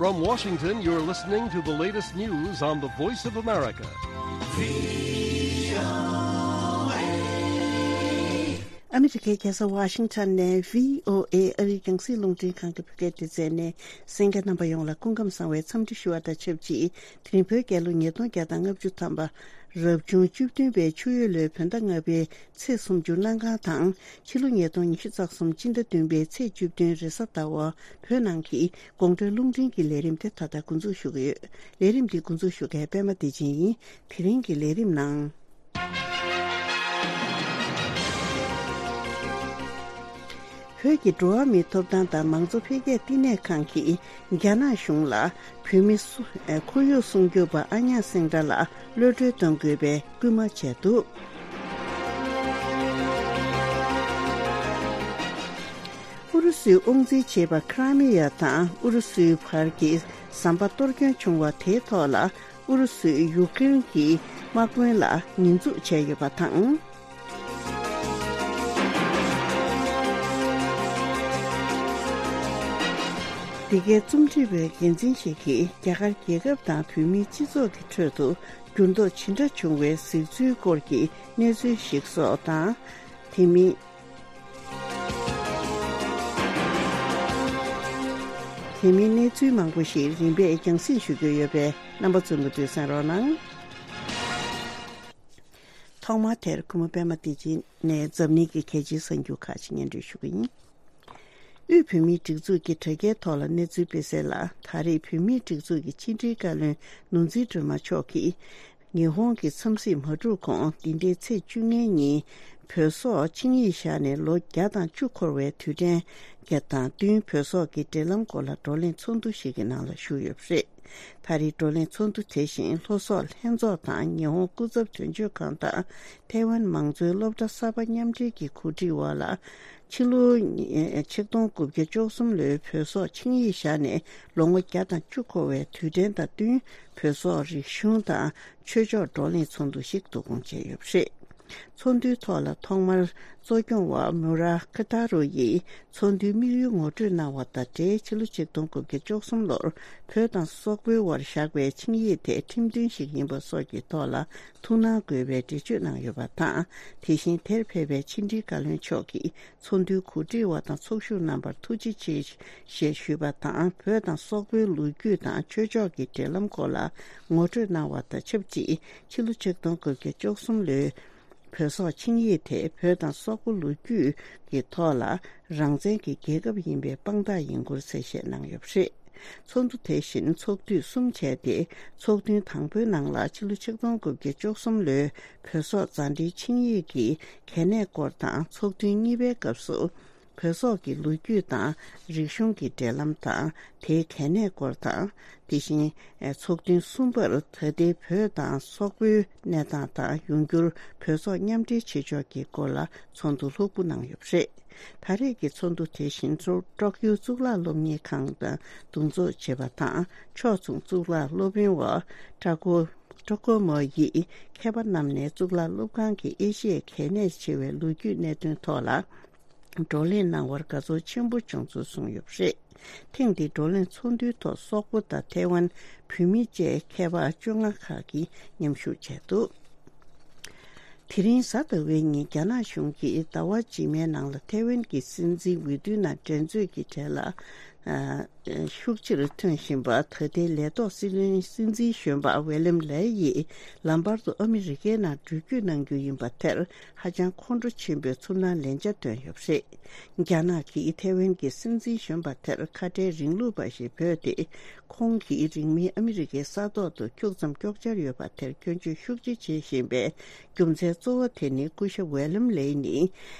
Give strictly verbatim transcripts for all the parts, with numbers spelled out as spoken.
From Washington, you're listening to the latest news on the Voice of America. ཨ་མི་རི་ཀའི་རྒྱལ་ས་ཝ་ཤིང་ཊོན་ནས་བྷི་ཨོ་ཨེ་ཨ་རིའི་རྒྱང་སྲིང་རླུང་འཕྲིན་ཁང་གི་བོད་སྐད་སྡེ་ཚན་ནས་གསན་མཁན་རྣམ་པ་ཡོངས་ལ་སྐུ་ཁམས་བཟང་བའི་འཚམས་འདྲི་ཞུ་བ་དང་ཆབས་ཅིག་དེ་རིང་བོད་རྒྱལ་ལོ་ཉིས་སྟོང་བརྒྱ་དང་ལྔ་བཅུ་ཐམ་པ། རབ་བྱུང་བཅུ་བདུན་པའི་ཆུ་ཡོས་ལོའི་བོད་ཟླ་ལྔ་པའི་ཚེས་སུམ་ཅུ་གནམ་གང་དང་། ཕྱི་ལོ་ཉིས་སྟོང་ཉི་ཤུ་རྩ་གསུམ་སྤྱི་ཟླ་བདུན་པའི་ཚེས་བཅུ་བདུན་རེས་གཟའ་ཟླ་བ། བོད་ནང་གི་དགོང་དྲོའི་རླུང་འཕྲིན་གྱི་ལས་རིམ་དེ་ད་ལྟ་འགོ་འཛུགས་ཞུ་གི་ཡོད། ལས་རིམ་འདི་འགོ་འཛུགས་ཞུ་མཁན་པད་མ་བདེ་ཆེན་ཡིན། དེ་རིང་གི་ལས་རིམ་ནང་། བོད་ཀྱི་འགྲོ་བ་མིའི་ཐོབ་ཐང་དང་མང་གཙོ་འཕེལ་རྒྱས་བསྟི་གནས་ཁང་གིས་རྒྱ་ནག་གཞུང་ལ་བོད་མི་སུ་ཁོར་ཡུག་སྲུང་སྐྱོབ་པ་ཨ་ཉག་སེང་དྲ་ལ་གློད་གྲོལ་གཏོང་དགོས་པའི་སྐུལ་མ་བྱས་འདུག་ཨུ་རུ་སུས་དབང་འཛིན་བྱེད་པ་ཁ་ར་མི་ཡ་དང་ཨུ་རུ་སུའི་བར་གྱི་ཟམ་པ་གཏོར་སྐྱོན་བྱུང་བ་དེའི་ཐོག་ལ། ཨུ་རུ་སུས་ཡུཀ་རེན་གྱི་དམག་དཔོན་ལ་ཉེས་འཛུགས་བྱས་ཡོད་པ་དང་། འདི་གའི་རྩོམ་སྒྲིག་པའི་འགན་འཛིན་ཞིག་གིས་རྒྱ་གར་རྒྱལ་ཁབ་དང་བོད་མིའི་སྤྱི་ཚོགས་ཀྱི་ཁྲོད་དུ་འགྱུར་ལྡོག་ཇི་འདྲ་བྱུང་བའི་གཟིགས་ཚུལ་སྐོར་གྱི་གནས་ཚུལ་ཞིག་སོགས་དང་། དེ་མིན། དེ་མིན་གནས་ཚུལ་མང་པོ་ཞིག་རིམ་པས་རྒྱང་སྲིང་ཞུ་རྒྱུ་ཡོད་པས་རྣམ་པ་ཚོས་མུ་མཐུད་གསན་རོགས་གནང་། ཐོག་མར་དེར་གུས་མོ་པད་མ་བདེ་ཆེན་ནས་འཛམ་གླིང་གི་གལ་ཆེའི་གསར་འགྱུར་ཁག་ཅིག་སྙན་སྒྲོན་ཞུ་གི་ཡིན། དབུས་བོད་མིའི་སྒྲིག་འཛུགས་ཀྱི་དྲ་རྒྱའི་ཐོག་ལ་གནས་ཚུལ་སྤེལ་གསལ་ལ། ད་རེས་བོད་མིའི་སྒྲིག་འཛུགས་ཀྱི་ཕྱི་དྲིལ་བཀའ་བློན་ནོར་འཛིན་སྒྲོལ་མ་མཆོག་གིས། ཉི་ཧོང་གི་འཚམས་གཟིགས་མ་གྲུབ་གོང་འདི་ཟླའི་ཚེས་བཅུ་ལྔའི་ཉིན་བོད་སོག་ཆིངས་ཡིག་བཞག་ནས་ལོ་བརྒྱ་དང་བཅུ་འཁོར་བའི་དུས་དྲན་དང་བསྟུན་བོད་སོག་གི་འབྲེལ་ལམ་སྐོར་ལ་བགྲོ་གླེང་ཚོགས་འདུ་ཞིག་གི་ནང་ལ་ཞུགས་ཡོད་པ་རེད། ད་རེས་བགྲོ་གླེང་ཚོགས་འདུ་དེ་བཞིན་ལྷོ་སོག་ལྷན་ཚོགས་དང་ཉི་ཧོང་སྐུ་ཚབ་དོན་གཅོད་ཁང་དང་ཐའེ་ཝན་མང་གཙོའི་སློབ་གྲྭ་གསར་པ་མཉམ་འབྲེལ་གྱི་གོ་སྒྲིག་འོག་ལ། ཕྱི་ལོ་ཉིས་ཆིག་སྟོང་དགུ་བརྒྱ་བཅུ་གསུམ་ལོའི་བོད་སོག་ཆིངས་ཡིག་བཞག་ནས་ལོ་ངོ་བརྒྱ་དང་བཅུ་འཁོར་བའི་དུས་དྲན་དང་བསྟུན་བོད་སོག་རིག་གཞུང་དང་ཆོས་ཕྱོགས་བགྲོ་གླེང་ཚོགས་འདུ་ཞིག་བསྡུ་སྐོང་བྱས་ཡོད་པ་རེད། ཚོགས་འདུའི་ཐོག་ལ་ཐོག་མར་གཙོ་སྐྱོང་བ་མུ་ར་ཁི་ཏཱ་རུ་ཡིས་ཚོགས་འདུའི་དམིགས་ཡུལ་ངོ་སྤྲོད་གནང་བ་དང་འབྲེལ། ཕྱི་ལོ་ཆིག་སྟོང་དགུ་བརྒྱ་བཅུ་གསུམ་ལོར་བོད་དང་སོག་པོའི་དབར་བཞག་པའི་ཆིངས་ཡིག་དེ་ཁྲིམས་མཐུན་ཞིག་ཡིན་པ་སོགས་ཀྱི་ཐོག་ལ་ཐུགས་སྣང་དགོས་པའི་འགྲེལ་བརྗོད་གནང་ཡོད་པ་དང་། དེ་བཞིན་དེར་ཕེབས་པའི་ཕྱི་དྲིལ་བཀའ་བློན་མཆོག་གིས། ཚོགས་འདུའི་གོ་སྒྲིག་པ་དང་ཚོགས་ཞུགས་རྣམ་པར་ཐུགས་རྗེ་ཆེ་ཞེས་ཞུས་པ་དང་། བོད་དང་སོག་པོའི་ལོ་རྒྱུས་དང་ཆོས་ཕྱོགས་ཀྱི་འབྲེལ་ལམ་སྐོར་ལ་ངོ་སྤྲོད་གནང་བ་དང་ཆབས་ཅིག་ཕྱི་ལོ་ཆིག་སྟོང་དགུ་བརྒྱ་བཅུ་གསུམ་ལོའི་བོད་སོག་ཆིངས་ཡིག་དེ་བོད་དང་སོག་པོ་ལོ་རྒྱུས་ཀྱི་ཐོག་ལ་རང་བཙན་གྱི་རྒྱལ་ཁབ་ཡིན་པའི་དཔང་རྟགས་ཡིན་སྐོར་གསལ་བཤད་གནང་ཡོད་པ་རེད། ཚོགས་འདུ་དེ་བཞིན་ཚོགས་དུས་གསུམ་བྱས་ཏེ། ཚོགས་ཐུན་དང་པོའི་ནང་ལ་ཕྱི་ལོ་ཆིག་སྟོང་དགུ་བརྒྱ་བཅུ་གསུམ་ལོའི་བོད་སོག་མཛའ་འབྲེལ་ཆིངས་ཡིག་གི་གལ་གནད་སྐོར་དང་། ཚོགས་ཐུན་གཉིས་པའི་སྐབས་སུ་བོད་སོག་གི་ལོ་རྒྱུས་དང་རིག་གཞུང་གི་འབྲེལ་ལམ་དང་དེའི་གལ་གནད་སྐོར་དང་། དེ་བཞིན་ཚོགས་ཐུན་གསུམ་པར་ད་ལྟའི་བོད་དང་སོག་པོའི་གནས་སྟངས་དང་ཡོང་འགྱུར་བོད་སོག་མཉམ་འབྲེལ་བྱེད་ཕྱོགས་ཀྱི་སྐོར་ལ་ཚོགས་འདུ་ལྷུག་པོ་གནང་ཡོད་པ་རེད། ད་རེས་ཀྱི་ཚོགས་འདུ་དེ་བཞིན་ཀྲོ་ཀྲོག་ཡུ་གཙུག་ལག་སློབ་གཉེར་ཁང་དང་བསྡོམས་ཚོགས་བྱས་པ་དང་། ཕྱོགས་མཚུངས་གཙུག་ལག་སློབ་དཔོན་བ་ཀྲ་ཀོ་ཀྲོ་ཀོ་མོ་ཡིས་མཁས་པ་རྣམས་ནས་གཙུག་ལག་སློབ་ཁང་གི་ཨེ་ཤི་ཡའི་གལ་གནད་ཆེ་བའི་ལོ་རྒྱུས་གནད་དོན་ཐོག་ལ་བགྲོ་གླེང་གནང་བར་དགའ་ཚོར་ཆེན་པོ་བྱུང་ཚུལ་གསུངས་ཡོད་པ་རེད། ཐེངས་འདིའི་བགྲོ་གླེང་ཚོགས་འདུའི་ཐོག་སོག་པོ་དང་ཐའེ་ཝན་བོད་མི་བཅས་མཁས་པ་བཅོ་ལྔ་ཁག་གིས་མཉམ་ཞུགས་བྱས་འདུག་དེ་རིང་གཟའ་ཟླ་བའི་ཉིན་རྒྱ་ནག་གཞུང་གིས་ཟླ་བ་རྗེས་མའི་ནང་ལ་ཐའེ་ཝན་གྱི་སྲིད་འཛིན་འོས་བསྡུའི་ནང་འགྲན་རྩོད་ཀྱི་གྲས་ལ་ཨ་ཤུགས་ཆེར་ཐོན་བཞིན་པ། ད་ལྟའི་ལས་ཐོག་སྲིད་བློན་སྲིད་འཛིན་གཞོན་པ་ཝེ་ལམ་ལེ་ཡིས་ལམ་བར་དུ་ཨ་མི་རི་ཀའི་ནང་འགྲུལ་སྐྱོད་གནང་རྒྱུ་ཡིན་པ་དེར་ཧ་ཅང་ཁོང་ཁྲོ་ཆེན་པོས་ཚུར་སྣང་ལན་ཆ་བཏོན་ཡོད་པ་རེད། རྒྱ་ནག་གིས་ཐའེ་ཝན་གྱི་སྲིད་འཛིན་གཞོན་པ་དེར་ཁ་བྲལ་རིང་ལུགས་པ་ཞེས་འབོད་དེ། ཁོང་གིས་རིང་མིན་ཨ་མི་རི་ཀའི་ས་ཐོག་ཏུ་ཁྱུག་ཙམ་ཀྱོག་ཅར་ཡོད་པ་དེར་སྐྱོན་བརྗོད་ཤུགས་ཆེ་བྱེད་བཞིན་པའི་རྒྱུ་མཚན་གཙོ་བོ་དེ་ནི། སྐུ་ཞབས་ཝེ་ལམ་ལེ་ནི་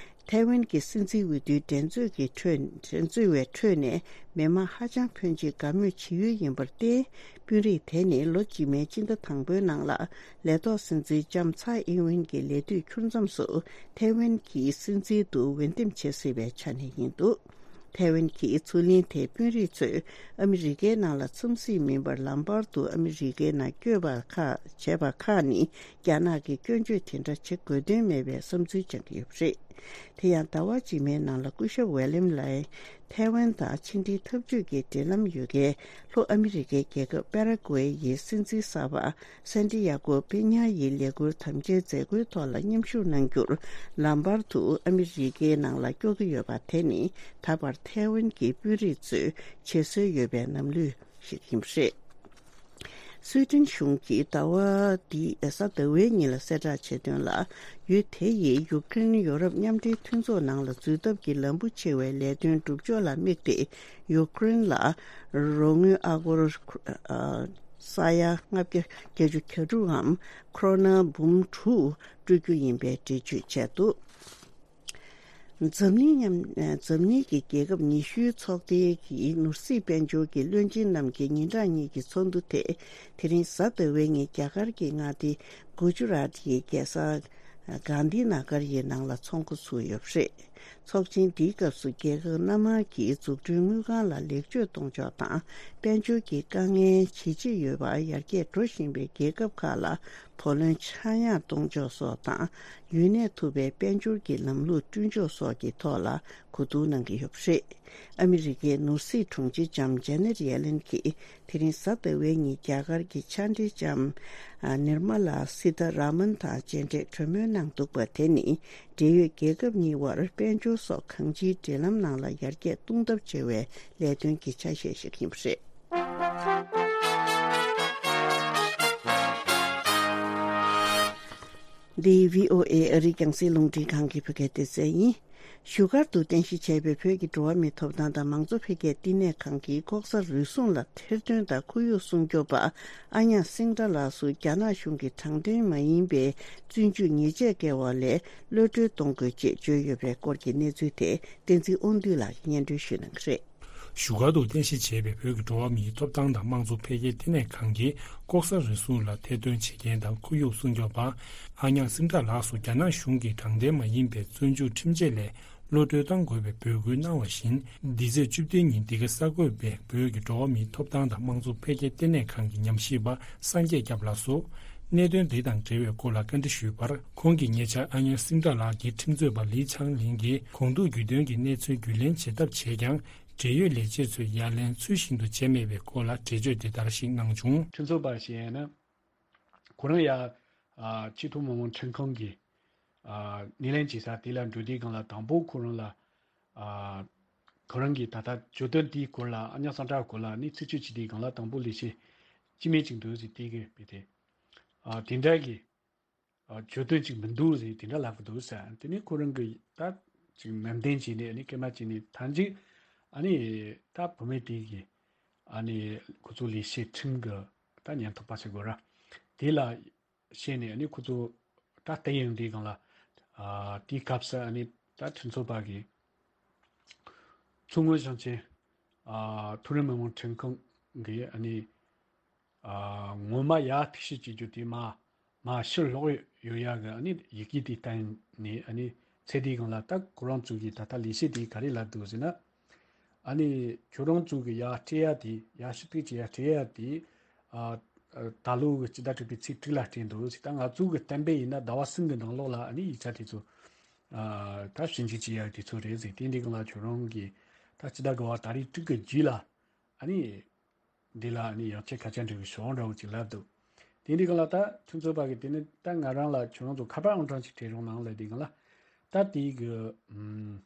ཐའེ་ཝན་གྱི་སྲིད་འཛིན་འོས་བསྡུའི་འགྲན་རྩོད་ཀྱི་ཁྲོད། འགྲན་རྩོད་པའི་ཁྲོད་ནས་མི་མང་ཧ་ཅང་ཕོན་ཆེ་དགའ་མོས་བྱེད་ཡུལ་ཡིན་པར་བརྟེན། དཔོན་རིགས་དེ་ནི་ལོ་རྗེས་མའི་སྤྱི་ཟླ་དང་པོའི་ནང་ལ་ལས་ཐོག་སྲིད་འཛིན་ལྕམ་ཚའེ་ཨིན་ཝེན་གྱི་ལས་དུས་འཁྱོལ་མཚམས་སུ་ཐའེ་ཝན་གྱི་སྲིད་འཛིན་དུ་འོས་འདེམས་བྱེད་སྲིད་པའི་ཆ་ནས་ཡིན་འདུག་ཐའེ་ཝན་གྱི་མཚོ་གླིང་དེ་དཔོན་རིགས་ཚོས་ཨ་མི་རི་ཀའི་ནང་ལ་འཚམས་གཟིགས་མིན་པར་ལམ་བར་དུ་ཨ་མི་རི་ཀའི་ནང་བསྐྱོད་པ་ཁག་བྱས་པ་ཁག་ནི་རྒྱ་ནག་གིས་སྐྱོན་བརྗོད་དེ་འདྲ་བྱེད་དགོས་དོན་མེད་པའི་བསམ་ཚུལ་བཅངས་ཀྱི་ཡོད་པ་རེད། དེ་ཡང་ཟླ་བ་རྗེས་མའི་ནང་ལ་སྐུ་ཞབས་ཝེ་ལེམ་ལའེ་ཐའེ་ཝན་དང་ཕྱི་འབྲེལ་འཐབ་ཇུས་ཀྱི་འབྲེལ་ལམ་ཡོད་མཁན་ལྷོ་ཨ་མི་རི་ཀའི་རྒྱལ་ཁབ་པ་ར་ཀུ་ཝེ་ཡི་སྲིད་འཛིན་གསར་པ་སན་ཏི་ཡ་གོ་པེ་ཉ་ཡི་ལས་འཁུར་དམ་བཅའི་མཛད་སྒོའི་ཐོག་ལ་མཉམ་ཞུགས་གནང་རྒྱུར་ལམ་བར་དུ་ཨ་མི་རི་ཀའི་ནང་ལ་སྐྱོད་ཀྱི་ཡོད་པ་དེ་ནི་ད་བར་ཐའེ་ཝན་གྱི་དཔོན་རིགས་ཚོས་བྱེད་སྲོལ་ཡོད་པའི་ལམ་ལུགས་ཤིག་ཡིན་པ་རེད། སུའེ་ཏེན་གཞུང་གིས་ཟླ་བ་འདིའི་གཟའ་ཟླ་བའི་ཉིན་ལ་གསལ་བསྒྲགས་བྱས་དོན་ལ། ཡུལ་དེ་ཡིས་ཡུཀ་རེན་ཡོ་རོབ་མཉམ་འབྲེལ་མཐུན་ཚོགས་ནང་ལ་འཛུལ་ཐབས་ཀྱི་ལམ་བུ་ཕྱེ་བའི་ལས་དོན་སྒྲུབ་ཕྱོགས་ལ་དམིགས་ཏེ། ཡུཀ་རེན་ལ་རོགས་དངུལ་ཨ་སྒོར་ས་ཡ་ལྔ་བརྒྱ་བརྒྱད་ཅུ་གྱ་དྲུག་འམ་ཁོ་རོ་ན་འབུམ་དྲུག་སྤྲོད་རྒྱུ་ཡིན་པའི་འགྲེལ་བརྗོད་བྱས་འདུག་འཛམ་གླིང་མཉམ། འཛམ་གླིང་གི་རྒྱལ་ཁབ་ཉི་ཤུའི་ཚོགས་སྡེ་གི་ནོར་སྲིད་དཔལ་འབྱོར་གྱི་བློན་ཆེན་རྣམས་ཀྱི་ཉིན་གྲངས་གཉིས་ཀྱི་ཚོགས་འདུ་དེ་དེ་རིང་གཟའ་ཟླ་བའི་ཉིན་རྒྱ་གར་གྱི་མངའ་སྡེ་གུ་ཇུ་རཱཏ་ཡི་རྒྱལ་ས་གྷན་དྷི་ན་གར་ཡི་ནང་ལ་ཚོགས་འགོ་ཚུགས་ཡོད་པ་རེད། ཚོགས་ཆེན་འདིའི་སྐབས་སུ་རྒྱལ་ཁབ་སྣ་མང་གི་འཛུགས་སྐྲུན་དངུལ་ཁང་ལ་ལེགས་བཅོས་གཏོང་ཕྱོགས་དང་དཔལ་འབྱོར་གྱི་དཀའ་ངལ་ཇེ་ཆེ་ཡོད་པ་ཡར་རྒྱས་འགྲོ་བཞིན་པའི་རྒྱལ་ཁབ་ཁག་ལ་བུ་ལོན་ཆག་ཡང་གཏོང་ཕྱོགས་སོགས་དང་། ཡུན་གནས་ཐུབ་པའི་དཔལ་འབྱོར་གྱི་ལམ་ལུགས་བསྐྲུན་ཕྱོགས་སོགས་ཀྱི་ཐོག་ལ་གོ་བསྡུར་གནང་གི་ཡོད་པ་རེད། ཨ་མི་རི་ཀའི་ནོར་སྲིད་དྲུང་ཆེ་ལྕམ་ཇེ་ནེ་ཊི་ཡེ་ལེན་གྱིས་དེ་རིང་གཟའ་ཟླ་བའི་ཉིན་རྒྱ་གར་གྱི་མཆན་འགྲེལ་ལྕམ་ནིར་མ་ལ་སི་ཐ་ར་མན་དང་མཇལ་འཕྲད་གྲོས་མོལ་གནང་འདུག་པ་དེ་ནི་འབྲེལ་ཡོད་རྒྱལ་ཁབ་གཉིས་དབར་དཔལ་འབྱོར་སོགས་གང་ཅིའི་འབྲེལ་ལམ་ནང་ལ་ཡར་རྒྱས་གཏོང་ཐབས་བྱ་བའི་ལས་དོན་གྱི་ཆ་ཤས་ཤིག་ཡིན་པ་རེད། འདི་བྷི་ཨོ་ཨེ་ཨ་རིའི་རྒྱང་སྲིང་རླུང་འཕྲིན་ཁང་གི་བོད་སྐད་སྡེ་ཚན་ཡིན། བཞུགས་སྒར་དུ་རྟེན་གཞི་བྱས་པའི་བོད་ཀྱི་འགྲོ་བ་མིའི་ཐོབ་ཐང་དང་མང་གཙོ་འཕེལ་རྒྱས་བསྟི་གནས་ཁང་གིས་ལྐོག་ཟ་རུལ་སུངས་ལ་ཐེར་འདོན་དང་ཁོར་ཡུག་སྲུང་སྐྱོབ་པ་ཨ་ཉག་སིང་ཏྲ་ལགས་སུ་རྒྱ་ནག་གཞུང་གི་དྲང་བདེན་མ་ཡིན་པའི་བཙོན་འཇུག་ཉེས་ཆད་བཀལ་བ་ལས་གློད་གྲོལ་གཏོང་དགོས་ཅེས་བརྗོད་ཡོད་པའི་སྐོར་གྱི་གནས་ཚུལ་དེ་བསྟན་འཛིན་དབང་འདུས་ལགས་ཀྱིས་སྙན་སྒྲོན་ཞུ་གནང་གི་རེད། བཞུགས་སྒར་དུ་རྟེན་གཞི་བྱས་པའི་བོད་ཀྱི་འགྲོ་བ་མིའི་ཐོབ་ཐང་དང་དམངས་གཙོ་འཕེལ་རྒྱས་ལྟེ་གནས་ཁང་གིས་ལྐོག་ཟ་རུལ་སུངས་ལ་ཐེར་འདོན་བྱེད་མཁན་དང་ཁོར་ཡུག་སྲུང་སྐྱོབ་པ་ཨ་ཉག་སིང་ཏྲ་ལགས་སུ་རྒྱ་ནག་གཞུང་གིས་དྲང་བདེན་མ་ཡིན་པའི་བཙོན་འཇུག་ཁྲིམས་ཆད་ལས་གློད་གྲོལ་གཏང་དགོས་པའི་འབོད་སྐུལ་གནང་བ་བཞིན། འདི་ཚེས་བཅུ་བདུན་ཉིན་འདི་ག་གསར་འགོད་པས་བོད་ཀྱི་འགྲོ་བ་མིའི་ཐོབ་ཐང་དང་དམངས་གཙོ་འཕེལ་རྒྱས་ལྟེ་གནས་ཁང་གི་ཉམས་ཞིབ་པ་སངས་རྒྱས་སྐྱབས་ལགས་སུ། གནད་དོན་འདི་དང་འབྲེལ་བའི་སྐོར་ལ་བཀའ་འདྲི་ཞུས་པར། ཁོང་གིས་ཉེ་ཆར་ཨ་ཉག་སིང་ཏྲ་ལགས་ཀྱིས་ཁྲིམས་རྩོད་པ་ལི་ཆང་ལིང་གིས་གོང་ཐུག་རྒྱུས་སྟོན་གྱི་གནས་ཚུལ་རྒྱུས་ལེན་བྱེད་ཐབས་བྱས་ཀྱང་། འབྲེལ་ཡོད་ལས་བྱེད་ཚོས་ཡ་ལན་ཚུལ་བཞིན་དུ་བྱས་མེད་པའི་སྐོར་ལ་འགྲེལ་བརྗོད་འདི་ལྟར་ཞིག་གནང་བྱུང་། ཁྲིམས་རྩོད་པ་ཞིག་ཡིན་ན། ཁོ་རང་ཡ། ཨ། ཆེས་མཐོ་མི་དམངས་ཁྲིམས་ཁང་གི། ཨ། སྣེ་ལེན་བྱེད་ས་དེ་ལ་འགྲོ་དུས་སྒང་ལ་དང་པོ་ཁོ་རང་ལ། ཨ། ཁོ་རང་གིས་ད་ལྟ་གྱོད་དོན་དེའི་སྐོར་ལ་ཨ་ཉག་སིང་ཏྲ་སྐོར་ལ་ནི་ཚིག་བརྗོད་བྱེད་དུས་སྒང་ལ་དང་པོ་ལས་བྱེད་སྤྱི་མི་གཅིག་འདུག་ཟེར་དེ་གིས་བས་ཏེ། ཨ། དེ་འདྲ་གི། ཨ། གྱོད་དོན་གཅིག་མི་འདུག་ཟེར་དེ་འདྲ་ལབ་ཀྱི་འདུག་ཟེར། དེ་ནས་ཁོ་རང་གིས་ད་ཅིག་ནན་ཏན་བྱས་ནས་ཨ་ནི་སྐད་མ་བྱས་ནས་ཐང་ཅིག་ཨ་ནི་ད་བུད་མེད་དེ་གིས་ཨ་ནི་ཁོ་ཚོ་ལས་བྱེད་ཁྲིམས་ཀྱི་ད་ཉེན་རྟོག་པ་ཟེར་དགོས་ར། དེ་ལ་བྱས་ནས་ཨ་ནི་ཁོ་ཚོ་ད་བལྟས་ཡོང་དུས་སྒང་ལ། ཨ། དེའི་སྐབས་སུ་ཨ་ནི་ད་ཁྲིམས་རྩོད་པ་གིས་མཚོ་སྔོན་ཞིང་ཆེན། ཨ། མཐོ་རིམ་མི་དམངས་ཁྲིམས་ཁང་གིས་ཨ་ནི། ཨ། ངོ་མ་ཡར་ཐུག་ཤེས་བྱེད་རྒྱུ་དེ་མ་མ་ཕྱིར་ལོག་ཡོད་ཡ་གི་ཨ་ནི་ཡི་གེ་དེ་བསྟན་ནས་ཨ་ནི་ཚེ་འདིའི་སྒང་ལ་ད་ཁོ་རང་ཚོ་གིས་ད་ལྟ་ལས་བྱེད་དེ་ག་རེ་ལབ་འདུག་ཟེར་ན། ཨ་ནི་ཁྱོད་རང་ཚོ་གི་ཡར་སྤྲད་ཡ་དེ་ཡར་ཞུ་གཏུག་བྱེད་ཡ་སྤྲད་ཡ་དེ། ཨ། ཨ། ད་ལོ་གི་སྤྱི་ཟླ་དྲུག་པའི་ཚེས་དྲུག་ལ་སྤྲད་འདུག་ཟེར། ད་ང་ཚོ་གི་གཏན་འབེབས་ཡིན་ན་ཟླ་བ་གསུམ་གི་ནང་ལོགས་ལ་ཨ་ནི་ཡིག་ཆ་དེ་ཚོ། ཨ། ད་ཞིབ་འཇུག་བྱེད་ཡ་དེ་ཚོ་རེད་ཟེར། དེ་འདྲའི་སྒང་ལ་ཁྱོད་རང་གིས་ད་སྤྱི་ཟླ་དགུ་པ་ཏ་རིག་དྲུག་གི་རྗེས་ལ་ཨ་ནི། འདི་ལ་ནི་ཡང་ཁྱེད་ཁ་ཆ་འདྲ་བའི་ཞོགས་འདྲ་བོ་ཅིག་ལབ་འདུག་དེ་འདྲའི་སྒང་ལ་ད་ཁྱོད་ཚོ་པ་གི་དེ་ནི་ད་ང་རང་ལ་ཁྱོད་རང་ཚོ་ཁ་པར་ཨང་གྲངས་ཅིག་སྤྲད་རོགས་གནང་ལབ་དུས་སྒང་ལ། ད་དེའི་གི་ཨམ།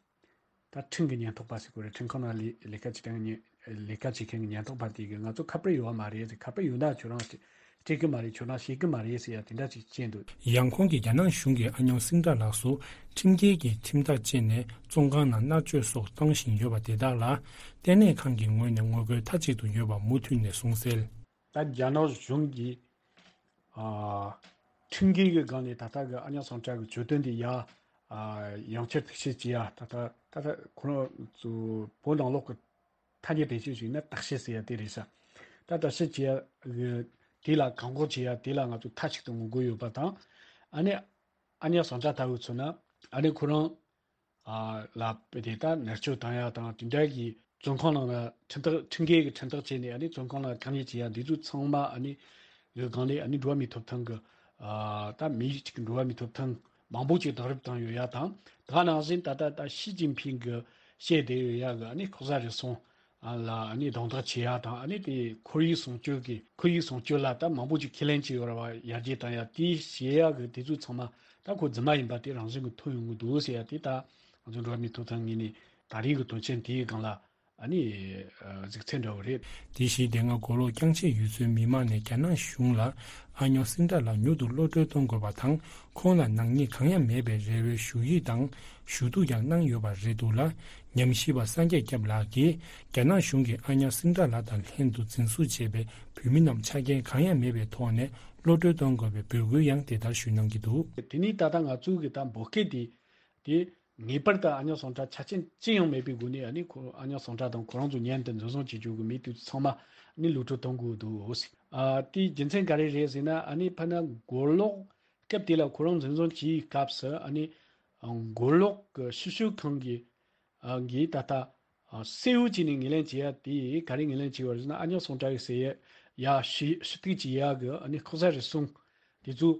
ད་ཁྲིམས་ཀྱི་ཉེན་རྟོག་པ་ཟེར་དགོས་རེད། ཁྲིམས་ཁང་ནང་ལས་ལས་ཀ་བྱེད་མཁན་གྱི་ཉེན་ལས་ཀ་བྱེད་མཁན་གྱི་ཉེན་རྟོག་པ་དེ་གི་ང་ཚོ་ཁ་པར་ཡོད་པ་མ་རེད་ཟེར། ཁ་པར་ཡོད་ན་ཁྱོད་རང་སྤྲད་གི་མ་རེད། ཁྱོད་རང་ཤེས་གི་མ་རེད་ཟེར་ཡ་དེ་འདྲ་ཅིག་བཤད་འདུག་ཡང་ཁོང་གིས་རྒྱ་ནག་གཞུང་གིས་ཨ་ཉོག་སིང་ཏྲ་ལགས་སུ་ཁྲིམས་འགལ་གྱི་ཁྲིམས་ཐག་བཅད་ནས་བཙོན་ཁང་ནང་མནར་གཅོད་སོགས་བཏང་བཞིན་ཡོད་པ་དེ་དག་ལ་ལྟེ་གནས་ཁང་གི་ངོས་ནས་ངོ་རྒོལ་མཐའ་གཅིག་ཏུ་ཡོད་པ་མུ་མཐུད་ནས་གསུངས་གསལ། ད་རྒྱ་ནག་གཞུང་གིས། ཨ། ཁྲིམས་འགལ་གྱི་སྒང་ནས་ད་ལྟ་གི་ཨ་ཉག་སིང་ཏྲ་གི་གྱོད་དོན་དེ་ཡ། ཨ། ཡང་བསྐྱར་བརྟག་དཔྱད་བྱེད་ཡ། ད་ལྟ་ད་ལྟ་ཁོ་རང་ཚོ་བོད་ནང་ལོགས་ཀྱི་ཐ་སྙད་བེད་སྤྱོད་བྱས་ན་བརྟག་དཔྱད་ཟེར་ཡ་དེ་རེད་ཤག་ད་བརྟག་དཔྱད་བྱེད་ཡ་གི་དེ་ལ་བཀག་འགོག་བྱེད་ཡ་དེ་ལ་ང་ཚོ་མཐའ་གཅིག་ཏུ་ངོ་རྒོལ་ཡོད་པ་དང་། ཨ་ནི་ཨ་ཉག་སིང་ཏྲ་ལྟ་བུ་མཚོན་ན་ཨ་ནི་ཁོ་རང་། ཨ། ལ་དེ་ལྟར་མནར་གཅོད་བཏང་ཡ་དང་དེ་འདྲ་གི་བཙོན་ཁང་ནང་ལ་ཁྲིམས་ཐག་ཁྲིམས་འགལ་གྱི་ཁྲིམས་ཐག་བཅད་ནས་ཨ་ནི་བཙོན་ཁང་ལ་བཀག་ཉར་བྱེད་ཡ་འདི་ཚོ་ཚང་མ་ཨ་ནི་གི་སྒང་ལས་ཨ་ནི་འགྲོ་བ་མིའི་ཐོབ་ཐང་གི། ཨ། ད་མི་གཅིག་གི་འགྲོ་བ་མིའི་ཐོབ་ཐང་ མང་པོ་ཅིག་དེང་རབས་བཏང་ཡོད་ཡ་དང་། ད་ག་ནང་བཞིན་ད་ལྟ་ད་ཞི་ཅིན་ཕིང་གི་བཤད་བསྡད་ཡོད་ཡ་གི་ཨ་ནི་ལྐོག་ཟ་རུལ་སུངས་ལ་ཨ་ནི་རྡུང་རྡེག་བྱེད་ཡ་དང་། ཨ་ནི་དེ་ཁོར་ཡུག་སྲུང་སྐྱོབ་ཀྱི་ཁོར་ཡུག་སྲུང་སྐྱོབ་ལ་ད་མང་པོ་ཅིག་ཁས་ལེན་བྱས་ཡོད་ར་བ། ཡར་རྒྱས་བཏང་ཡ་དེ་བྱེད་ཡ་གི་དེ་ཚོ་ཚང་མ་ད་ཁོ་རྫུན་མ་ཡིན་པ་དེ་རང་བཞིན་གྱི་ཐོན་ཡོང་གི་འདུག་ཟེར་ཡ་དེ། ད་ང་ཚོ་འགྲོ་བ་མིའི་ཐོབ་ཐང་ངོས་ནས་ད་རེས་ཀྱི་དོན་ཆེན་དེའི་སྒང་ལ་ཨ་ནི་གཟིགས་ཚད་འདྲ་བོ་རེད། དེ་བཞིན་དེ་སྔ་མགོ་ལོག་རྐྱང་ཕྱེད་ཡུལ་ཚོའི་མི་མང་ནས་རྒྱ་ནག་གཞུང་ལ་ཨ་ཉོག་སིན་ཏྲ་ལགས་མྱུར་དུ་གློད་གྲོལ་གཏོང་དགོས་པ་དང་། ཁོང་ལ་ནག་ཉེས་གང་ཡང་མེད་པའི་རེ་བའི་ཞུ་ཡིག་དང་ཞུ་གཏུག་ཀྱང་གནང་ཡོད་པ་རེད་འདུག་ལ། ཉམས་ཞིབ་པ་སངས་རྒྱས་སྐྱབས་ལགས་ཀྱིས་རྒྱ་ནག་གཞུང་གིས་ཨ་ཉོག་སིན་ཏྲ་ལགས་དང་ལྷན་དུ་འཛིན་བཟུང་བྱས་པའི་བོད་མི་རྣམས་ཆ་རྐྱེན་གང་ཡང་མེད་པའི་ཐོག་ནས་གློད་གྲོལ་གཏོང་དགོས་པའི་འབོད་སྐུལ་ཡང་དེ་ལྟར་ཞུ་གནང་གི་འདུག། དེ་ནས་ད་ལྟ་ང་ཚོའི་གི་ད་འབོད་སྐུལ་དེ། དེ་ངེས་པར་དུ་ཨ་ཉོག་སིན་ཏྲ་ཆ་རྐྱེན་ཅི་ཡང་མེད་པའི་སྒོ་ནས་ཨ་ནི་ཁོ་ཨ་ཉོག་སིན་ཏྲ་དང་ཁོ་རང་ཚོ་མཉམ་དུ་འཛིན་བཟུང་བྱེད་རྒྱུ་གི་མི་དེ་ཚང་མ་ཨ་ནི་གློད་གྲོལ་གཏོང་དགོས་འདུག་ཟེར། ཨ་དེའི་རྒྱུ་མཚན་ག་རེ་རེད་ཟེར་ན། ཨ་ནི་ཕ་ན་མགོ་ལོག་སྐབས་དེ་ལ་ཁོ་རང་འཛིན་བཟུང་བྱེད་སྐབས་སུ་ཨ་ནི་མགོ་ལོག་གི་ཞིབ་དཔྱོད་ཁང་གི་ཨ་གིས་ད་ལྟ་ཨ་གསལ་བོ་བྱས་ནས་ངོས་ལེན་བྱེད་ཡ་དེ་ག་རེ་ངོས་ལེན་བྱས་པ་རེད་ཟེར་ན། ཨ་ཉོག་སིན་ཏྲ་གི་ཟེར་ཡ་ཡ་ཞུ་ཞུ་གཏུག་བྱེད་ཡ་གི་ཨ་ནི་ལྐོག་ཟ་རུལ་སུངས་དེ་ཚོ་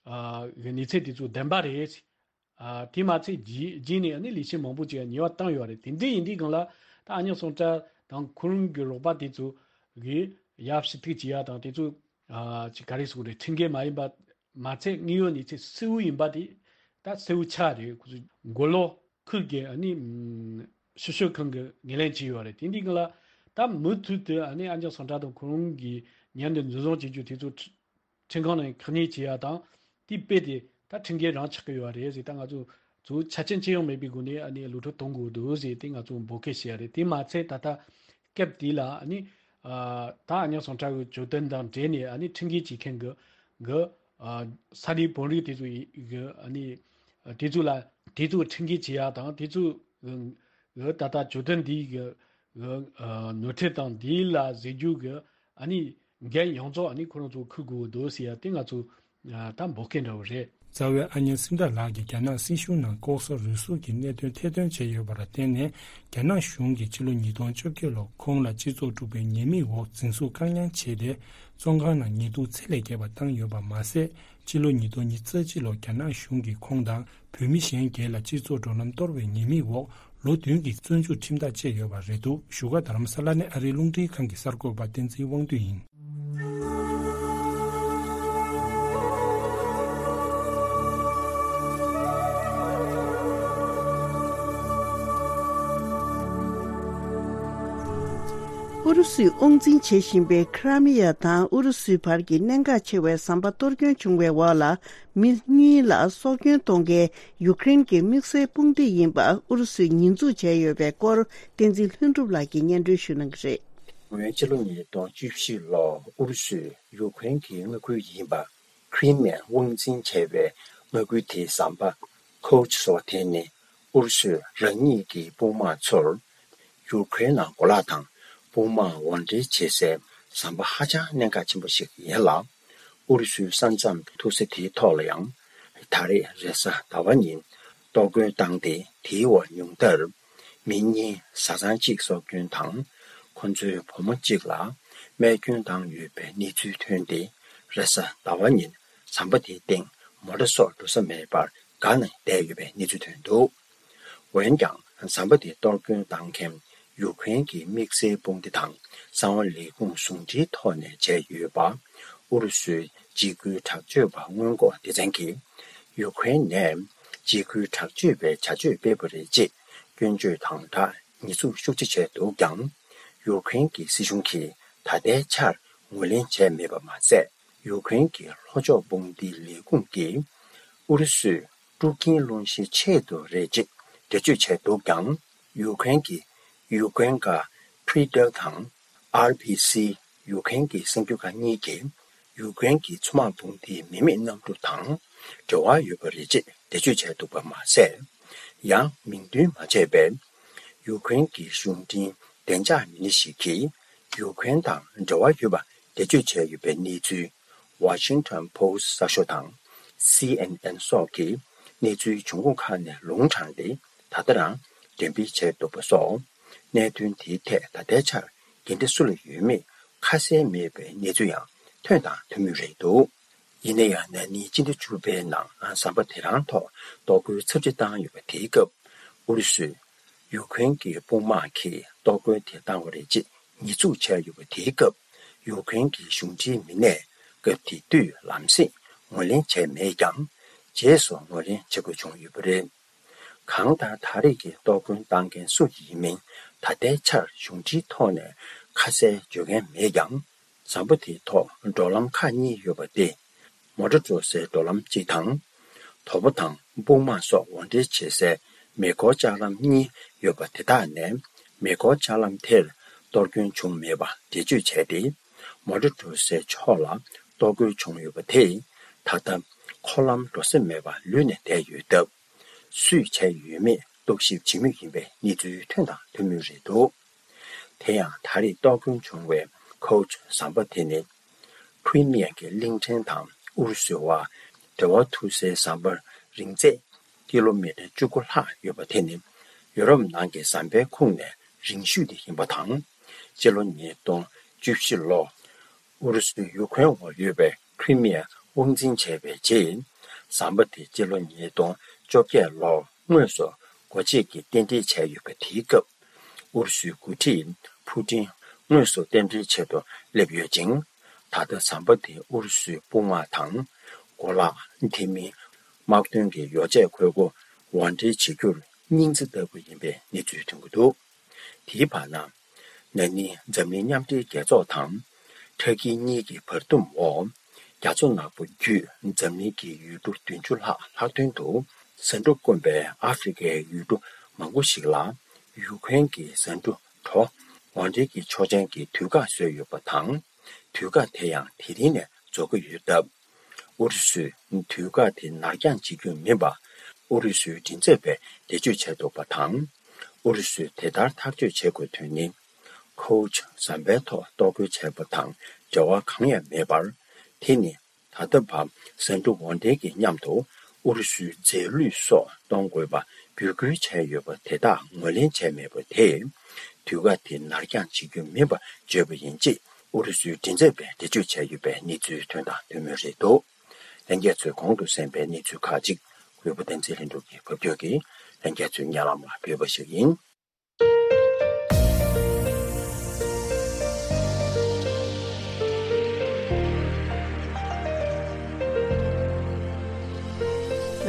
ཨ་གི་གནས་ཚུལ་དེ་ཚོ་བདེན་པ་རེད། ཨ་དེ་མ་ཚད་རྗེས་རྗེས་ནས་ཨ་ནི་ལས་བྱེད་མང་པོ་ཅིག་ཉེས་པ་བཏང་ཡོད་རེད། དེ་འདྲ་ཡིན་དུས་སྒང་ལ་ད་ཨ་ཉོག་སིན་ཏྲ་དང་ཁོ་རང་གི་རོགས་པ་དེ་ཚོ་གིས་ཡ་ཞུ་གཏུག་བྱེད་ཡ་དང་དེ་ཚོ་ཨ་ཅིག་ག་རེ་ཟེར་དགོས་རེད། ཁྲིམས་འགལ་མ་ཡིན་པ་མ་ཚད་དངོས་ཡོད་གནས་ཚུལ་གསལ་བོ་ཡིན་པ་དེ་ད་གསལ་བོ་ཆགས་རེད། ཁོ་ཚོ་མགོ་ལོག་ཁུལ་གྱི་ཨ་ནི་ཞིབ་དཔྱོད་ཁང་གིས་ངོས་ལེན་བྱས་ཡོད་རེད། དེ་འདྲའི་སྒང་ལ་ད་མུ་མཐུད་དུ་ཨ་ནི་ཨ་ཉོག་སིན་ཏྲ་དང་ཁོ་རང་གི་མཉམ་དུ་འཛིན་བཟུང་བྱེད་རྒྱུ་དེ་ཚོ་ཁྲི་ཁྲིམས་ཁང་ནས་ཁག་གཉེར་བྱེད་ཡ་དང་། དེ་དཔེ་དེ་ད་ཁྲིམས་འགལ་རང་ཆགས་ཀྱི་ཡོད་རེད་ཟེར། ད་ང་ཚོ་ཚོ་ཆ་རྐྱེན་ཅི་ཡང་མེད་པའི་སྒོ་ནས་ཨ་ནི་གློད་གྲོལ་གཏོང་དགོས་འདུག་ཟེར་དེ་ང་ཚོ་འབོད་སྐུལ་བྱས་རེད། དེ་མ་ཚད་ད་ལྟ་སྐབས་དེ་ལ་ཨ་ནི་ཨ་ད་ཨ་ཉོག་སིན་ཏྲ་གི་གྱོད་དོན་དང་འབྲེལ་ནས་ཨ་ནི་ཁྲིམས་འགལ་བྱེད་མཁན་གྱི་གི་ཨ་ས་གནས་དཔོན་རིགས་དེ་ཚོ་ཡི་གི་ཨ་ནི་དེ་ཚོ་ལ་དེ་ཚོ་ཁྲིམས་འགལ་བྱེད་ཡ་དང་། དེ་ཚོ་གི་ད་ལྟ་གྱོད་དོན་འདི་གི་གི་ནོར་འཁྲུལ་དང་འདི་ལ་གཟིགས་རྒྱུ་གི་ཨ་ནི་འགན་ཡོངས་རྫོགས་ཨ་ནི་ཁོ་རང་ཚོ་འཁུར་དགོས་འདུག་ཟེར་ཡ་དེ་ང་ཚོ་ད་འབོད་སྐུལ་འདྲ་བོ་རེད། རྩ་བའི་ཨ་ཉོག་སིན་ཏྲ་ལགས་ཀྱིས་རྒྱ་ནག་སྲིད་གཞུང་ནང་ལྐོག་ཟ་རུལ་སུངས་ཀྱི་གནད་དོན་ཐེར་འདོན་བྱས་ཡོད་པར་བརྟེན་ནས། རྒྱ་ནག་གཞུང་གིས་ཕྱི་ལོ་ཉིས་སྟོང་བཅོ་བརྒྱད་ལོར་ཁོང་ལ་སྤྱི་ཚོགས་དཀྲུག་པའི་ཉེས་མིང་འོག་འཛིན་བཟུང་བཀག་ཉར་བྱས་ཏེ། བཙོན་ཁང་ནང་ཉེས་རྡུང་ཚད་ལས་བརྒལ་བ་བཏང་ཡོད་པ་མ་ཟད། ཕྱི་ལོ་ཉིས་སྟོང་ཉི་ཤུ་རྩ་གཅིག་ལོར་རྒྱ་ནག་གཞུང་གིས་ཁོང་དང་བོད་མི་གཞན་བརྒྱད་ལ་སྤྱི་ཚོགས་འགྲོ་ལམ་གཏོར་བའི་ཉེས་མིང་འོག་ལོ་བདུན་གྱི་བཙོན་འཇུག་ཁྲིམས་ཐག་བཅད་ཡོད་པ་རེད་འདུག། བཞུགས་སྒར་རྡ་རམ་ས་ལ་ནས་ཨ་རིའི་རླུང་འཕྲིན་ཁང་གི་གསར་འགོད་པ་བསྟན་འཛིན་དབང་འདུས་ཡིན། ཨུ་རུ་སུས་དབང་འཛིན་བྱེད་བཞིན་པའི་ཁི་ར་མི་ཡ་དང་ཨུ་རུ་སུའི་བར་གྱི་གནད་འགག་ཆེ་བའི་ཟམ་པ་གཏོར་སྐྱོན་བྱུང་བའི་འོག་ལ། མི་གཉིས་ལ་སྲོག་སྐྱོན་གཏོང་མཁན་ཡུ་ཀེ་རེན་གྱི་དམིགས་བསལ་དཔུང་སྡེ་ཡིན་པ་ཨུ་རུ་སུས་ཉེས་འཛུགས་བྱས་ཡོད་པའི་སྐོར། བསྟན་འཛིན་ལྷུན་གྲུབ་ལགས་ཀྱིས་སྙན་སྒྲོན་ཞུ་གནང་གི་རེད། སྔོན་ཕྱི་ལོ་ཉིས་སྟོང་བཅུ་བཞི་ལོར་ཨུ་རུ་སུས་ཡུ་ཀེ་རེན་གྱི་མངའ་ཁུལ་ཡིན་པ་ཁི་རི་མི་ཡ་དབང་འཛིན་བྱས་པའི་མངའ་ཁུལ་དེའི་ཟམ་པ་ཁོ་ཆི་ཟེར་བ་དེ་ནི། ཨུ་རུ་སུས་རང་ཉིད་ཀྱི་དཔུང་དམག་ཚོར་ཡུ་ཀེ་རེན་ནང་གོ་ལག་དང་དཔུང་དམག་དབོར་འདྲེན་བྱེད་སའི་ཟམ་པ་ཧ་ཅང་གནད་འགག་ཆེན་པོ་ཞིག་ཡིན་ལ། ཨུ་རུ་སུའི་ས་མཚམས་ཐུག་ས་དེའི་ཐོག་ལ་ཡང་། ད་རེས་རེས་གཟའ་ཟླ་བ་ཉིན་གཏོར་རྒོལ་བཏང་སྟེ། དེའི་འོག་ཉུང་མཐར་མི་གཉིས་བཟའ་ཚང་གཅིག་སྲོག་སྐྱོན་དང་། ཁོ་ཚོའི་བུ་མོ་གཅིག་ལ་རྨས་སྐྱོན་བཏང་ཡོད་པའི་གནས་ཚུལ་ཐོན་ཏེ། རེས་གཟའ་ཟླ་བ་ཉིན་ཟམ་པ་དེའི་སྟེང་མོ་ཊ་སོགས་འགྲོ་ས་མེད་པར་འགག་ནས་བསྡད་ཡོད་པའི་གནས་ཚུལ་ཐོན་འདུག། འོན་ཀྱང་། ཟམ་པ་དེ་གཏོར་སྐྱོན་བཏང་མཁན་ཡུ་ཀེ་རེན་གྱི་དམིགས་བསལ་དཔུང་སྡེ་དང་གསང་བ་ལས་ཁུངས་ཟུང་འབྲེལ་ཐོག་ནས་བྱས་ཡོད་པ། ཨུ་རུ་སུའི་འཇིགས་སྐུལ་དྲག་སྤྱོད་པ་སྔོན་འགོག་སྡེ་ཚན་གྱིས། ཡུ་ཀེ་རེན་ནས་འཇིགས་སྐུལ་དྲག་སྤྱོད་པའི་བྱ་སྤྱོད་སྤེལ་བ་རེད་ཅེས་སྐྱོན་བརྗོད་དང་སྦྲགས་ཉེས་འཛུགས་ཤུགས་ཆེ་བྱས་འདུག་ཀྱང་། ཡུ་ཀེ་རེན་གྱི་སྲིད་གཞུང་གིས་ད་ལྟའི་ཆར་ངོས་ལེན་བྱས་མེད་པ་མ་ཟད། ཡུ་ཀེ་རེན་གྱི་ལྷོ་ཕྱོགས་དཔུང་སྡེའི་ལས་ཁུངས་ཀྱིས་ཨུ་རུ་སུས་དཀྲུག་རྐྱེན་སློང་གཞིའི་ཆེད་དུ་རེད་ཅེས་འགྲེལ་བརྗོད་བྱས་འདུག་ཀྱང་། ཡུ་ཀེ་རེན་གྱི་ཡུ་ཀེ་རེན་ག་ཕི་རི་ཏལ་དང་ཨར་བྷི་སི། ཡུ་ཀེ་རེན་གྱི་གསར་འགྱུར་ཁང་གཉིས་ཀྱིས་ཡུ་ཀེ་རེན་གྱི་མཚོ་དམག་དཔུང་སྡེའི་མི་མེད་གནམ་གྲུ་དང་འབྲེལ་བ་ཡོད་པ་རེད་ཅེས་འགྲེལ་བརྗོད་བྱས་འདུག་པ་མ་ཟད། ཡང་མིང་འདོན་མ་བྱས་པའི་ཡུ་ཀེ་རེན་གྱི་གཞུང་འབྲེལ་བདེ་འཇགས་མི་སྣ་ཞིག་གིས་ཡུ་ཀེ་རེན་དང་འབྲེལ་བ་ཡོད་པ་འགྲེལ་བརྗོད་བྱས་ཡོད་པའི་གནས་ཚུལ། Washington Post གསར་ཤོག་དང་། སི་ཨེན་ཨེན་སོགས་ཀྱིས་གནས་ཚུལ་འབྱུང་ཁུངས་ཁག་ནས་ལུང་དྲངས་ཏེ། ད་ལྟ་རང་འགྲེམས་སྤེལ་བྱས་འདུག་པ་སོགས། གནད་དོན་དེའི་ཐད་ད་ལྟའི་ཆར་འགན་འཁྲི་སུ་ལ་ཡོད་མེད་ཁ་གསལ་མེད་པའི་གནས་ཚུལ་ཡང་ཐོན་དང་ཐོན་མུས་རེད་འདུག། ཡིན་ན་ཡང་ན་ནིང་སྤྱི་ཟླ་བཅུ་པའི་ནང་ཟམ་པ་དེ་རང་ཐོག་གཏོར་རྒོལ་ཚབས་ཆེ་བཏང་ཡོད་པ་དེའི་སྐབས། ཨུ་རུ་སུས་ཡུ་ཁུ་རེན་གྱི་དཔུང་དམག་གིས་གཏོར་རྒོལ་དེ་བཏང་བ་རེད་ཅེས་ཉེས་འཛུགས་བྱས་ཡོད་པ་དེའི་སྐབས། ཡུ་ཁུ་རེན་གྱི་གཞུང་འབྲེལ་མི་སྣས་སྐབས་དེ་དུས་ལམ་སེང་ངོས་ལེན་བྱས་མེད་ཀྱང་། རྗེས་སུ་ངོས་ལེན་བྱེད་དགོས་བྱུང་ཡོད་པ་རེད། གང་ལྟར་ད་རེས་ཀྱི་གཏོར་རྒོལ་བཏང་མཁན་སུ་ཡིན་མིན་ད་ལྟའི་ཆར་གཞུང་འབྲེལ་ཐོག་ནས་ཁ་གསལ་བརྗོད་མཁན་མེད་ཀྱང་། ཟམ་པ་དེའི་ཐོག་འགྲོ་ལམ་ཁག་གཉིས་ཡོད་པ་སྟེ། མོ་ཊ་འགྲོ་སའི་འགྲོ་ལམ་གཅིག་དང་། དོ་པོ་དང་དཔུང་དམག་སོགས་འོར་འདྲེན་བྱེད་སའི་མེ་འཁོར་ལྕགས་ལམ་གཉིས་ཡོད་པ་དེ་དག་ནས། མེ་འཁོར་ལྕགས་ལམ་དེར་གཏོར་སྐྱོན་བྱུང་མེད་པ་འགྲེལ་བརྗོད་བྱས་ཏེ། མོ་ཊ་འགྲོ་སའི་ཕྱོགས་ལ་གཏོར་རྒོལ་བྱུང་ཡོད་པ་དེས། ད་ལྟ་འཁོར་ལམ་འགྲོ་ས་མེད་པར་ལུས་ནས་བསྡད་ཡོད་སྟབས། སུས་བྱས་ཡོད་མེད་རྟོག་ཞིབ་བྱེད་མུས་ཡིན་པའི་གནས་ཚུལ་ཐོན་དང་ཐོན་མུས་རེད་འདུག་དེ་ཡང་ད་རེས་གཏོར་སྐྱོན་བྱུང་བའི་ཁོའུ་ཆུ་ཟམ་པ་དེ་ནི། ཁི་རི་མི་ཡ་གི་གླིང་ཕྲན་དང་ཨུ་རུ་སུའི་བར་འབྲེལ་བ་མཐུད་སའི་ཟམ་པ་རིང་ཚད་ཀི་ལོ་མི་ཊར་བཅུ་དགུ་ལྷག་ཡོད་པ་དེ་ནི། ཡོ་རོབ་ནང་གི་ཟམ་པའི་ཁོངས་ནས་རིང་ཤོས་དེ་ཡིན་པ་དང་། སྤྱི་ལོ་ཉིས་སྟོང་བཅུ་བཞི་ལོར་ཨུ་རུ་སུས་ཡུ་ཁུ་རེན་འོག་ཡོད་པའི་ཁི་རི་མི་ཡ་དབང་འཛིན་བྱས་པའི་རྗེས། ཟམ་པ་དེ་སྤྱི་ལོ་ཉིས་སྟོང་བཅོ་བརྒྱད་ལོར་དངོས་སུ་སྒོ་འབྱེད་ཀྱིས་རྟེན་འབྲེལ་བྱས་ཡོད་པ་དེའི་སྐབས། ཨུ་རུ་སུའི་འགོ་ཁྲིད་ཕུ་ཏིན་དངོས་སུ་རྟེན་འབྲེལ་ཆེད་དུ་སླེབས་ཡོད་ཅིང་། ད་ལྟ་ཟམ་པ་དེ་ཨུ་རུ་སུའི་དཔུང་དམག་དང་། གོ་ལག་དེ་མིན་དམག་དོན་གྱི་ཡོ་བྱད་མཁོ་དགུ་འོར་འདྲེན་བྱེད་རྒྱུར་སྙིང་རྗེ་ལྟ་བུ་ཡིན་པའི་གནས་ཚུལ་ཐོན་གྱི་འདུག་དེའི་བར་ན། ན་ནིང་འཛམ་གླིང་མཉམ་འབྲེལ་རྒྱལ་ཚོགས་དང་། ཁྲ་ཀི་གཉིས་ཀྱི་བར་འདུམ་འོག་རྒྱ་མཚོ་ནག་པོ་བརྒྱུད་འཛམ་གླིང་གི་ཡུལ་གྲུ་བདུན་ཅུ་ལྷག་ལྷག་དོན་དུ། ཟ་འབྲུ་དཀོན་པའི་ཨ་ཧྥེ་རི་ཁའི་ཡུལ་གྲུ་མང་པོ་ཞིག་ལ། ཡུ་ཁུ་རེན་གྱི་ཟ་འབྲུ་གྲོ་འོར་འདྲེན་གྱི་ཆོག་མཆན་གྱི་དུས་བཀག་བཟོས་ཡོད་པ་དང་། དུས་བཀག་དེ་ཡང་དེ་རིང་ནས་རྫོགས་ཀྱི་ཡོད་སྟབས། ཨུ་རུ་སུས་དུས་བཀག་དེ་ནར་འགྱངས་བྱེད་རྒྱུ་མིན་པ། ཨུ་རུ་སུའི་མགྲིན་ཚབ་པས་འགྲེལ་བརྗོད་བྱས་འདུག་པ་དང་། ཨུ་རུ་སུས་དེ་ལྟར་ཐག་གཅོད་བྱེད་དགོས་དོན་ནི། ཁོའུ་ཆུ་ཟམ་པའི་ཐོག་གཏོར་རྒོལ་བྱས་པ་དང་འབྲེལ་བ་གང་ཡང་མེད་པར། དེ་ནི་ད་ལྟ་བར་ཟ་འབྲུ་འོར་འདྲེན་གྱི་མཉམ་དུ་ཨུ་རུ་སུའི་རྫས་ལུད་སོགས་གཏོང་དགོས་པ་འབོད་སྐུལ་བྱས་ཡོད་པ་དེ་དག་ངོས་ལེན་བྱས་མེད་པ་དེས། དུས་བཀག་དེ་ནར་འགྱངས་བྱེད་རྒྱུ་མིན་པ་བརྗོད་པ་ཡིན་ཅེས་ཨུ་རུ་སུའི་མགྲིན་ཚབ་པས་འགྲེལ་བརྗོད་བྱས་ཡོད་པའི་གནས་ཚུལ་ཐོན་དང་ཐོན་མུས་རེད་འདུག་ལྷན་རྒྱས་ཚོས་གོང་དུ་གསན་པའི་གནས་ཚུལ་ཁག་ཅིག་གུས་པ་བསྟན་འཛིན་ལྷུན་གྲུབ་ཀྱིས་ཕབ་སྒྱུར་གྱིས་ལྷན་རྒྱས་ཚོའི་སྙན་ལམ་ལ་ཕུལ་བ་ཞིག་ཡིན།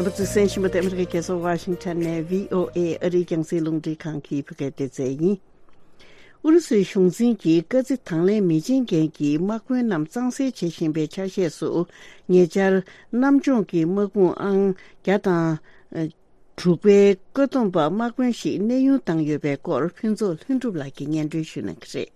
རྣམ་པ་ཚོས་གསན་བཞིན་པ་དེ་ཨ་མི་རི་ཀའི་རྒྱལ་ས་ཝ་ཤིང་ཊོན་ནས་བྷི་ཨོ་ཨེ་ཨ་རིའི་རྒྱང་སྲིང་རླུང་འཕྲིན་ཁང་གི་བོད་སྐད་སྡེ་ཚན་ཡིན། ཨུ་རུ་སུའི་གཞུང་འཛིན་གྱིས་བཀའ་རྩི་དང་ལེན་མི་བྱེད་མཁན་གྱི་དམག་དཔོན་རྣམས་གཙང་སེལ་བྱེད་བཞིན་པའི་ཆ་ཤས་སུ། ཉེ་ཆར་གནམ་བྱུང་གི་དམག་དཔུང་ཨང་བརྒྱ་དང་དྲུག་པའི་བཀོད་འདོམས་པ་དམག་དཔོན་ཞིག་གནས་དབྱུང་བཏང་ཡོད་པའི་སྐོར་ཕུན་ཚོགས་ལྷུན་གྲུབ་ལགས་ཀྱིས་སྙན་སྒྲོན་ཞུ་གནང་གི་རེད།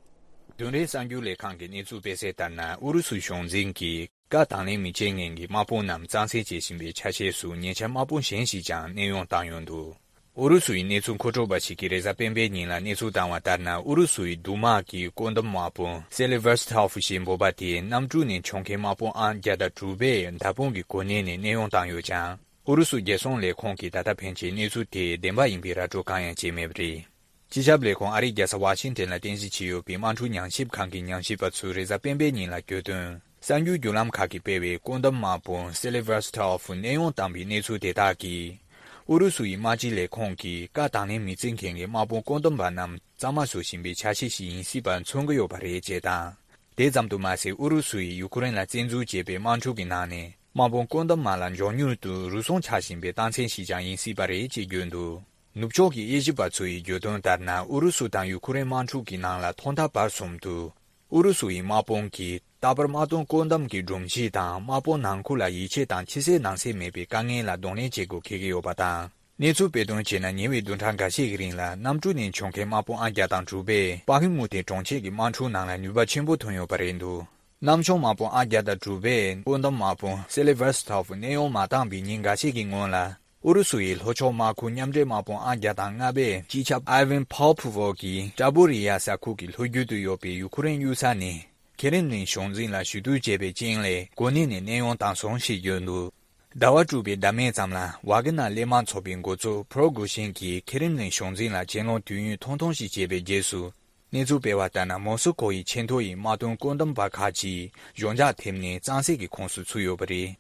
བདུན་རེའི་གསར་འགྱུར་ལས་ཁང་གིས་གནས་ཚུལ་སྤེལ་གསལ་ལྟར་ན། ཨུ་རུ་སུའི་གཞུང་འཛིན་གྱིས་བཀའ་དང་ལེན་མི་བྱེད་མཁན་གྱི་དམག་དཔུང་རྣམས་གཙང་སེལ་བྱེད་བཞིན་པའི་ཆ་ཤས་སུ་ཉེ་ཆར་དམག་དཔུང་གཞན་ཞིག་ཀྱང་གནས་དབྱུང་བཏང་ཡོད་འདུག་ཨུ་རུ་སུ་ཡི་གནས་ཚུལ་མཁོ་སྤྲོད་པ་ཞིག་གིས་རེས་གཟའ་སྤེན་པའི་ཉིན་ལ་གནས་ཚུལ་བཏང་བ་ལྟར་ན། ཨུ་རུ་སུ་ཡི་མདུང་དམག་གི་བཀོད་འདོམས་དམག་དཔོན་སེ་ལི་ཝར་སི་ཐོབ་ཞེས་འབོད་པ་དེས་གནམ་གྲུ་ནས་མཆོང་མཁན་དམག་དཔུང་ཨང་བརྒྱ་དང་དྲུག་པའི་མདའ་དཔུང་གི་གོ་གནས་ནས་གནས་དབྱུང་བཏང་ཡོད་ཀྱང་། ཨུ་རུ་སུ་རྒྱལ་སྲུང་ལས་ཁུངས་ཀྱིས་ད་ལྟ་ཕན་ཆད་གནས་ཚུལ་དེ་བདེན་པ་ཡིན་པའི་ར་སྤྲོད་གང་ཡང་བྱས་མེད་པ་རེད། སྤྱི་ཁྱབ་ལས་ཁུངས་ཨ་རིའི་རྒྱལ་ས་ཝ་ཤིང་ཏན་ལ་རྟེན་གཞི་བྱས་ཡོད་པའི་དམག་འཁྲུག་ཉམས་ཞིབ་ཁང་གི་ཉམས་ཞིབ་པ་ཚོས་རེས་གཟའ་སྤེན་པའི་ཉིན་ལ་བརྗོད་དོན། གསར་འགྱུར་བརྒྱུད་ལམ་ཁག་གིས་སྤེལ་བའི་བཀོད་འདོམས་དམག་དཔོན་སེ་ལི་ཝར་སི་ཐོབ་གནས་དབྱུང་བཏང་པའི་གནས་ཚུལ་དེ་དག་གིས། ཨུ་རུ་སུ་ཡི་དམག་སྤྱི་ལས་ཁུངས་ཀྱིས་བཀའ་དང་ལེན་མི་བྱེད་མཁན་གྱི་དམག་དཔུང་བཀོད་འདོམས་པ་རྣམས་གཙང་མ་བཟོ་བཞིན་པའི་ཆ་ཤས་ཤིག་ཡིན་སྲིད་པ་མཚོན་གྱི་ཡོད་པ་རེད་ཅེས་དང་། དེ་ཙམ་དུ་མ་ཟད། ཨུ་རུ་སུ་ཡིས་ཡུ་ཁུ་རེན་ལ་བཙན་འཛུལ་བྱས་པའི་དམག་འཁྲུག་གི་ནང་ནས། དམག་དཔུང་བཀོད་འདོམས་དམག་ལ་མགྱོགས་མྱུར་དུ་རུལ་སུངས་ཆགས་བཞིན་པའི་རྟགས་མཚན་ཞིག་ཀྱང་ཡིན་སྲིད་པ་རེད་ཅེས་བརྗོད་འདུག་ནུབ་ཕྱོགས་ཀྱི་དབྱེ་ཞིབ་པ་ཚོ་ཡིས་བརྗོད་དོན་ལྟར་ན། ཨུ་རུ་སུ་དང་ཡུ་ཁུ་རེན་དམག་འཁྲུག་གི་ནང་ལ་ཐོག་མཐའ་བར་གསུམ་དུ། ཨུ་རུ་སུ་ཡི་དམག་དཔུང་གིས་རྟག་པར་དམག་དོན་བཀོད་འདོམས་ཀྱི་སྒྲོམ་གཞི་དང་དམག་དཔུང་ནང་ཁུལ་ལ་ཡིད་ཆེས་དང་ཕྱི་གསལ་ནང་གསལ་མེད་པའི་དཀའ་ངལ་ལ་གདོང་ལེན་བྱེད་དགོས་འཁེལ་གྱི་ཡོད་པ་དང་། གནས་ཚུལ་སྤེལ་དོན་བྱས་ན། ཉེ་བའི་བདུན་ཕྲག་འགའ་ཤས་ཀྱི་རིང་ལ་གནམ་གྲུ་ནས་མཆོང་མཁན་དམག་དཔུང་ཨང་བརྒྱ་དང་དྲུག་པས་པ་ཧི་མུ་ཏེ་གྲོང་ཁྱེར་གྱི་དམག་འཁྲུག་ནང་ལ་ནུས་པ་ཆེན་པོ་ཐོན་ཡོད་པ་རེད་འདུག་གནམ་མཆོང་དམག་དཔུང་ཨང་བརྒྱ་དང་དྲུག་པས་བཀོད་འདོམས་དམག་དཔུང་སེ་ལི་ཝར་སི་ཐོབ་གནས་དབྱུང་མ་བཏང་བའི་ཉིན་འགའ་ཤས་ཀྱི་སྔོན་ལ། ཨུ་རུ་སུ་ཡི་ལྷོ་ཕྱོགས་དམག་ཁུལ་མཉམ་འབྲེལ་དམག་དཔུང་ཨང་བརྒྱ་དང་ལྔ་པས་སྤྱི་ཁྱབ་ཨའི་ཝན་ཕོ་པོ་ཝོ་གིས་ཀྲ་པོ་རི་ཡ་ས་ཁུལ་གྱི་ལྷོ་རྒྱུད་དུ་ཡོད་པའི་ཡུ་ཁུ་རེན་གཡུལ་ས་ནས་ཁེ་རེམ་ལིན་གཞུང་འཛིན་ལ་ཞུ་གཏུག་བྱས་པའི་རྐྱེན་ལས་གོ་གནས་ནས་གནས་དབྱུང་བཏང་སོང་ཞེས་བརྗོད་འདུག་ཟླ་བ་དྲུག་པའི་ཟླ་མའི་མཚམས་ལ་ཝ་གི་ནར་གླས་དམག་ཚོགས་པའི་འགོ་གཙོ་ཕྲོ་གུ་ཤིན་གྱིས་ཁེ་རེམ་ལིན་གཞུང་འཛིན་ལ་གྱེན་ལོག་དུས་ཡུན་ཐུང་ཐུང་ཞིག་བྱས་པའི་རྗེས་སུ། གནས་ཚུལ་སྤེལ་བ་ལྟར་ན། མོ་སི་ཀོ་ཡི་ཆེས་མཐོ་ཡི་དམག་དོན་བཀོད་འདོམས་པ་ཁག་ཅིག་གཞུང་འཇགས་ཐེབས་ནས་གཙང་སེལ་གྱི་ཁོངས་སུ་ཚུད་ཡོད་པ་རེད།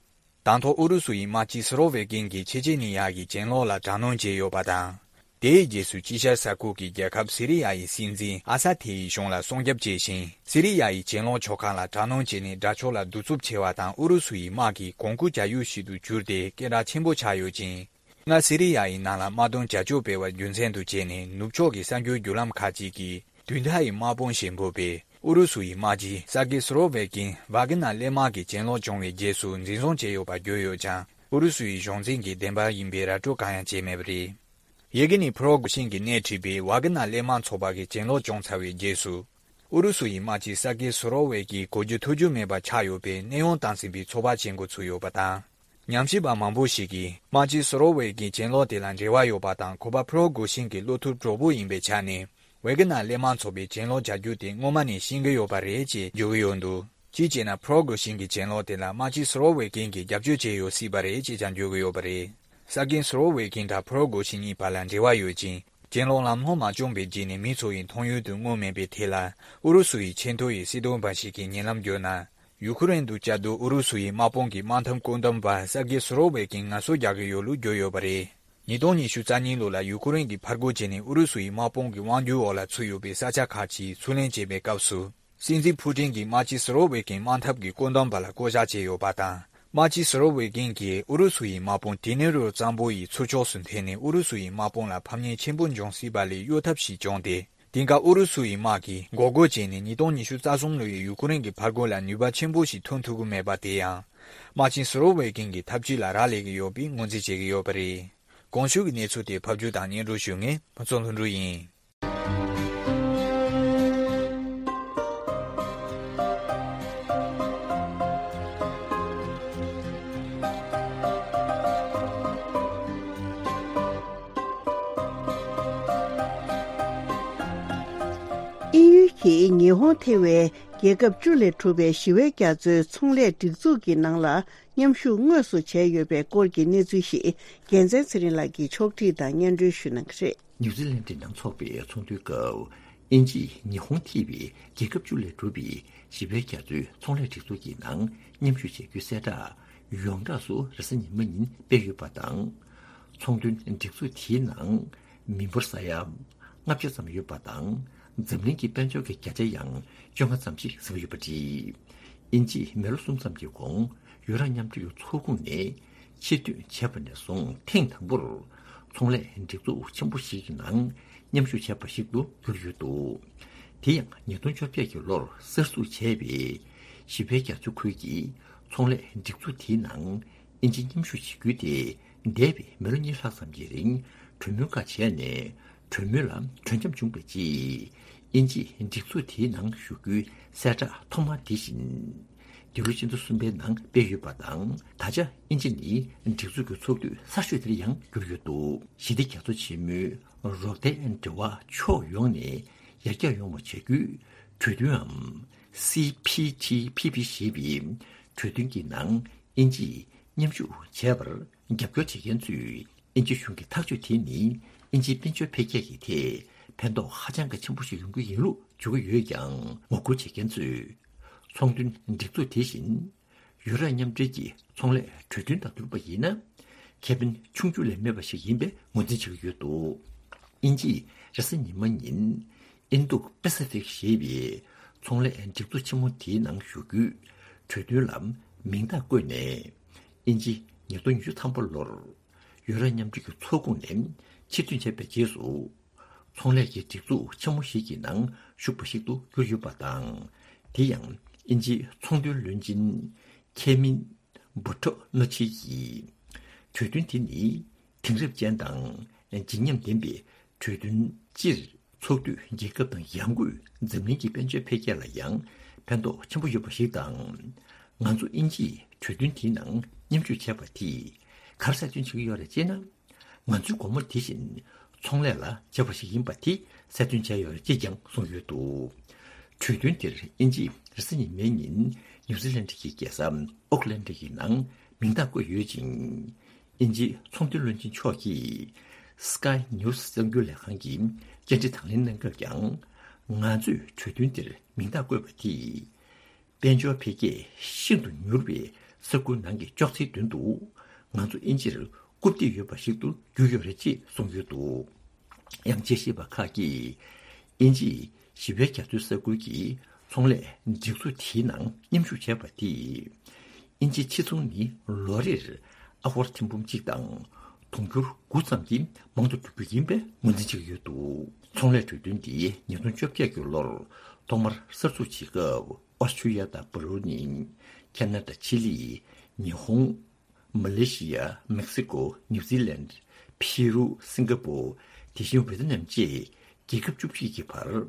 དང་ཐོག་ཨུ་རུ་སུ་ཡི་དམག་སྤྱི་སུ་རོ་ཝེ་ཀིན་གྱིས་ཆེ་ཆེ་ནི་ཡ་ཡི་གྱེན་ལོག་ལ་དྲག་གནོན་བྱས་ཡོད་པ་དང་། དེའི་རྗེས་སུ་དཀྱིལ་ཤར་ས་ཁུལ་གྱི་རྒྱལ་ཁབ་སི་རི་ཡ་ཡི་སྲིད་འཛིན་ཨ་ས་ཐེ་ཡི་གཞུང་ལ་སྲུང་སྐྱོབ་བྱས་ཤིང་། སི་རི་ཡ་ཡི་གྱེན་ལོག་ཕྱོགས་ཁག་ལ་དྲག་གནོན་བྱས་ནས་དགྲ་ཕྱོགས་ལ་གདུག་རྩུབ་ཆེ་བ་དང་། ཨུ་རུ་སུ་ཡི་དམག་གི་གོང་བཀུར་བྱ་ཡུལ་ཞིག་ཏུ་གྱུར་ཏེ་སྐད་གྲགས་ཆེན་པོ་ཆགས་ཡོད་ཅིང་། སྔར་སི་རི་ཡ་ཡི་ནང་ལ་དམག་དོན་བྱ་སྤྱོད་སྤེལ་བ་རྒྱུ་མཚན་དུ་བྱས་ནས། ནུབ་ཕྱོགས་ཀྱི་གསར་འགྱུར་བརྒྱུད་ལམ་ཁག་ཅིག་གིས་དུས་མཐའ་ཡི་དམག་དཔུང་ཞེས་འབོད་པའི་ཨུ་རུ་སུ་ཡི་དམག་སྤྱི་ས་ཀི་སུ་རོ་ཝེ་ཀིན་ཝཱ་གི་ནར་གླས་དམག་གི་གྱེན་ལོག་བྱུང་བའི་རྗེས་སུ་འཛིན་བཟུང་བྱས་ཡོད་པ་བརྗོད་ཡོད་ཀྱང་། ཨུ་རུ་སུ་ཡི་གཞུང་འཛིན་གྱིས་བདེན་པ་ཡིན་པའི་ར་སྤྲོད་གང་ཡང་བྱས་མེད་པ་རེད། ཡེ་གེ་ནི་ཕྲོ་གོ་ཤིན་གྱིས་སྣེ་ཁྲིད་པའི་ཝཱ་གི་ནར་གླས་དམག་ཚོགས་པ་གི་གྱེན་ལོག་བྱུང་ཚར་བའི་རྗེས་སུ། ཨུ་རུ་སུ་ཡི་དམག་སྤྱི་ས་ཀི་སུ་རོ་ཝེ་ཀིན་གོ་རྒྱུ་ཐོས་རྒྱུ་མེད་པ་ཆགས་ཡོད་པའི་གནས་དབྱུང་དང་ཟིན་པའི་ཚོགས་པ་བྱེད་འགོ་ཚུགས་ཡོད་པ་དང་། ཉམས་ཞིབ་པ་མང་པོ་ཞིག་གིས་དམག་སྤྱི་སུ་རོ་ཝེ་ཀིན་གྱེན་ལོག་དེ་ལ་འབྲེལ་བ་ཡོད་པ་དང་། ཁོ་པ་ཕྲོ་གོ་ཤིན་གྱི་བློ་ཐུབ་གྲོགས་པོ་ཡིན་པའི་ཆ་ནས། ཝེ་གི་ནར་གླས་དམག་ཚོགས་པའི་གྱེན་ལོག་བྱ་རྒྱུ་དེ་སྔོན་མ་ནས་ཤེས་ཀྱི་ཡོད་པ་རེད་ཅེས་བརྗོད་ཀྱི་ཡོད་འདུག་གཅིག་བྱས་ན། ཕྲོ་གོ་ཤིན་གྱི་གྱེན་ལོག་དེ་ལ་དམག་སྤྱི་སུ་རོ་ཝེ་ཀིན་གྱིས་རྒྱབ་སྐྱོར་བྱས་ཡོད་སྲིད་པ་རེད་ཅེས་ཀྱང་བརྗོད་ཀྱི་ཡོད་པ་རེད། ས་ཀི་སུ་རོ་ཝེ་ཀིན་དང་ཕྲོ་གོ་ཤིན་གཉིས་བར་ལ་འབྲེལ་བ་ཡོད་ཅིང་། གྱེན་ལོག་ལམ་ལྷོང་མ་བྱུང་བའི་རྗེས་ནས་མི་ཚོ་ཡི་མཐོང་ཡུལ་དུ་མངོན་མེད་པའི་ཐད་ལ། ཨུ་རུ་སུ་ཡི་ཆེས་མཐོ་ཡི་སྲིད་དོན་པ་ཞིག་གིས་ཉེ་ལམ་བརྗོད་ན། ཡུ་ཁུ་རེན་དུ་བཅའ་སྡོད་ཨུ་རུ་སུ་ཡི་དམག་དཔུང་གི་དམག་འཐབ་བཀོད་འདོམས་པ་ས་ཀི་སུ་རོ་ཝེ་ཀིན་ངལ་གསོ་རྒྱག་གི་ཡོད་ལུགས་བརྗོད་ཡོད་པ་རེད། ཉིས་སྟོང་ཉི་ཤུ་རྩ་གཉིས་ལོ་ལ་ཡུ་ཁུ་རེན་གྱིས་ཕར་རྒོལ་བྱས་ནས་ཨུ་རུ་སུ་ཡི་དམག་དཔུང་གི་དབང་སྒྱུར་འོག་ལ་ཚུད་ཡོད་པའི་ས་ཆ་ཁག་ཅིག་ཚུར་ལེན་བྱེད་པའི་སྐབས་སུ། སྲིད་འཛིན་ཕུ་ཀྲིན་གྱིས་དམག་སྤྱི་སུ་རོ་ཝེ་ཀིན་དམག་འཐབ་ཀྱི་བཀོད་འདོམས་པ་ལ་བསྐོ་བཞག་བྱས་ཡོད་པ་དང་། དམག་སྤྱི་སུ་རོ་ཝེ་ཀིན་གྱིས་ཨུ་རུ་སུ་ཡི་དམག་དཔུང་དེ་ནེ་རོ་གཙང་པོ་ཡི་ཚུར་ཕྱོགས་སུ་འཐེན་ནས། ཨུ་རུ་སུ་ཡི་དམག་དཔུང་ལ་ཕམ་ཉེས་ཆེན་པོ་འབྱུང་སྲིད་པ་ལས་གཡོལ་ཐབས་ཤིག་བྱུང་སྟེ། དེང་སྐབས་ཨུ་རུ་སུ་ཡི་དམག་གིས་འགོག་རྒོལ་བྱས་ནས་ཉིས་སྟོང་ཉི་ཤུ་རྩ་གསུམ་ལོ་ཡི་ཡུ་ཁུ་རེན་གྱི་ཕར་རྒོལ་ལ་ནུས་པ་ཆེན་པོ་ཞིག་ཐོན་ཐུབ་ཀྱི་མེད་པ་དེ་ཡང་། དམག་ཆེན་སུ་རོ་ཝེ་ཀིན་གྱི་ཐབས་ཇུས་ལ་རག་ལས་ཀྱི་ཡོད་པའི་ངོས་འཛིན་བྱེད་ཀྱི་ཡོད་པ་རེད། གོང་ཞུས་ཀྱི་གནས་ཚུལ་དེ་ཕབ་སྒྱུར་དང་སྙན་སྒྲོན་ཞུ་མཁན་ཕུན་ཚོགས་ལྷུན་གྲུབ་ཡིན། དབྱིན་ཡུལ་གྱིས་ཉི་ཧོང་ཐེ་བའི་རྒྱལ་ཁབ་བཅུ་ལས་གྲུབ་པའི་ཞི་བའི་རྒྱ་མཚོའི་ཚོང་ལས་སྒྲིག་འཛུགས་ཀྱི་ནང་ལ་མཉམ་ཞུགས་དངོས་སུ་བྱས་ཡོད་པའི་སྐོར་གྱི་གནས་ཚུལ་ཞིག་རྒྱལ་མཚན་ཚེ་རིང་ལགས་ཀྱིས་ཕྱོགས་སྒྲིག་དང་སྙན་སྒྲོན་ཞུ་གནང་གི་རེད། ནིའུ་ཛི་ལན་ཌི་ནང་འཚོགས་པའི་ཚོགས་འདུའི་སྐབས། དབྱིན་ཇིས་ཉི་ཧོང་ཐེ་བའི་རྒྱལ་ཁབ་བཅུ་ལས་གྲུབ་པའི་ཞི་བའི་རྒྱ་མཚོའི་ཚོང་ལས་སྒྲིག་འཛུགས་ཀྱི་ནང་མཉམ་ཞུགས་བྱ་རྒྱུའི་གསལ་བསྒྲགས་ཡོངས་གྲགས་སུ་རེས་གཟའ་ཉི་མ་ཉིན་སྤེལ་ཡོད་པ་དང་། ཚོང་དོན་སྒྲིག་འཛུགས་དེའི་ནང་མི་འབོར་ས་ཡ་ལྔ་བརྒྱ་ཙམ་ཡོད་པ་དང་། འཛམ་གླིང་གི་དཔལ་འབྱོར་གྱི་བརྒྱ་ཆ་ཡང་བཅོ་ལྔ་ཙམ་ཞིག་ཟིན་པ་ཡོད་པ་རེད། དབྱིན་ཇིས་མི་ལོ་གསུམ་ཙམ་གྱི་གོང་ཡུ་རོབ་མཉམ་འབྲེལ་གྱི་ཚོགས་ཁོངས་ནས་ཕྱིར་ཐོན་བྱས་པ་ནས་བཟུང་ཐེངས་དང་པོར་ཚོང་ལས་སྒྲིག་འཛུགས་ཆེན་པོ་ཞིག་གི་ནང་མཉམ་ཞུགས་བྱས་པ་ཞིག་ཏུ་གྱུར་ཡོད་འདུག་དེ་ཡང་ཉིས་སྟོང་བཅོ་བརྒྱད་ཀྱི་ལོར་གསར་འཛུགས་བྱས་པའི་ཞི་བའི་རྒྱ་མཚོ་ཁུལ་གྱི་ཚོང་ལས་སྒྲིག་འཛུགས་དེའི་ནང་དབྱིན་ཇི་མཉམ་ཞུགས་བྱེད་རྒྱུ་དེ་འདས་པའི་མི་ལོ་གཉིས་ལྷག་ཙམ་གྱི་རིང་གྲོས་མོལ་ཁག་བྱས་ནས། གྲོས་མོལ་ལ་གྲོས་འཆམ་བྱུང་བའི་རྗེས། དབྱིན་ཇིས་སྒྲིག་འཛུགས་དེའི་ནང་ཞུགས་རྒྱུའི་གསལ་བསྒྲགས་ཐོག་མ་དེ་བཞིན། འདི་ལོ་ཕྱི་ཟླ་གསུམ་པའི་ནང་སྤེལ་ཡོད་པ་དང་། ད་ཆ་དབྱིན་ཇི་ནི་སྒྲིག་འཛུགས་ཀྱི་ཚོགས་འཐུས་གསར་ཤོས་དེར་ཡང་གྱུར་ཡོད་འདུག་ཞི་བདེ་རྒྱ་མཚོ་ཆེན་མོའི་རོགས་ཟླའི་འབྲེལ་བ་ཕྱོགས་ཡོངས་ནས་ཡར་རྒྱས་ཡོང་བ་བྱ་རྒྱུའི་གྲོས་མཐུན་འམ། སི་པི་ཐི་པི་པི་ཞེས་པའི་གྲོས་མཐུན་གྱི་ནང་དབྱིན་ཇིས་མཉམ་ཞུགས་བྱས་པར་རྒྱབ་སྐྱོར་བྱེད་མཁན་ཚོས། དབྱིན་ཇིའི་གཞུང་གི་ཐག་གཅོད་དེ་ནི་དབྱིན་ཇིའི་དཔལ་འབྱོར་འཕེལ་རྒྱས་ཀྱི་ཐད་ཕན་ཐོགས་ཧ་ཅང་གི་ཆེན་པོ་ཞིག་ཡོང་གི་ཡིན་ལུགས་བརྗོད་ཀྱི་ཡོད་ཀྱང་། ངོ་རྒོལ་བྱེད་མཁན་ཚོས་ཚོང་དོན་སྒྲིག་འཛུགས་དེ་བཞིན་ཡུ་རོབ་མཉམ་འབྲེལ་གྱི་ཚོང་ལས་གྲོས་མཐུན་དང་བསྡུར་བ་ཡིན་ན། ཁེ་ཕན་ཆུང་ཆུང་ལས་མེད་པ་ཞིག་ཡིན་པའི་ངོས་འཛིན་བྱེད་ཀྱི་ཡོད་འདུག་དབྱིན་ཇིས་རེས་གཟའ་ཉི་མ་ཉིན་ཨིན་རྡུ་པེ་སི་ཕིག་ཞེས་པའི་ཚོང་ལས་སྒྲིག་འཛུགས་ཆེན་མོ་དེའི་ནང་ཞུགས་རྒྱུའི་གྲོས་མཐུན་ལ་མིང་རྟགས་བཀོད་ནས། དབྱིན་ཇི་ཉིས་སྟོང་ཉི་ཤུ་ཐམ་པ་ལོར་ཡུ་རོབ་མཉམ་འབྲེལ་གྱི་ཚོགས་ཁོངས་ནས་ཕྱིར་ཐོན་བྱས་པའི་རྗེས་སུ། ཚོང་ལས་ཀྱི་སྒྲིག་འཛུགས་ཆེན་མོ་ཞིག་གི་ནང་ཞུགས་པ་ཞིག་ཏུ་གྱུར་ཡོད་པ་དང་། དེ་ཡང་དབྱིན་ཇིའི་ཚོང་དོན་བློན་ཆེན་ཁེ་མིན་བུ་ཁྲོ་ནོ་ཆི་ཡིས། གྲོས་མཐུན་དེ་ནི་དེང་རབས་ཅན་དང་བརྗིད་ཉམས་ལྡན་པའི་གྲོས་མཐུན། སྤྱིར་ཚོགས་འཐུས་རྒྱལ་ཁབ་དང་ཡང་སྒོས་འཛམ་གླིང་གི་དཔལ་འབྱོར་འཕེལ་རྒྱས་ལ་ཡང་ཕན་ཐོགས་ཆེན་པོ་ཡོད་པ་ཞིག་དང་། ང་ཚོ་དབྱིན་ཇིས་གྲོས་མཐུན་དེའི་ནང་མཉམ་ཞུགས་བྱས་པ་དེས་ག་རེ་གསལ་སྟོན་བྱེད་ཀྱི་ཡོད་རེད་ཅེ་ན། ང་ཚོའི་སྒོ་མོ་དེ་བཞིན་ཚོང་ལས་ལ་བྱས་པ་ཞིག་ཡིན་པ་དེ་གསལ་སྟོན་བྱས་ཡོད་རེད་ཅེས་ཀྱང་གསུངས་ཡོད་འདུག་གྲོས་མཐུན་དེར་དབྱིན་ཇིས་རེས་གཟའ་ཉི་མའི་ཉིན་ནིའུ་ཛི་ལན་གྱི་རྒྱལ་ས་ཨོ་ཀི་ལན་ཌི་ཡི་ནང་མིང་རྟགས་བཀོད་ཡོད་ཅིང་། དབྱིན་ཇིའི་ཚོང་དོན་བློན་ཆེན་མཆོག་གིས་Sky News་གསར་འགྱུར་ལས་ཁང་གི་བཅར་འདྲི་དང་ལེན་གནང་སྐབས་ཀྱང་། ང་ཚོས་གྲོས་མཐུན་དེར་མིང་རྟགས་བཀོད་པ་དེས། དཔལ་འབྱོར་འཕེལ་རྒྱས་ཤིན་ཏུ་མྱུར་བའི་ས་ཁུལ་ནང་གི་ཅོག་ཙེའི་མདུན་དུ། ང་ཚོ་དབྱིན་ཇིར་རྐུབ་སྟེགས་ཡོད་པ་ཞིག་ཏུ་གྱུར་ཡོད་རེད་ཅེས་གསུངས་ཡོད་འདུག་ཡང་དཔྱད་ཞིབ་པ་ཁག་གིས། དབྱིན་ཇིའི་ཞི་བའི་རྒྱ་མཚོའི་ས་ཁུལ་གྱི་ཚོང་ལས་སྒྲིག་འཛུགས་དེའི་ནང་མཉམ་ཞུགས་བྱས་པ་དེས། དབྱིན་ཇིའི་ཕྱི་ཚོང་ནི་ལོ་རེར་ཨ་ཧོར་ཐེར་འབུམ་གཅིག་དང་དུང་ཕྱུར་དགུ་ཙམ་གྱིས་མང་དུ་འགྲོ་རྒྱུ་ཡིན་པའི་ངོས་འཛིན་བྱེད་ཀྱི་ཡོད་འདུག་ཚོང་ལས་གྲོས་མཐུན་འདི་ཉིས་སྟོང་བཅོ་བརྒྱད་ཀྱི་ལོར་ཐོག་མར་གསར་འཛུགས་བྱེད་སྐབས། ཨོ་སི་ཁྲུ་ལི་ཡ་དང་བྷ་རུ་ནི། ཁེ་ན་ཌ། ཆི་ལི། ཉི་ཧོང་། མ་ལེ་ཤི་ཡ། མེག་སི་ཀོ། ནིའུ་ཛི་ལན། ཕི་རུ། སིང་ག་པོ། དེ་བཞིན་ཝེ་ཏི་ནམ་བཅས་རྒྱལ་ཁབ་བཅུ་གཅིག་གི་བར་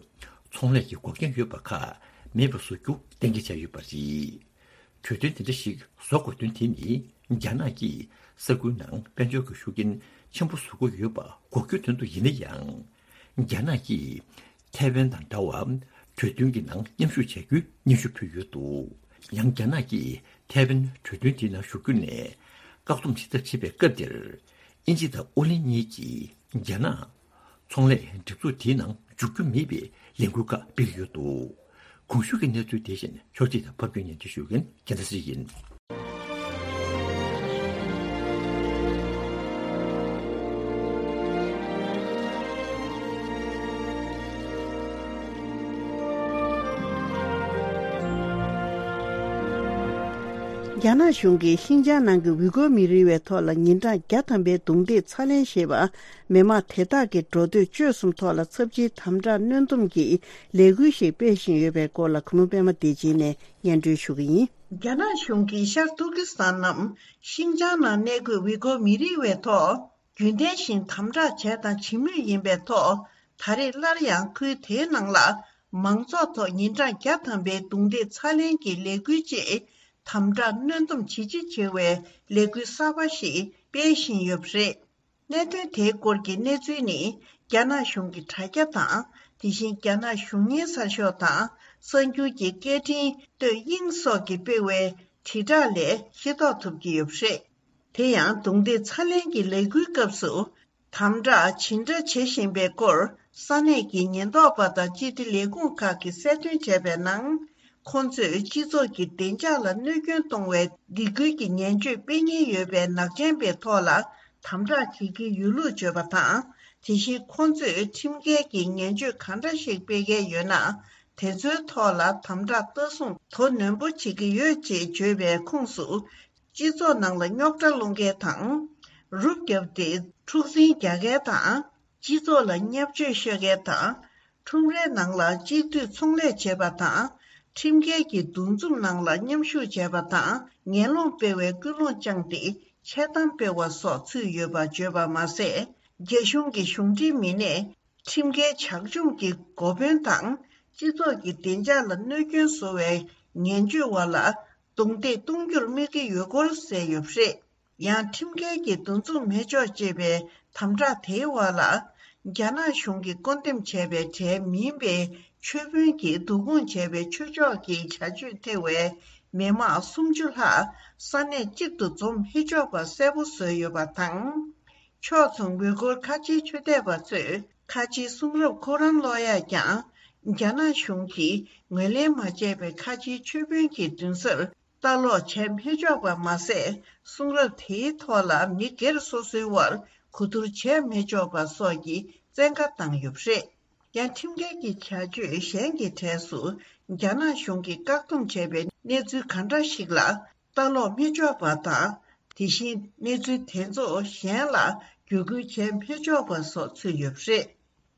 ཚོང་ལས་ཀྱི་འགོག་རྐྱེན་ཡོད་པ་ཁག་མེད་པ་བཟོ་རྒྱུ་གཏན་འཁེལ་བྱས་ཡོད་པ་རེད། གྲོས་མཐུན་དེ་འདྲ་ཞིག་བཟོ་དགོས་དོན་དེ་ནི། རྒྱ་ནག་གིས་ས་ཁུལ་ནང་དཔལ་འབྱོར་གྱི་ཤུགས་རྐྱེན་ཆེན་པོ་བཟོ་གི་ཡོད་པ་འགོག་རྒྱུའི་དོན་དུ་ཡིན་ན་ཡང་། རྒྱ་ནག་གིས་ཐའེ་ཝན་དང་འདྲ་བར་གྲོས་མཐུན་གྱི་ནང་མཉམ་ཞུགས་བྱ་རྒྱུའི་སྙན་ཞུ་ཕུལ་ཡོད་འདུག་ཡང་རྒྱ་ནག་གིས་ཐའེ་ཝན་གྲོས་མཐུན་དེའི་ནང་ཞུགས་རྒྱུ་ནས་བཀག་སྡོམ་ཇི་ལྟར་བྱེད་པའི་སྐབས་དེར། དབྱིན་ཇི་དང་ཨོ་གླིང་གཉིས་ཀྱིས་རྒྱ་ནག་ཚོང་ལས་སྒྲིག་འཛུགས་དེའི་ནང་འཇུག་རྒྱུ་མེད་པའི་ལས་འགུལ་ཁག་སྤེལ་གྱི་ཡོད་འདུག་གོང་ཞུས་ཀྱི་གནས་ཚུལ་དེ་བཞིན་ཕྱོགས་སྒྲིག་དང་ཕབ་སྒྱུར་སྙན་སྒྲོན་ཞུ་མཁན་རྒྱལ་མཚན་སྲིད་ཡིན། རྒྱ་ནག་གཞུང་གིས་ཤིན་ཅང་ནང་གི་ཝི་གོ་མི་རིགས་བའི་ཐོག་ལ་ཉིན་གྲངས་བརྒྱ་ཐམ་པའི་རྡུང་རྡེག་ཚ་ལེན་ཞེས་པ། མི་མང་དེ་དག་གི་འགྲོ་སྡོད་སྤྱོད་གསུམ་ཐོག་ལ་ཚབས་ཆེའི་དམ་དྲག་གནོན་སྡོམ་གྱི་ལས་འགུལ་ཞིག་སྤེལ་བཞིན་ཡོད་པའི་སྐོར་ལ། གུས་མོ་པད་མ་བདེ་ཆེན་ནས་སྙན་སྒྲོན་ཞུ་གི་ཡིན། རྒྱ་ནག་གཞུང་གིས་ཤར་ཏུར་ཀི་སི་ཐན་ནམ་ཤིན་ཅང་ནང་གནས་འཁོད་ཝི་གོ་མི་རིགས་བའི་ཐོག་རྒྱུན་ལྡན་བཞིན་དམ་དྲག་བྱས་དང་བྱེད་མུས་ཡིན་པའི་ཐོག་ད་རེས་སླར་ཡང་ཁུལ་དེའི་ནང་ལ་མང་ཚོགས་ཐོག་ཉིན་གྲངས་བརྒྱ་ཐམ་པའི་རྡུང་རྡེག་ཚ་ལེན་གྱི་ལས་འགུལ་བཅས་དམ་དྲག་གནོན་སྡོམ་ཇེ་ཆེ་བྱེད་པའི་ལས་འགུལ་གསར་པ་ཞིག་སྤེལ་བཞིན་ཡོད་པ་རེད། གནད་དོན་དེའི་སྐོར་གྱི་གནས་ཚུལ་ནི། རྒྱ་ནག་གཞུང་གི་དྲ་རྒྱ་དང་། དེ་བཞིན་རྒྱ་ནག་གཞུང་གཉེར་གསར་ཤོག་དང་། གསར་འགྱུར་གྱི་སྐད་འཕྲིན་སྟོད་དབྱིངས་སོགས་ཀྱིས་སྤེལ་བའི་དྲིལ་བསྒྲགས་ལས་ཤེས་རྟོགས་ཐུབ་ཀྱི་ཡོད་པ་རེད། དེ་ཡང་རྡུང་རྡེག་ཚ་ལེན་གྱི་ལས་འགུལ་སྐབས་སུ། དམ་དྲག་ཇི་འདྲ་བྱེད་བཞིན་པའི་སྐོར། ས་གནས་ཀྱི་ཉེན་རྟོག་པ་དང་སྤྱི་བདེ་ལས་ཁུངས་ཁག་གིས་གསལ་སྟོན་བྱས་པའི་ནང་། ཁོང་ཚོས་སྤྱི་ཚོགས་ཀྱི་བདེ་འཇགས་ལ་གནོད་སྐྱོན་གཏོང་བའི་སྡིགས་སྐུལ་གྱི་ངན་བྱུས་སྤེལ་ཉེན་ཡོད་པའི་ནག་ཅན་པའི་ཐོག་ལ་དམ་དྲག་བྱེད་ཀྱི་ཡོད་ལུགས་བརྗོད་པ་དང་། དེ་བཞིན་ཁོང་ཚོས་ཁྲིམས་འགལ་གྱི་ངན་བྱུས་གང་འདྲ་ཞིག་སྤེལ་མཁན་ཡོད་ན། དེ་ཚོའི་ཐོག་ལ་དམ་དྲག་ལྟ་སྲུང་དོ་ནན་པོ་བྱེད་ཀྱི་ཡོད་ཅེས་བརྗོད་པའི་ཁོངས་སུ། སྤྱི་ཚོགས་ནང་ལ་རྙོག་དྲ་སློང་མཁན་དང་། རུབ་བརྒྱབ་སྟེ་འཁྲུག་འཛིང་རྒྱག་མཁན་དང་། སྤྱི་ཚོགས་ལ་བརྙས་བཅོས་ཤོད་མཁན་དང་། ཁྲོམ་རའི་ནང་ལ་གཅིག་སྡུད་ཚོང་ལས་བྱེད་པ་དང་། ཁྲིམས་འགལ་གྱི་འདུ་འཛོམས་ནང་ལ་མཉམ་ཞུགས་བྱས་པ་དང་། ངན་སློང་སྤེལ་བའི་ཀུན་སློང་བཅངས་ཏེ་འཆལ་གཏམ་སྤེལ་བ་སོགས་ཚུད་ཡོད་པ་བརྗོད་པ་མ་ཟད། རྒྱ་གཞུང་གི་གཞུང་འབྲེལ་མི་སྣས། ཁྲིམས་འགལ་ཇག་བཅོམ་གྱི་འགོ་དཔོན་དང་། སྤྱི་ཚོགས་ཀྱི་བདེ་འཇགས་ལ་གནོད་སྐྱོན་བཟོ་བའི་ངན་བྱུས་བ་ལ་རྡུང་རྡེག་གཏོང་རྒྱུར་དམིགས་ཀྱི་ཡོད་སྐོར་གསལ་ཡོད་པ་རེད། ཡང་ཁྲིམས་འགལ་གྱི་འདུ་འཛོམས་མི་ཆོག་ཅེས་པའི་དམ་དྲག་དེའི་འོག་ལ། རྒྱ་ནག་གཞུང་གིས་བསྐོ་འདེམས་བྱས་པའི་གྲས་མིན་པའི་ཆོས་དཔོན་གྱིས་བསྡུ་སྐོང་བྱས་པའི་ཆོས་ཕྱོགས་ཀྱི་བྱ་སྤྱོད་ཐེ་བའི་མི་མང་སུམ་ཅུ་ལྷག་ས་གནས་གཅིག་ཏུ་འཛོམས་མི་ཆོག་པ་གསལ་པོ་བཟོས་ཡོད་པ་དང་། ཕྱོགས་མཚུངས་ཝེ་གོར་ཁ་ཆེའི་ཆོས་དད་པ་ཚོས་ཁ་ཆེའི་གསུང་རབ་ཁོ་རང་ཀློག་ཡག་ཀྱང་། རྒྱ་ནག་གཞུང་གིས་ངོས་ལེན་མ་བྱས་པའི་ཁ་ཆེའི་ཆོས་དཔོན་གྱི་མདུན་སར་ལྟ་ཀློག་བྱས་མི་ཆོག་པ་མ་ཟད། གསུང་རབ་དེའི་ཐོག་ལ་མི་སྒེར་སོ་སོའི་དབར་གོ་བསྡུར་བྱས་མི་ཆོག་པ་སོགས་ཀྱི་བཙན་བཀའ་བཏང་ཡོད་པ་རེད། ཡང་ཁྲིམས་འགལ་གྱི་བྱ་སྤྱོད་གཞན་གྱི་གྲས་སུ། རྒྱ་ནག་གཞུང་གིས་བཀག་སྡོམ་བྱས་པའི་གནས་ཚུལ་གང་འདྲ་ཞིག་ལ། ལྟ་ཀློག་མི་ཆོག་པ་དང་། དེ་བཞིན་གནས་ཚུལ་དེ་ཚོ་གཞན་ལ་བརྒྱུད་སྐུལ་བྱས་མི་ཆོག་པ་སོགས་ཚུད་ཡོད་པ་རེད།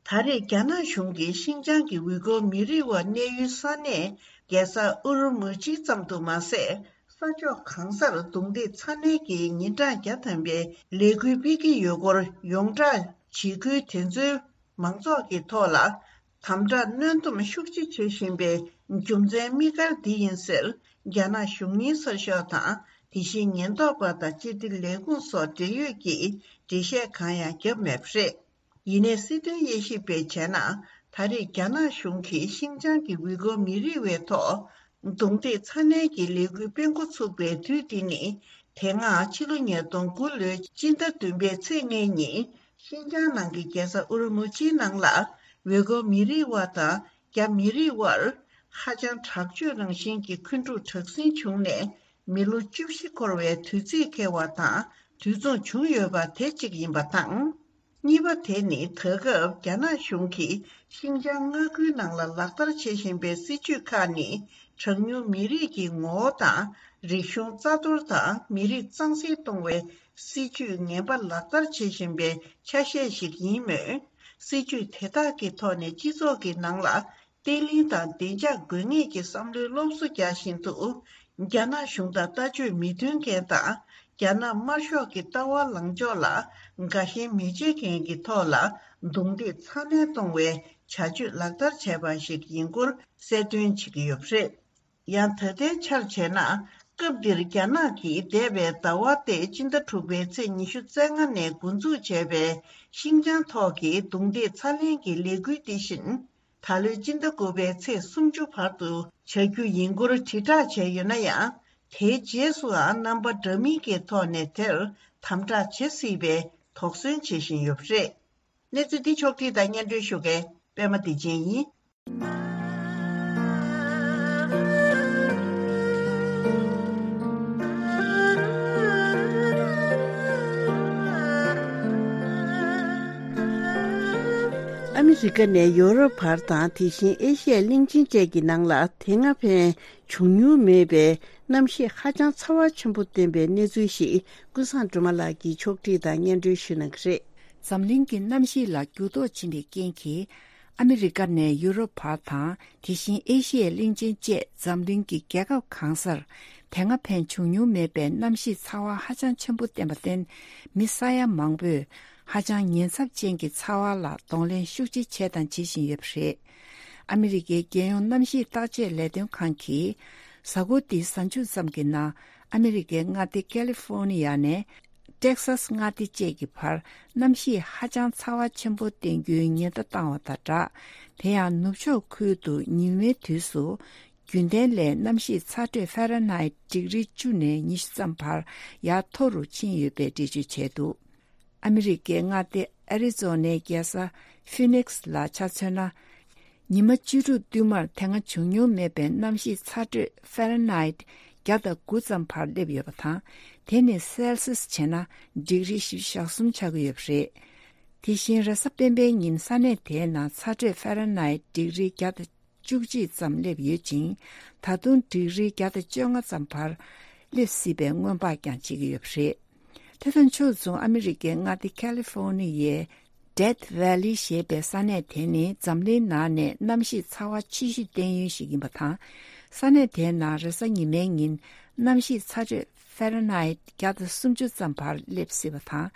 ད་རེས་རྒྱ་ནག་གཞུང་གིས་ཤིན་ཅང་གི་ཝི་གོ་མི་རིགས་བ་གནས་ཡུལ་ས་གནས་རྒྱལ་ས་ཨུ་རུ་མུ་ཅི་ཙམ་དུ་མ་ཟད། ས་ཕྱོགས་གང་སར་རྡུང་རྡེག་ཚ་ནན་གྱི་ཉིན་གྲངས་བརྒྱ་ཐམ་པའི་ལས་འགུལ་སྤེལ་གྱི་ཡོད་སྐོར་ཡོངས་གྲགས་བྱེད་ཁུལ་དེ་ཚོའི་མང་ཚོགས་ཀྱི་ཐོག་ལ། དམ་དྲག་གནོན་སྡོམ་ཤུགས་ཆེ་བྱེད་བཞིན་པའི་རྒྱུ་མཚན་དམིགས་བཀར་འདི་ཡིན་ཟེར། རྒྱ་ནག་གཞུང་གཉེར་གསར་ཤོག་དང་། དེ་བཞིན་ཉེན་རྟོག་པ་དང་སྤྱི་བདེ་ལས་ཁུངས་སོགས་འབྲེལ་ཡོད་ཀྱིས་འགྲེལ་བཤད་གང་ཡང་བརྒྱབ་མེད་པ་རེད། ཡིན་ནའི་སྲིད་དོན་དབྱེ་ཞིབ་པས་བྱས་ན། ད་རེས་རྒྱ་ནག་གཞུང་གིས་ཤིན་ཅང་གི་ཝི་གོ་མི་རིགས་བའི་ཐོག་རྡུང་རྡེག་ཚ་ནན་གྱི་ལས་འགུལ་སྤེལ་འགོ་ཚུགས་པའི་དུས་འདི་ནི། དེ་སྔ་ཕྱི་ལོ་ཉིས་སྟོང་དགུ་ལོའི་སྤྱི་ཟླ་བདུན་པའི་ཚེས་ལྔའི་ཉིན། ཤིན་ཅང་ནང་གི་རྒྱལ་ས་ཨུ་རུ་མུ་ཅིའི་ནང་ལ། ཝེ་གོ་མི་རིགས་བ་དང་ རྒྱ་མི་རིགས་དབར་ཧ་ཅང་དྲག་སྤྱོད་རང་བཞིན་གྱི་འཁོན་འཁྲུག་དྲག་ཟིང་བྱུང་ནས་མི་ལོ་བཅུ་བཞི་འཁོར་བའི་དུས་ཚིགས་འཁེལ་བ་དང་དུས་མཚུངས་བྱུང་ཡོད་པ་དེ་གཅིག་ཡིན་པ་དང་། གཉིས་པ་དེ་ནི་ད་སྐབས་རྒྱ་ནག་གཞུང་གིས་ཤིན་ཅང་མངའ་ཁུལ་ནང་ལ་ལག་བསྟར་བྱེད་བཞིན་པའི་སྲིད་ཇུས་ཁག་ནི་གྲངས་ཉུང་མི་རིགས་ཀྱི་ངོ་བོ་དང་རིག་གཞུང་རྩ་གཏོར་དང་མི་རིགས་གཙང་སེལ་གཏོང་བའི་སྲིད་ཇུས་ངན་པ་ལག་བསྟར་བྱེད་བཞིན་པའི་ཆ་ཤས་ཤིག་ཡིན་མོད། སྲིད་ཇུས་དེ་དག་གི་ཐོག་ནས་སྤྱི་ཚོགས་ཀྱི་ནང་ལ་བརྟན་ལྷིང་དང་བདེ་འཇགས་དགོས་ངེས་ཀྱི་བསམ་བློའི་སློབ་གསོ་རྒྱག་བཞིན་དུ། རྒྱ་ནག་གཞུང་དང་ལྟ་སྤྱོད་མི་མཐུན་མཁན་དང་། རྒྱ་ནག་དམར་ཤོག་གི་ལྟ་བ་ལངས་ཕྱོགས་ལ་དགའ་ཞེན་མི་བྱེད་མཁན་གྱི་ཐོག་ལ་རྡུང་རྡེག་ཚ་ནན་གཏོང་བའི་བྱ་སྤྱོད་ལག་བསྟར་བྱས་པ་ཞིག་ཡིན་སྐོར་གསལ་སྟོན་བྱེད་ཀྱི་ཡོད་པ་རེད། ཡང་ད་ལྟའི་ཆར་བྱས་ན། སྐབས་འདིར་རྒྱ་ནག་གིས་འདས་པའི་ཟླ་བ་སྟེ་སྤྱི་ཟླ་དྲུག་པའི་ཚེས་ཉི་ཤུ་རྩ་ལྔ་ནས་འགོ་འཛུགས་བྱས་པའི་ཤིན་ཅང་ཐོག་གི་རྡུང་རྡེག་ཚ་ལེན་གྱི་ལས་འགུལ་འདི་བཞིན། ད་ལོའི་སྤྱི་ཟླ་དགུ་པའི་ཚེས་སུམ་ཅུ་བར་དུ་བྱ་རྒྱུ་ཡིན་སྐོར་དྲིལ་བསྒྲགས་བྱས་ཡོད་ན་ཡང་། དེའི་རྗེས་སུའང་རྣམ་པ་འདྲ་མིན་གྱི་ཐོག་ནས་དེར་དམ་དྲག་བྱེད་སྲིད་པའི་དོགས་ཟོན་བྱེད་བཞིན་ཡོད་པ་རེད། གནས་ཚུལ་འདི་ཕྱོགས་བསྒྲིགས་དང་སྙན་སྒྲོན་ཞུ་མཁན་པད་མ་བདེ་ཆེན་ཡིན། ཨ་མི་རི་ཀ་ནས་ཡོ་རོབ་བར་དང་། དེ་བཞིན་ཨེ་ཤི་ཡའི་གླིང་ཆེན་བཅས་ཀྱི་ནང་ལ་དེ་སྔ་ཕན་བྱུང་མྱོང་མེད་པའི་གནམ་གཤིས་ཧ་ཅང་ཚ་བ་ཆེན་པོ་བསྟན་པའི་གནས་ཚུལ་ཞིག་ཀུན་བཟང་སྒྲོལ་མ་ལགས་ཀྱིས་ཕྱོགས་བསྒྲིགས་དང་སྙན་སྒྲོན་ཞུ་གནང་གི་རེད། འཛམ་གླིང་གི་གནམ་གཤིས་ལ་འགྱུར་ལྡོག་ཕྱིན་པའི་རྐྱེན་གྱིས། ཨ་མི་རི་ཀ་ནས་ཡུ་རོབ་བར་དང་། དེ་བཞིན་ཨེ་ཤི་ཡའི་གླིང་ཆེན་བཅས་འཛམ་གླིང་གི་རྒྱལ་ཁབ་གང་སར་དེ་སྔ་ཕན་བྱུང་མྱོང་མེད་པའི་གནམ་གཤིས་ཚ་བ་ཧ་ཅང་ཆེན་པོ་བསྟན་པར་བརྟེན། མི་ས་ཡ་མང་པོས་ཧ་ཅང་ཉེན་ཚབས་ཅན་གྱི་ཚ་བ་ལ་གདོང་ལེན་ཤུགས་ཆེ་བྱས་དང་བྱེད་བཞིན་ཡོད་པ་རེད། ཨ་མི་རི་ཀའི་རྒྱལ་ཡོངས་གནམ་གཤིས་བརྟག་དཔྱད་ལས་དོན་ཁང་གིས། གཟའ་འཁོར་འདིའི་གཟའ་མཇུག་ཙམ་གྱི་ནང་ཨ་མི་རི་ཀའི་མངའ་སྡེ་ཀ་ལི་ཧྥོ་ནི་ཡ་ནས། ཏེག་སཱས་མངའ་སྡེ་བཅས་ཀྱི་བར་གནམ་གཤིས་ཧ་ཅང་ཚ་བ་ཆེན་པོ་བསྟན་རྒྱུའི་ཉེན་བརྡ་བཏང་བ་དང་སྦྲགས། དེ་ཡང་ནུབ་ཕྱོགས་ཁུལ་དུ་ཉི་མའི་དུས་སུ་རྒྱུན་ལྡན་ལས་གནམ་གཤིས་ཚ་དྲོད་ཧྥ་རན་ཧའིཊ་ཌིག་རི་བཅུ་ནས་ཉི་ཤུ་ཙམ་བར་ཡར་མཐོ་རུ་ཕྱིན་ཡོད་པའི་འགྲེལ་བརྗོད་བྱས་འདུག་ཨ་མི་རི་ཀའི་མངའ་སྡེ་ཨ་རི་ཛོ་ནའི་རྒྱལ་ས་ཧྥི་ནིག་སི་ལ་ཆ་མཚོན་ན། ཉི་མ་བཅུ་དྲུག་བསྟུད་མར་དེ་སྔ་བྱུང་མྱོང་མེད་པའི་གནམ་གཤིས་ཚ་དྲོད་ཧྥ་རན་ཧའིཊ་བརྒྱ་དང་དགུ་ཙམ་བར་སླེབས་ཡོད་པ་དང་། དེ་ནི་སེལ་སིས་བྱས་ན་ཌིག་རི་བཞི་བཅུ་ཞེ་གསུམ་ཆགས་ཀྱི་ཡོད་པ་རེད། དེ་བཞིན་རེས་གཟའ་སྤེན་པའི་ཉིན་ས་གནས་དེའི་ནང་ཚ་དྲོད་ཧྥ་རན་ཧའིཊ་ཌིག་རི་བརྒྱ་དང་བཅུ་གཅིག་ཙམ་སླེབས་ཡོད་ཅིང་། ད་དུང་ཌིག་རི་བརྒྱ་དང་བཅོ་ལྔ་ཙམ་བར་སླེབས་སྲིད་པའི་སྔོན་དཔག་ཀྱང་བྱེད་ཀྱི་ཡོད་པ་རེད། དེ་དང་ཕྱོགས་མཚུངས་ཨ་མི་རི་ཀའི་མངའ་སྡེ་ཁ་ལི་ཧྥོ་ནི་ཡའི་ཌེཐ་ཝེ་ལི་ཞེས་པའི་ས་གནས་དེ་ནི་འཛམ་གླིང་ནང་ནས་གནམ་གཤིས་ཚ་བ་ཆེ་ཤོས་བསྟན་ཡུལ་ཞིག་ཡིན་པ་དང་། ས་གནས་དེའི་ནང་རེས་གཟའ་ཉི་མའི་ཉིན་གནམ་གཤིས་ཚ་དྲོད་ཧྥ་རན་ཧའིཊ་བརྒྱ་དང་སུམ་ཅུ་ཙམ་བར་སླེབས་སྲིད་པ་དང་།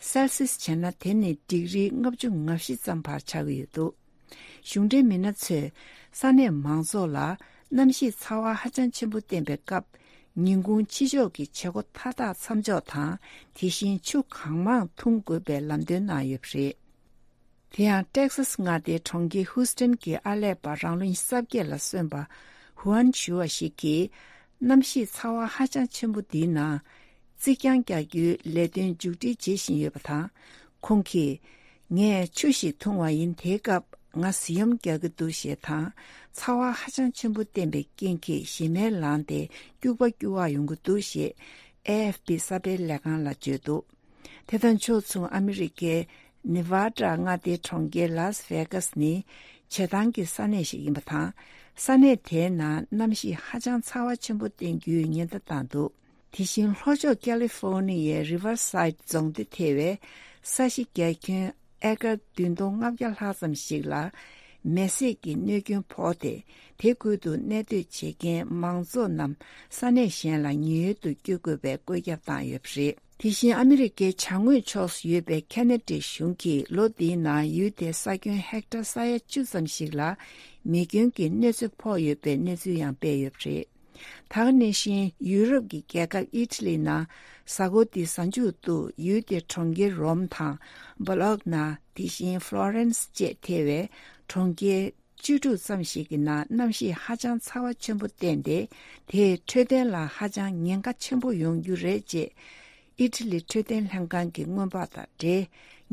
སེལ་སིས་བྱས་ན་དེ་ནི་ཌིག་རི་ལྔ་བཅུ་ང་བཞི་ཙམ་བར་ཆགས་ཀྱི་ཡོད་འདུག་གཞུང་འབྲེལ་མི་སྣ་ཚོས་ས་གནས་མང་ཚོགས་ལ་གནམ་གཤིས་ཚ་བ་ཧ་ཅང་ཆེན་པོ་བསྟན་པའི་སྐབས། ཉིན་གུང་ཕྱི་ཕྱོགས་ཀྱི་བྱེད་སྒོ་མཐའ་དག་མཚམས་འཇོག་དང་། དེ་བཞིན་ཆུ་གང་མང་འཐུང་དགོས་པའི་ལམ་སྟོན་གནང་ཡོད་པ་རེད། དེ་ཡང་ཏེག་སཱས་མངའ་སྡེའི་གྲོང་ཁྱེར་ཧུའུ་སྟན་གྱི་ཨར་ལས་པ་རང་ལོ་ཉི་ཤུ་རྩ་བརྒྱད་ལ་སོན་པ་ཧུའན་ཞུ་བ་ཞིག་གིས། གནམ་གཤིས་ཚ་བ་ཧ་ཅང་ཆེན་པོ་འདིའི་ནང་རྩིག་གྱང་རྒྱག་རྒྱུའི་ལས་དོན་མཇུག་སྒྲིལ་བྱེད་བཞིན་ཡོད་པ་དང་། ཁོང་གིས། ངས་ཆུ་ཞིག་འཐུང་བ་ཡིན། དེའི་སྐབས་ང་བཟི་ཡོམ་རྒྱག་གི་འདུག་ཞེས་དང་། ཚ་བ་ཧ་ཅང་ཆེན་པོ་བསྟན་པའི་རྐྱེན་གྱིས་ཞེ་མེར་ལངས་ཏེ་སྐྱུག་པ་སྐྱུག་པ་ཡོང་གི་འདུག་ཞེས་ཨེ་ཨེཕ་པི་གསར་སྤེལ་ལས་ཁང་ལ་བརྗོད་འདུག་དེ་དང་ཕྱོགས་མཚུངས་ཨ་མི་རི་ཀའི་ནེ་ཝ་ཌ་མངའ་སྡེའི་གྲོང་ཁྱེར་ལཱས་ཝེ་གཱས་ནི་བྱེ་ཐང་གི་ས་གནས་ཤིག་ཡིན་པ་དང་། ས་གནས་དེའི་ནང་གནམ་གཤིས་ཧ་ཅང་ཚ་བ་ཆེན་པོ་བསྟན་རྒྱུའི་ཉེན་བརྡ་བཏང་འདུག་དེ་བཞིན་ལྷོ་ཕྱོགས་ཀ་ལི་ཧྥོ་ནི་ཡའི་རི་ཝར་སའིད་རྫོང་སྡེ་ཐེ་བའི་ས་གཞི་རྒྱ་ཁྱོན་ཨེ་ཀར་བདུན་སྟོང་ལྔ་བརྒྱ་ལྷག་ཙམ་ཞིག་ལ་མེ་བསྲེགས་ཀྱི་གནོད་སྐྱོན་ཕོག་སྟེ། དེ་ཁུལ་དུ་གནས་སྡོད་བྱེད་མཁན་མང་ཚོགས་རྣམས་ས་གནས་གཞན་ལ་ཉེན་གཡོལ་དུ་བསྐྱོད་དགོས་པའི་བཀོད་ཁྱབ་བཏང་ཡོད་པ་རེད། དེ་བཞིན་ཨ་མི་རི་ཀའི་བྱང་ངོས་ཕྱོགས་སུ་ཡོད་པའི་ཁེ་ན་ཌའི་གཞུང་གིས་ལོ་འདིའི་ནང་ཡུལ་དེའི་ས་ཁྱོན་ཧེག་ཊར་ས་ཡ་བཅུ་ཙམ་ཞིག་ལ་མེ་སྐྱོན་གྱི་གནོད་འཚེ་ཕོག་ཡོད་པའི་གནས་ཚུལ་ཡང་སྤེལ་ཡོད་པ་རེད། ད་ག་ནང་བཞིན་ཡུ་རོབ་ཀྱི་རྒྱལ་ཁབ་ཨི་ཊ་ལི་ནང་གཟའ་འཁོར་འདིའི་གཟའ་མཇུག་ཏུ་ཡུལ་དེའི་གྲོང་ཁྱེར་རོམ་དང་། སྦོ་ལོག་ན། དེ་བཞིན་ཧྥ་ལོ་རེན་སི་བཅས་ཐེ་བའི་གྲོང་ཁྱེར་བཅུ་དྲུག་ཙམ་ཞིག་གི་ནང་གནམ་གཤིས་ཧ་ཅང་ཚ་བ་ཆེན་པོ་བསྟན་ཏེ། དེས་འཕྲོད་བསྟེན་ལ་ཧ་ཅང་ཉེན་ཁ་ཆེན་པོ་ཡོང་རྒྱུ་རེད་ཅེས། ཨི་ཊ་ལི་འཕྲོད་བསྟེན་ལྷན་ཁང་གི་སྔོན་དཔག་དང་འབྲེལ་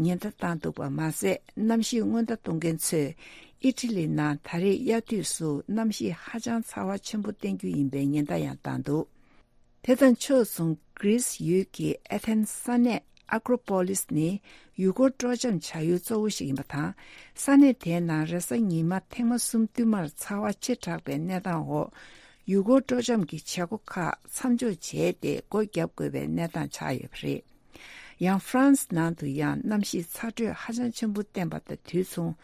ཉེན་བརྡ་བཏང་འདུག་པ་མ་ཟད། གནམ་གཤིས་སྔོན་བརྡ་གཏོང་མཁན་ཚོས་ ཨི་ཊ་ལི་ནང་ད་རེས་དབྱར་དུས་སུ་གནམ་གཤིས་ཧ་ཅང་ཚ་བ་ཆེན་པོ་བསྟན་རྒྱུ་ཡིན་པའི་ཉེན་བརྡ་ཡང་བཏང་འདུག་དེ་དང་ཕྱོགས་མཚུངས་གྷི་རིས་ཡུལ་གྱི་ཨེ་ཐེན་ས་གནས་ཨ་ཀྲོ་པོ་ལིས་ནི་ཡུལ་སྐོར་སྤྲོ་འཆམ་བྱ་ཡུལ་གཙོ་བོ་ཞིག་ཡིན་པ་དང་། ས་གནས་དེའི་ནང་རེས་གཟའ་ཉི་མ་ཐེངས་མ་གསུམ་བསྟུད་མར་ཚ་བ་ཆེ་དྲགས་པའི་གནས་སྟངས་འོག་ཡུལ་སྐོར་སྤྲོ་འཆམ་གྱི་བྱེད་སྒོ་ཁག་མཚམས་འཇོག་བྱས་ཏེ་སྒོ་བརྒྱབ་དགོས་པའི་གནས་སྟངས་ཆགས་ཡོད་པ་རེད། ཡང་ཧྥ་རན་སི་ནང་དུ་ཡང་གནམ་གཤིས་ཚ་དྲོད་ཧ་ཅང་ཆེན་པོ་བསྟན་པ་དང་དུས་མཚུངས།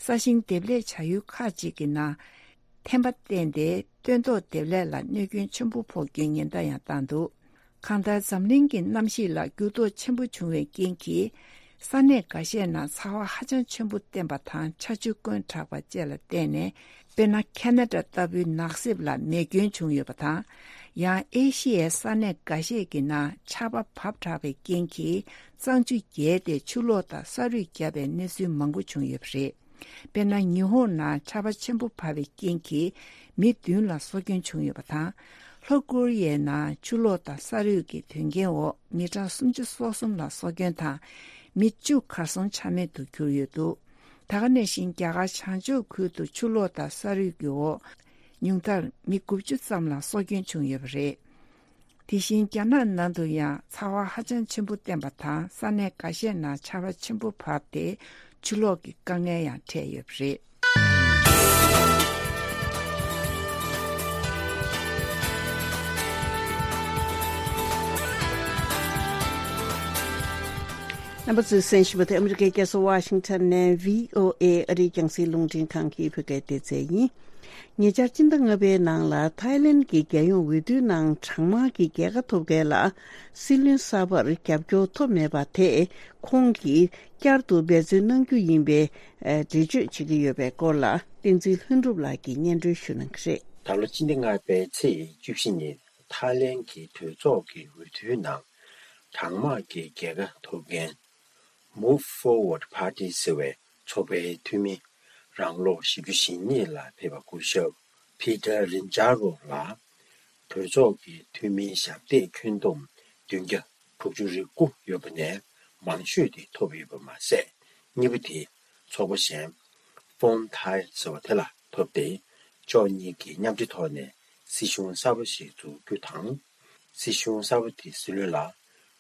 ས་ཞིང་འདེབས་ལས་བྱ་ཡུལ་ཁག་ཅིག་གི་ནང་ཐན་པ་བསྟན་ཏེ་སྟོན་ཐོག་འདེབས་ལས་ལ་གནོད་སྐྱོན་ཆེན་པོ་ཕོག་རྒྱུའི་ཉེན་བརྡ་ཡང་བཏང་འདུག་གང་ལྟར་འཛམ་གླིང་གི་གནམ་གཤིས་ལ་འགྱུར་ལྡོག་ཆེན་པོ་བྱུང་བའི་རྐྱེན་གྱིས། ས་གནས་འགའ་ཤས་ནང་ཚ་བ་ཧ་ཅང་ཆེན་པོ་བསྟན་པ་དང་ཆར་ཆུ་བསྐོན་དྲགས་པ་བཅས་ལ་བརྟེན་ནས། དཔེར་ན། ཁེ་ན་ཌ་ལྟ་བུའི་ནགས་གསེབ་ལ་མེ་སྐྱོན་བྱུང་ཡོད་པ་དང་། ཡང་ཨེ་ཤི་ཡའི་ས་གནས་འགའ་ཤས་ཀྱི་ནང་ཆར་པ་བབས་དྲགས་པའི་རྐྱེན་གྱིས། གཙང་ཆུ་རྒྱས་ཏེ་ཆུ་ལོག་དང་ས་རུད་བརྒྱབ་པའི་གནས་ཚུལ་མང་པོ་བྱུང་ཡོད་པ་རེད། དཔེར་ན། ཉི་ཧོང་ནང་ཆར་པ་ཆེན་པོ་བབས་པའི་རྐྱེན་གྱིས་མི་བདུན་ལ་སྲོག་སྐྱོན་བྱུང་ཡོད་པ་དང་། ལྷོ་ཀོ་རི་ཡའི་ནང་ཆུ་ལོག་དང་ས་རུད་ཀྱི་དོན་རྐྱེན་འོག་མི་གྲངས་སུམ་ཅུ་སོ་གསུམ་ལ་སྲོག་སྐྱོན་དང་། མི་བཅུ་གར་སོང་ཆ་མེད་དུ་གྱུར་ཡོད་འདུག་ད་ག་ནང་བཞིན་རྒྱ་གར་བྱང་ཕྱོགས་ཁུལ་དུ་ཆུ་ལོག་དང་ས་རུད་ཀྱི་འོག་ཉུང་མཐར་མི་དགུ་བཅུ་ཙམ་ལ་སྲོག་སྐྱོན་བྱུང་ཡོད་པ་རེད། དེ་བཞིན་རྒྱ་ནག་ནང་དུ་ཡང་ཚ་བ་ཧ་ཅང་ཆེན་པོ་བསྟན་པ་དང་ས་གནས་འགའ་ཤས་ནང་ཆར་པ་ཆེན་པོ་བབས་ཏེ་ཆུ་ལོག་གི་དཀའ་ངལ་ཡང་འཕྲད་ཡོད་པ་རེད། རྣམ་པ་ཚོས་གསན་བཞིན་པ་དེ་ཨ་མི་རི་ཀའི་རྒྱལ་ས་ཝ་ཤིང་ཊོན་ནས་བྷི་ཨོ་ཨེ་ཨ་རིའི་རྒྱང་སྲིང་རླུང་འཕྲིན་ཁང་གི་བོད་སྐད་སྡེ་ཚན་ཡིན། ཉེ་ཆར་སྤྱི་ཟླ་ལྔ་པའི་ནང་ལ་ཐའི་ལེན་གྱི་རྒྱལ་ཡོངས་འོས་བསྡུའི་ནང་གྲངས་མང་གི་རྒྱལ་ཁ་ཐོབ་མཁན་ལ་སྲིད་བློན་གསར་པར་རྒྱབ་སྐྱོར་ཐོབ་མེད་པ་དེས་ཁོང་གིས་བསྐྱར་དུ་འབད་བརྩོན་གནང་རྒྱུ་ཡིན་པའི་འགྲེལ་བརྗོད་བྱེད་ཀྱི་ཡོད་པའི་སྐོར་ལ་བསྟན་འཛིན་ལྷུན་གྲུབ་ལགས་ཀྱིས་སྙན་སྒྲོན་ཞུ་གནང་གི་རེད། ད་ལོ་སྤྱི་ཟླ་ལྔ་པའི་ཚེས་བཅུ་བཞི་ཉིན་ཐའི་ལེན་གྱི་གྲོས་ཚོགས་ཀྱི་འོས་བསྡུའི་ནང་གྲངས་མང་གི་རྒྱལ་ཁ་ཐོབ་མཁན། Move Forward Party ཟེར་བའི་ཚོགས་པའི་འཐུས་མི་རང་ལོ་བཞི་བཅུ་ཞེ་གཉིས་ལ་ཕེབས་པ་སྐུ་ཞབས་Peter Rinjaro ལགས་གྲོས་ཚོགས་ཀྱི་འཐུས་མིའི་ཞབས་སྟེགས་ཁྱོན་བསྡོམས་བདུན་བརྒྱ་དྲུག་ཅུ་རེ་དགུ་ཡོད་པ་ནས་མང་ཤོས་དེ་ཐོབ་ཡོད་པ་མ་ཟད། གཉིས་པ་དེ་ཚོགས་པ་གཞན་Phone Thae ཟེར་བ་དེ་ལ་ཐོབ་སྟེ། ཕྱོགས་གཉིས་ཀྱིས་མཉམ་འབྲེལ་ཐོག་ནས་སྲིད་གཞུང་གསར་པ་ཞིག་འཛུགས་རྒྱུ་དང་། སྲིད་གཞུང་གསར་པ་དེའི་སྲིད་བློན་ལ་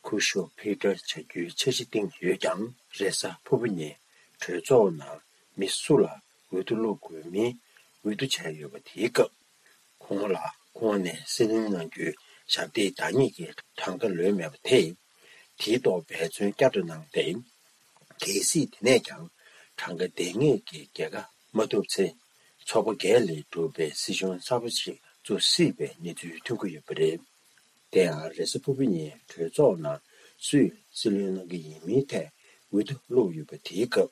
སྐུ་ཞབས་Peter བྱ་རྒྱུའི་འཆར་གཞི་བཏིང་ཡོད་ཀྱང་། རེས་གཟའ་ཕུར་བུ་ཉིན་གྲོས་ཚོགས་ནང་མི་སུ་ལ་འོས་བསྡུ་བླུག་དགོས་མིན་འོས་བསྡུ་བྱས་ཡོད་པ་དེའི་སྐབས། ཁོང་ལ་ཁོང་ནས་སྲིད་བློན་གནང་རྒྱུའི་ཞབས་སྟེགས་བདག་ཉིད་ཀྱི་གྲངས་ཀ་ལོན་མེད་པ་དེས། དེའི་ཐོག་འབད་བརྩོན་བསྐྱར་དུ་གནང་སྟེ། གལ་སྲིད་དེ་ནས་ཀྱང་གྲངས་ཀ་ལྡན་ངེས་ཀྱི་རྒྱལ་ཁ་མ་ཐོབ་ཚེ། ཚོགས་པ་བརྒྱད་ལས་གྲུབ་པའི་སྲིད་གཞུང་གསར་པ་ཞིག་བཙུགས་སྲིད་པའི་གནས་ཚུལ་ཐོན་གྱི་ཡོད་པ་རེད། དེ་ཡང་རེས་གཟའ་ཕུར་བུ་ཉིན་གྲོས་ཚོགས་ནང་སུས་སྲིད་བློན་གནང་གི་ཡིན་མིན་ཐད་འོས་བསྡུ་བླུགས་ཡོད་པ་དེའི་སྐབས།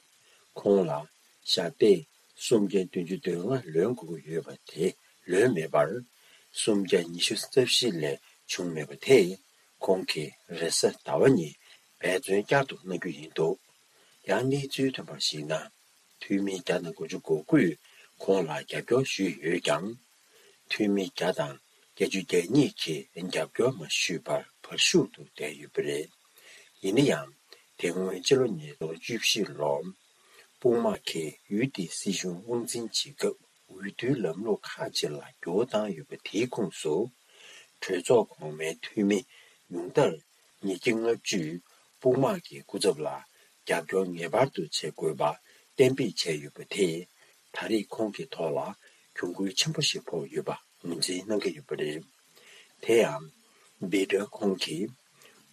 ཁོང་ལ་ཞབས་སྟེགས་སུམ་བརྒྱ་བདུན་ཅུ་དོན་ལྔ་ལོན་དགོས་ཀྱི་ཡོད་པ་དེ་ལོན་མེད་པར། སུམ་བརྒྱ་ཉི་ཤུ་རྩ་བཞི་ལས་བྱུང་མེད་པ་དེས། ཁོང་གིས་རེས་གཟའ་ཟླ་བ་ཉིན་འབད་བརྩོན་བསྐྱར་དུ་གནང་རྒྱུ་ཡིན་འདུག་ཡང་གནས་ཚུལ་ཐོན་པར་གཞིགས་ན། འཐུས་མི་བརྒྱ་དང་དགུ་བཅུ་གོ་དགུས་ཁོང་ལ་རྒྱབ་སྐྱོར་ཞུས་ཡོད་ཀྱང་། འཐུས་མི་བརྒྱ་དང་བརྒྱད་ཅུ་གྱ་གཉིས་ཀྱིས་རྒྱབ་སྐྱོར་མ་ཞུས་པར་བར་ཞུགས་ཏུ་བསྡད་ཡོད་པ་རེད། ཡིན་ན་ཡང་། དེ་སྔོན་ཕྱི་ལོ་ཉིས་སྟོང་བཅུ་བཞི་ལོར། དཔུང་དམག་གིས་ཡུལ་དེའི་སྲིད་གཞུང་དབང་འཛིན་བྱེད་སྐབས། འོས་བསྡུའི་ལམ་ལུགས་ཁག་ཅིག་ལ་འགྱུར་བ་བཏང་ཡོད་པ་དེའི་ཁོངས་སུ། གྲོས་ཚོགས་གོང་མའི་འཐུས་མི་ཉུང་མཐར་ཉིས་བརྒྱ་ལྔ་བཅུས་དཔུང་དམག་གི་སྐུ་ཚབ་ལ་རྒྱབ་སྐྱོར་ངེས་པར་དུ་བྱེད་དགོས་པ་གཏན་འབེབས་བྱས་ཡོད་པ་དེས། ད་རེས་ཁོང་གི་ཐོག་ལ་གྱོང་གུན་ཆེན་པོ་ཞིག་ཕོག་ཡོད་པ་ངོས་འཛིན་གནང་གི་ཡོད་པ་རེད། དེ་ཡང་། བྷི་ཏར་ཁོང་གིས།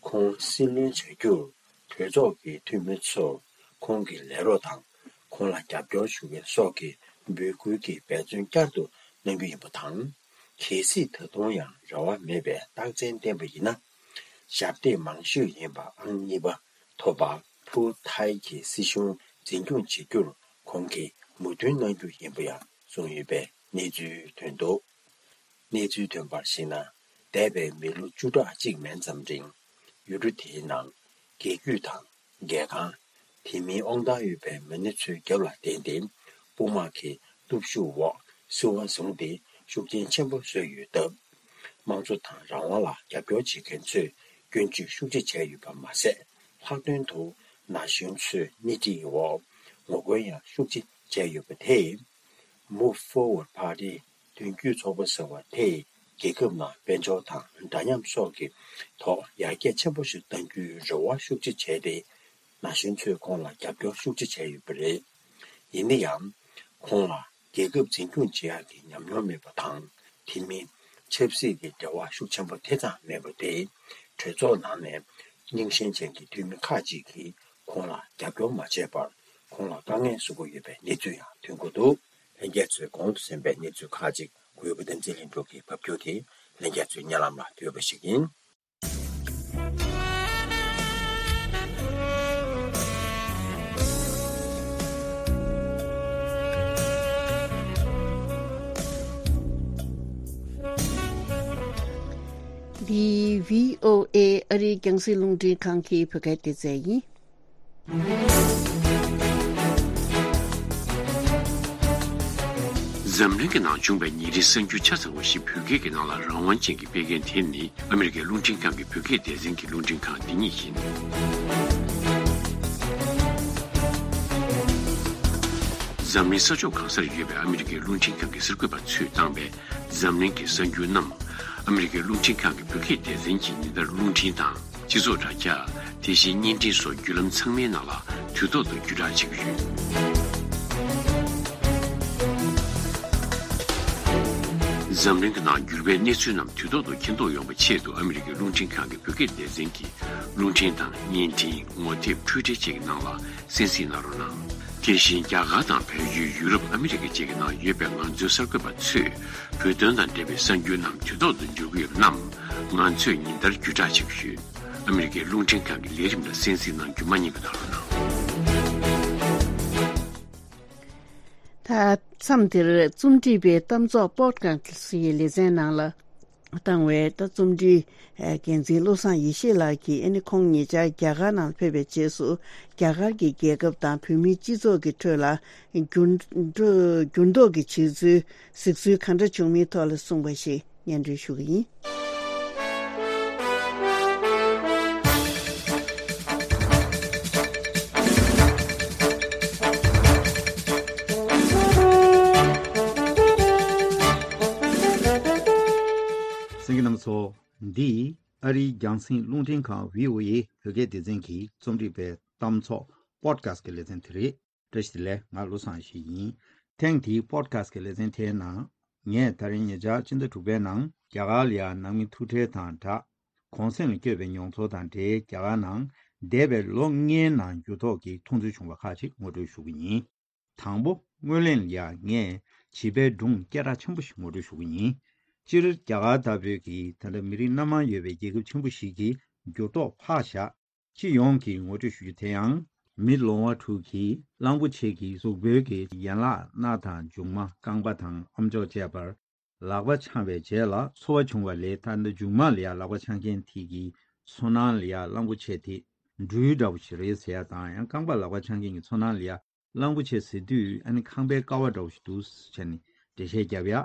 ཁོང་སྲིད་བློན་བྱ་རྒྱུར་གྲོས་ཚོགས་ཀྱི་འཐུས་མི་ཚོར་ཁོང་གི་ལས་རོགས་དང་། ཁོང་ལ་རྒྱབ་སྐྱོར་ཞུ་མཁན་སོགས་ཀྱིས་འབོད་སྐུལ་གྱིས་འབད་བརྩོན་བསྐྱར་དུ་གནང་རྒྱུ་ཡིན་པ་དང་། གལ་སྲིད་ད་དུང་ཡང་རེ་བ་མེད་པའི་རྟགས་མཚན་བསྟན་པ་ཡིན་ན། ཞབས་སྟེགས་མང་ཤོས་ཡིན་པ་ཨང་གཉིས་པ་ཐོབ་པ་ཕུ་ཐའི་གི་སྲིད་གཞུང་འཛིན་སྐྱོང་བྱེད་རྒྱུར་ཁོང་གིས་མོས་མཐུན་གནང་རྒྱུ་ཡིན་པ་ཡང་གསུངས་ཡོད་པའི་གནས་ཚུལ་ཐོན་འདུག་གནས་ཚུལ་ཐོན་པར་གཞིགས་ན། འདས་པའི་མི་ལོ་བཅུ་ཕྲག་གཅིག་མན་ཙམ་རིང་། ཡུལ་གྲུ་དེའི་ནང་རྒྱལ་རྒྱུད་དང་། རྒྱལ་ཁང་། དེ་མིན་དབང་ཐང་ཡོད་པའི་མི་སྣ་ཚོའི་རྒྱབ་ལ་བརྟེན་ཏེ། དཔུང་དམག་གི་སྟོབས་ཤུགས་འོག་སྲིད་དབང་བཟུང་སྟེ་ཤུགས་རྐྱེན་ཆེན་པོ་བཟོས་ཡོད་སྟབས། དམངས་གཙོ་དང་རང་དབང་ལ་རྒྱབ་སྐྱོར་བྱེད་མཁན་ཚོས་སྐྱོན་བརྗོད་ཤུགས་ཆེ་བྱས་ཡོད་པ་མ་ཟད། ལྷག་དོན་དུ་ན་གཞོན་ཚོས་སྣེ་ཁྲིད་འོག་ངོ་རྒོལ་ཡང་ཤུགས་ཆེ་ བྱས་ཡོད་པ་དེས། Move Forward Party། མདུན་སྐྱོད་ཚོགས་པ་ཟེར་བ་དེས་རྒྱལ་ཁབ་ནང་དཔལ་འབྱོར་དང་འདྲ་མཉམ་སོགས་ཀྱི་ཐོག་ཡར་རྒྱས་ཆེན་པོ་ཞིག་གཏང་རྒྱུའི་རེ་བ་ཤུགས་ཆེ་བྱས་ཏེ། ན་གཞོན་ཚོས་ཁོང་ལ་རྒྱབ་སྐྱོར་ཤུགས་ཆེ་བྱས་ཡོད་པ་རེད། ཡིན་ན་ཡང་། ཁོང་ལ་རྒྱལ་ཁབ་འཛིན་སྐྱོང་བྱེད་ཡག་གི་ཉམས་མྱོང་མེད་པ་དང་། དེ་མིན་ཆབ་སྲིད་ཀྱི་འབྲེལ་བ་ཤུགས་ཆེན་པོ་དེ་ཙམ་མེད་པ་དེས། གྲོས་ཚོགས་ནང་ནས་རྙིང་ཞེན་ཅན་གྱི་འཐུས་མི་ཁག་ཅིག་གིས་ཁོང་ལ་རྒྱབ་སྐྱོར་མ་བྱས་པར། ཁོང་ལ་དཀའ་ངལ་བཟོ་གི་ཡོད་པའི་གནས་ཚུལ་ཡང་ཐོན་གྱི་འདུག་ལྷན་རྒྱས་ཚོས་གོང་དུ་གསན་པའི་གནས་ཚུལ་ཁག་ཅིག་གུས་པ་བསྟན་འཛིན་ལྷུན་གྲུབ་ཀྱིས་ཕབ་སྒྱུར་དེ་ལྷན་རྒྱས་ཚོའི་སྙན་ལམ་ལ་ཕུལ་བ་ཞིག་ཡིན། འདི་བྷི་ཨོ་ཨེ་ཨ་རིའི་རྒྱང་སྲིང་རླུང་འཕྲིན་ཁང་གི་བོད་སྐད་སྡེ་ཚན་ཡིན། འཛམ་གླིང་གི་ནང་བྱུང་བའི་ཉིན་རེའི་གསར་འགྱུར་ཆ་ཚང་བ་ཞིག་བོད་སྐད་ཀྱི་ནང་ལ་རང་དབང་ཅན་གྱིས་སྤེལ་མཁན་དེ་ནི་ཨ་མི་རི་ཀའི་རླུང་འཕྲིན་ཁང་གི་བོད་སྐད་སྡེ་ཚན་གྱི་རླུང་འཕྲིན་ཁང་འདི་ཉིད་ཡིན། འཛམ་གླིང་ས་ཕྱོགས་གང་སར་ཡོད་པའི་ཨ་མི་རི་ཀའི་རླུང་འཕྲིན་ཁང་གི་གསར་འགོད་པ་ཚོས་བཏང་བའི་འཛམ་གླིང་གི་གསར་འགྱུར་རྣམས་ཨ་མི་རི་ཀའི་རླུང་འཕྲིན་ཁང་གི་བོད་སྐད་སྡེ་ཚན་གྱིས་ཉིན་ལྟར་རླུང་འཕྲིན་དང་། སྤྱི་ཚོགས་དྲ་རྒྱ། དེ་བཞིན་བརྙན་འཕྲིན་སོགས་བརྒྱུད་ལམ་ཚང་མའི་ནང་ལ་དུས་ཐོག་ཏུ་བརྒྱུད་བསྒྲགས་བྱེད་ཀྱི་ཡོད། འཛམ་གླིང་གི་ནང་འགྱུར་བའི་གནས་ཚུལ་རྣམས་དུས་ཐོག་ཏུ་མཁྱེན་རྟོགས་ཡོང་བའི་ཆེད་དུ་ཨ་མི་རི་ཀའི་རླུང་འཕྲིན་ཁང་གི་བོད་སྐད་སྡེ་ཚན་གྱིས་རླུང་འཕྲིན་དང་བརྙན་འཕྲིན། ངོ་དེབ། འཕྲུལ་འཕྲིན་བཅས་ཀྱི་ནང་ལ་གསན་གཟིགས་གནང་རོགས་གནང་། དེ་བཞིན་རྒྱ་གར་དང་བལ་ཡུལ། ཡུ་རོབ། ཨ་མི་རི་ཀ་བཅས་ཀྱི་ནང་ཡོད་པའི་ང་ཚོའི་གསར་འགོད་པ་ཚོས་བོད་དོན་དང་འབྲེལ་བའི་གསར་འགྱུར་རྣམས་དུས་ཐོག་ཏུ་འབྱོར་གྱི་ཡོད་པ་རྣམས་ང་ཚོས་ཉིན་ལྟར་བརྒྱུད་བསྒྲགས་བྱེད་ཀྱི་ཡོད། ཨ་མི་རི་ཀའི་རླུང་འཕྲིན་ཁང་གི་ལས་རིམ་ལ་གསན་གཟིགས་གནང་རྒྱུ་མ་བསྙེལ་བ་གནང་རོགས་གནང་། ད་མཚམས་འདིར་རྩོམ་སྒྲིག་པའི་གཏམ་ཚོགས་པོད་ཁ་སི་ཡི་ལེ་ཚན་ནང་ལ་བཏང་བའི་ད་རྩོམ་སྒྲིག་འགན་འཛིན་བློ་བཟང་ཡེ་ཤེས་ལགས་ཀྱིས་ཨ་ནི་ཁོང་ཉེ་ཆར་རྒྱ་གར་ནང་ཕེབས་པའི་རྗེས་སུ་རྒྱ་གར་གྱི་རྒྱལ་ཁབ་དང་བོད་མིའི་སྤྱི་ཚོགས་ཀྱི་ཁྲོད་ལ་འགྱུར་འགྲོ་འགྱུར་ལྡོག་གི་བྱུང་ཚུལ་གཟིགས་ཚུལ་ག་འདྲ་བྱུང་མིན་ཐོག་ལ་གསུངས་པ་ཞིག་སྙན་སྒྲོན་ཞུ་གི་ཡིན། གསན་མཁན་རྣམ་པ་ཚོ། འདི་ཨ་རིའི་རྒྱང་སྲིང་རླུང་འཕྲིན་ཁང་བྷི་ཨོ་ཨེ་བོད་སྐད་སྡེ་ཚན་གྱིས་རྩོམ་སྒྲིག་པའི་གཏམ་ཚོགས་པོད་ཁ་སི་གི་ལེ་ཚན་དེ་རེད། བཀྲ་ཤིས་བདེ་ལེགས། ང་བློ་བཟང་ཡེ་ཤེས་ཡིན། ཐེངས་འདིའི་པོད་ཁ་སི་གི་ལེ་ཚན་དེའི་ནང་། ངས་ད་རིང་ཉེ་ཆར་ཕྱི་ཟླ་དྲུག་པའི་ནང་རྒྱ་གར་ལ་ཡ་ནང་མི་ཐུག་འཕྲད་དང་སྦྲགས། གུང་གསེང་ལ་བསྐྱོད་པའི་མྱོང་ཚོར་དང་འབྲེལ་རྒྱ་གར་ནང་འདས་པའི་ལོ་ལྔའི་ནང་འགྱུར་ལྡོག་གི་མཐོང་ཚུལ་བྱུང་བ་ཁག་ཅིག་ངོ་སྤྲོད་ཞུ་གི་ཡིན། དང་པོ། སྔོན་གླེང་ལ་ཡ་ངས་བྱིས་པའི་སྒྲུང་སྐད་གྲགས་ཆེན་པོ་ཞིག་ངོ་སྤྲོད་ཞུ་གི་ཡིན། སྤྱིར་རྒྱ་གར་ལྟ་བུའི་གི་ད་ལྟ་མི་རིགས་སྣ་མང་ཡོད་པའི་རྒྱལ་ཁབ་ཆེན་པོ་ཞིག་གི་འགྱུར་ལྡོག་ཕར་བཞག་སྤྱི་ཡོངས་ཀྱི་ངོ་སྤྲོད་ཞུ་རྒྱུ་དེ་ཡང་། མི་ལོང་བ་དྲུག་གིས་གླང་པོ་ཆེ་གི་གཟུགས་པོའི་གི་ཡན་ལག་སྣ་དང་མཇུག་མ་རྐང་པ་དང་ཨམ་ཅོག་བཅས་པར་ལག་པ་འཆང་བའི་རྗེས་ལ་ཚོར་བ་བྱུང་བ་ལས། ད་ལྟ་མཇུག་མ་ལ་ཡ་ལག་པ་འཆང་མཁན་དེ་གི་ཚོར་སྣང་ལ་ཡ་གླང་པོ་ཆེ་དེ་སྦྲུལ་འདྲ་བོ་ཞིག་རེད་ཟེར་ཡ་དང་། ཡང་རྐང་པ་ལག་པ་འཆང་མཁན་གྱི་ཚོར་སྣང་ལ་ཡ་གླང་པོ་ཆེ་ཟེར་དུས་ཨ་ནི་ཁང་པའི་ཀ་བ་འདྲ་བོ་ཞིག་འདུག་ཟེར་ནས་འགྲེལ་བཤད་བརྒྱབ་ཡ།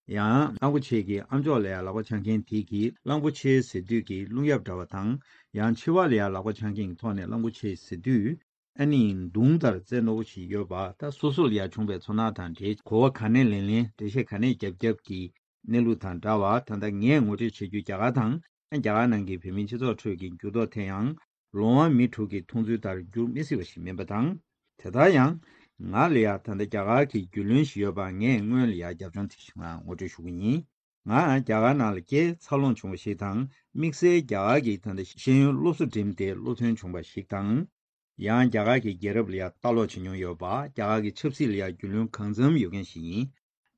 ཡང་གླང་པོ་ཆེ་གི་ཨམ་ཅོག་ལ་ཡ་ལག་པ་འཆང་མཁན་དེ་གིས་གླང་པོ་ཆེ་ཟེར་དུས་ཀྱི་རླུང་གཡབ་འདྲ་བ་དང་། ཡང་མཆེ་བ་ལ་ཡ་ལག་པ་འཆང་མཁན་གྱི་ཐོག་ནས་གླང་པོ་ཆེ་ཟེར་དུས་ཨ་ནི་མདུང་ལྟར་རྩལ་རྣོ་བོ་ཞིག་ཡོད་པ། ད་སོ་སོ་ལ་ཡ་བྱུང་བའི་ཚོར་སྣང་དང་འབྲེལ་གོ་བ་ག་ནས་ལེན་ལེན་འགྲེལ་བཤད་ག་ནས་རྒྱབ་རྒྱབ་ཀྱི་གནས་ལུགས་དང་འདྲ་བ། ད་ལྟ་ངས་ངོ་སྤྲོད་བྱེད་རྒྱུ་རྒྱ་གར་དང་། རྒྱ་གར་ནང་གི་བོད་མིའི་སྤྱི་ཚོགས་ཁྲོད་ཀྱི་འགྱུར་ལྡོག་དེ་ཡང་ལོང་བ་མི་དྲུག་གི་མཐོང་ཚུལ་ལྟར་འགྱུར་མི་སྲིད་པ་ཞིག་མིན་པ་དང་། དེ་ལྟར་ཡང་ང་ལ་ཡ་ད་ལྟ་རྒྱ་གར་གྱི་རྒྱུས་ལོན་ཞིག་ཡོད་པ་ངས་སྔོན་ལ་ཡ་རྒྱབ་ལྗོངས་དེ་ཞིག་ང་ངོ་སྤྲོད་ཞུ་གི་ཡིན། ང་རྒྱ་གར་ནང་ལ་སྐྱེས་འཚར་ལོངས་བྱུང་བ་ཞིག་དང་། དམིགས་བསལ་རྒྱ་གར་གྱི་ད་ལྟ་ཤེས་ཡོན་སློབ་གསོ་འགྲིམས་ཏེ་སློབ་ཐོན་བྱུང་བ་ཞིག་དང་། ཡང་རྒྱ་གར་གྱི་རྒྱལ་རབས་ལ་ཡ་ལྟ་ཀློག་བྱེད་མྱོང་ཡོད་པ། རྒྱ་གར་གྱི་ཆབ་སྲིད་ལ་ཡ་རྒྱུས་ལོན་གང་འཚམ་ཡོད་མཁན་ཞིག་ཡིན།